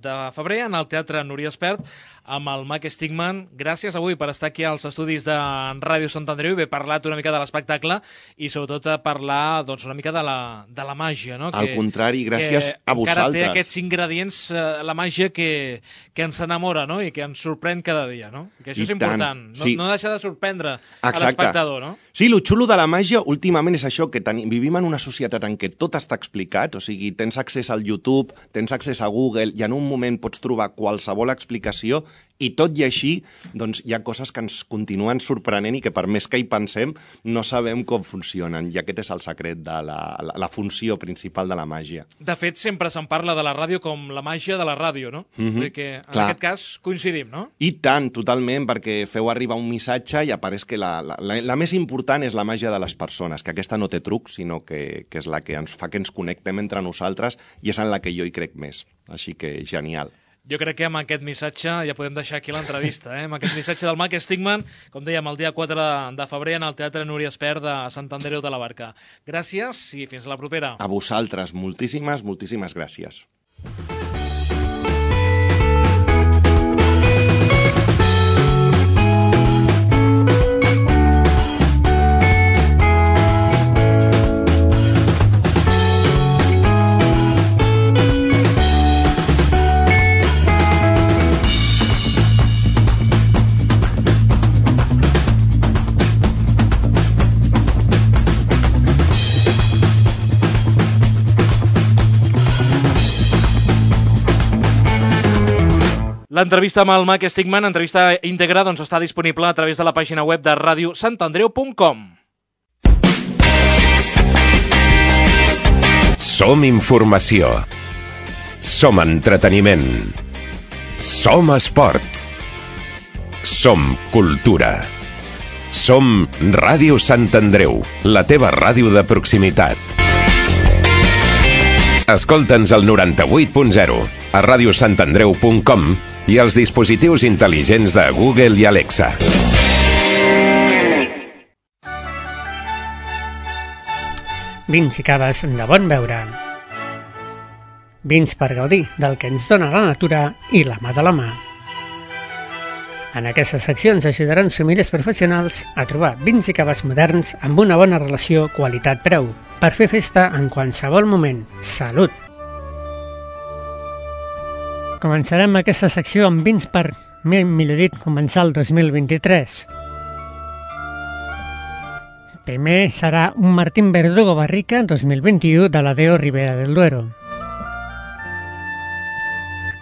de febrer, en el Teatre Núria Espert, amb el Mac Stigman. Gràcies avui per estar aquí als estudis de Ràdio Sant Andreu i haver parlat una mica de l'espectacle i sobretot parlar una mica de la màgia. No? Al contrari, gràcies a vosaltres. Encara té aquests ingredients, la màgia que ens enamora, no? I que ens sorprèn cada dia. No? Que això és important, no deixar de sorprendre a l'espectador. No? Sí, el xulo de la màgia últimament és això, que vivim en una societat en què tot està explicat, o sigui, tens accés al YouTube, tens accés a Google, i en un moment pots trobar qualsevol explicació, i tot i així, doncs hi ha coses que ens continuen sorprenent i que per més que hi pensem no sabem com funcionen, i aquest és el secret de la funció principal de la màgia. De fet, sempre se'n parla de la ràdio com la màgia de la ràdio, no? Que en aquest cas coincidim, no? I tant, totalment, perquè feu arribar un missatge i apareix que la més important és la màgia de les persones, que aquesta no té truc, sinó que és la que ens fa que ens connectem entre nosaltres i és en la que jo hi crec més. Així que genial. Jo crec que amb aquest missatge ja podem deixar aquí l'entrevista, amb aquest missatge del Mac Stigman, com dèiem, el dia 4 de febrer en el Teatre Núria Espert de Sant Andreu de la Barca. Gràcies i fins la propera. A vosaltres, moltíssimes, moltíssimes gràcies. L'entrevista amb el Mac Stigman, entrevista íntegra, està disponible a través de la pàgina web de radiosantandreu.com. Som informació. Som entreteniment. Som esport. Som cultura. Som Ràdio Sant Andreu, la teva ràdio de proximitat. Escolta'ns al 98.0, a radiosantandreu.com i als dispositius intel·ligents de Google i Alexa. Vins i caves de bon beure. Vins per gaudir del que ens dona la natura i la mà de la mà. En aquesta secció ens ajudaran sommeliers professionals a trobar vins i caves moderns amb una bona relació qualitat-preu per fer festa en qualsevol moment. Salut! Començarem aquesta secció amb vins per, millor dit, començar el 2023. Primer serà un Martín Verdugo Barrica 2021 de la D.O. Ribera del Duero.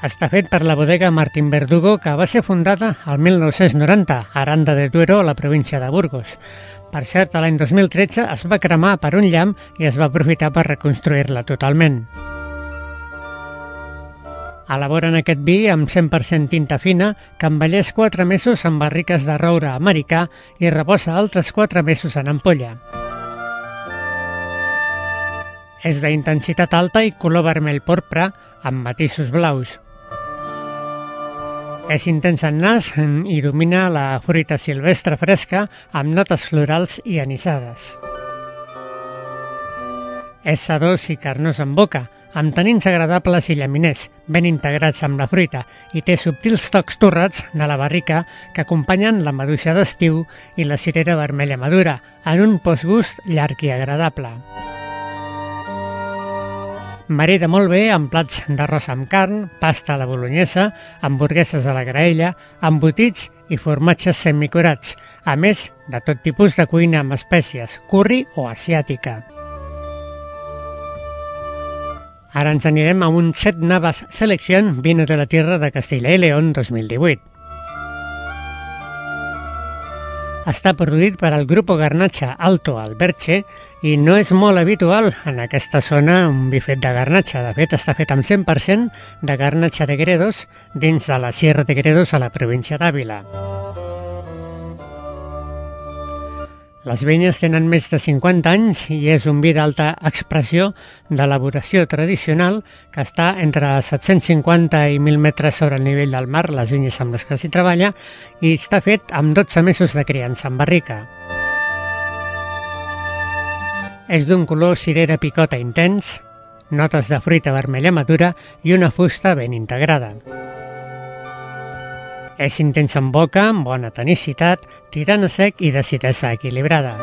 Està fet per la bodega Martín Verdugo, que va ser fundada al 1990 a Aranda de Duero, a la província de Burgos. Per cert, l'any 2013 es va cremar per un llamp i es va aprofitar per reconstruir-la totalment. Elaboren aquest vi amb 100% tinta fina, que envelleix 4 mesos en barriques de roure americà i reposa altres 4 mesos en ampolla. És d'intensitat alta i color vermell porpra amb matisos blaus. És intens en nas i domina la fruita silvestre fresca amb notes florals i anisades. És sedós i carnós en boca, amb tanins agradables i llaminers, ben integrats amb la fruita, i té subtils tocs torrats de la barrica que acompanyen la maduixa d'estiu i la cirera vermella madura, en un postgust llarg i agradable. Marida molt bé amb plats d'arròs amb carn, pasta a la bolognesa, hamburgueses a la graella, embotits i formatges semicurats, a més de tot tipus de cuina amb espècies, curri o asiàtica. Ara ens anirem a un 7 Navas Selección Vino de la Tierra de Castilla y León 2018. Està produït per al Grupo Garnacha Alto Alberche i no és molt habitual en aquesta zona un bifet de garnatxa. De fet, està fet amb 100% de garnatxa de Gredos dins de la Sierra de Gredos a la província d'Àvila. Les vinyes tenen més de 50 anys i és un vi d'alta expressió d'elaboració tradicional que està entre 750 i 1.000 metres sobre el nivell del mar, les vinyes amb les que s'hi treballa, i està fet amb 12 mesos de criança en barrica. És d'un color cirera picota intens, notes de fruita vermella madura i una fusta ben integrada. És intensa en boca, amb bona tonicitat, tirant a sec i d'acidesa equilibrada.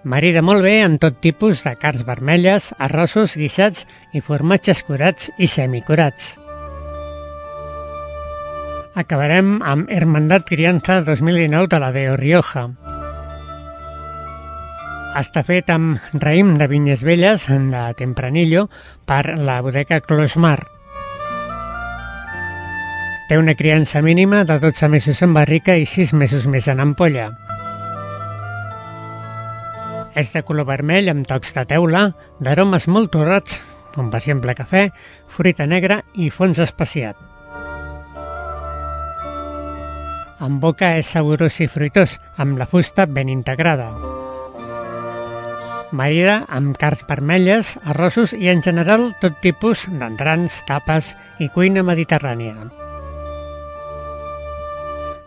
Marida molt bé en tot tipus de carns vermelles, arrossos, guisats i formatges curats i semicurats. Acabarem amb Hermandad Crianza 2019 de la Deo Rioja. Està fet amb raïm de vinyes velles de Tempranillo per la bodega Closmar. Té una criança mínima de 12 mesos en barrica i 6 mesos més en ampolla. És de color vermell amb tocs de teula, d'aromes molt torrats, com per exemple cafè, fruita negra i fons especiat. En boca és saborós i fruitós, amb la fusta ben integrada. Marida amb carns vermelles, arrossos i en general tot tipus d'entrants, tapes i cuina mediterrània.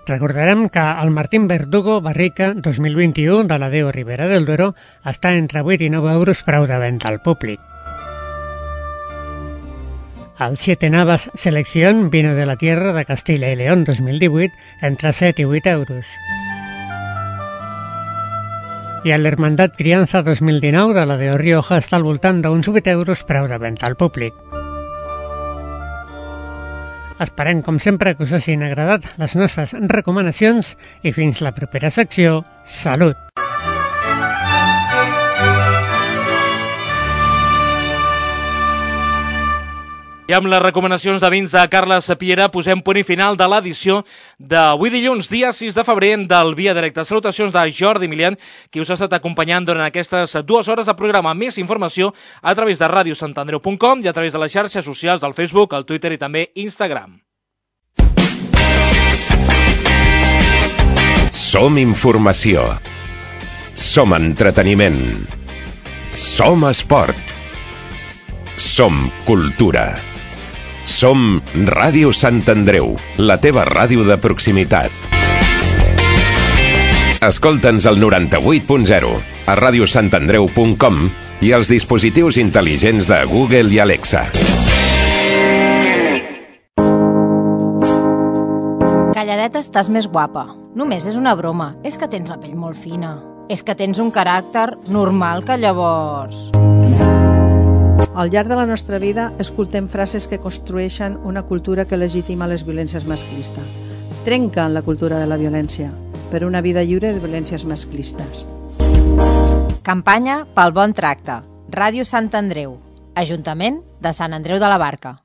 Recordarem que el Martín Verdugo Barrica 2021 de la Deo Ribera del Duero està entre 8 i 9 euros preu de venda al públic. El Siete Navas Selección Vino de la Tierra de Castilla y León 2018 entre 7 i 8 euros. I l'Hermandad Crianza 2019 de la Deo Rioja està al voltant d'uns 8 euros preu de venda al públic. Esperem, com sempre, que us hagin agradat les nostres recomanacions i fins la propera secció. Salut! I amb les recomanacions de vins de Carles Piera posem punt i final de l'edició d'avui dilluns, dia 6 de febrer, del Via Directa. Salutacions de Jordi Milian, qui us ha estat acompanyant durant aquestes 2 hores de programa. Més informació a través de radiosantandreu.com i a través de les xarxes socials del Facebook, el Twitter i també Instagram. Som informació. Som entreteniment. Som esport. Som cultura. Som Ràdio Sant Andreu, la teva ràdio de proximitat. Escolta'ns al 98.0, a radiosantandreu.com i als dispositius intel·ligents de Google i Alexa. Calladeta estàs més guapa. Només és una broma. És que tens la pell molt fina. És que tens un caràcter normal que llavors... Al llarg de la nostra vida escoltem frases que construeixen una cultura que legitima les violències masclistes. Trenquen la cultura de la violència per una vida lliure de violències masclistes. Campanya pel bon tracte. Ràdio Sant Andreu. Ajuntament de Sant Andreu de la Barca.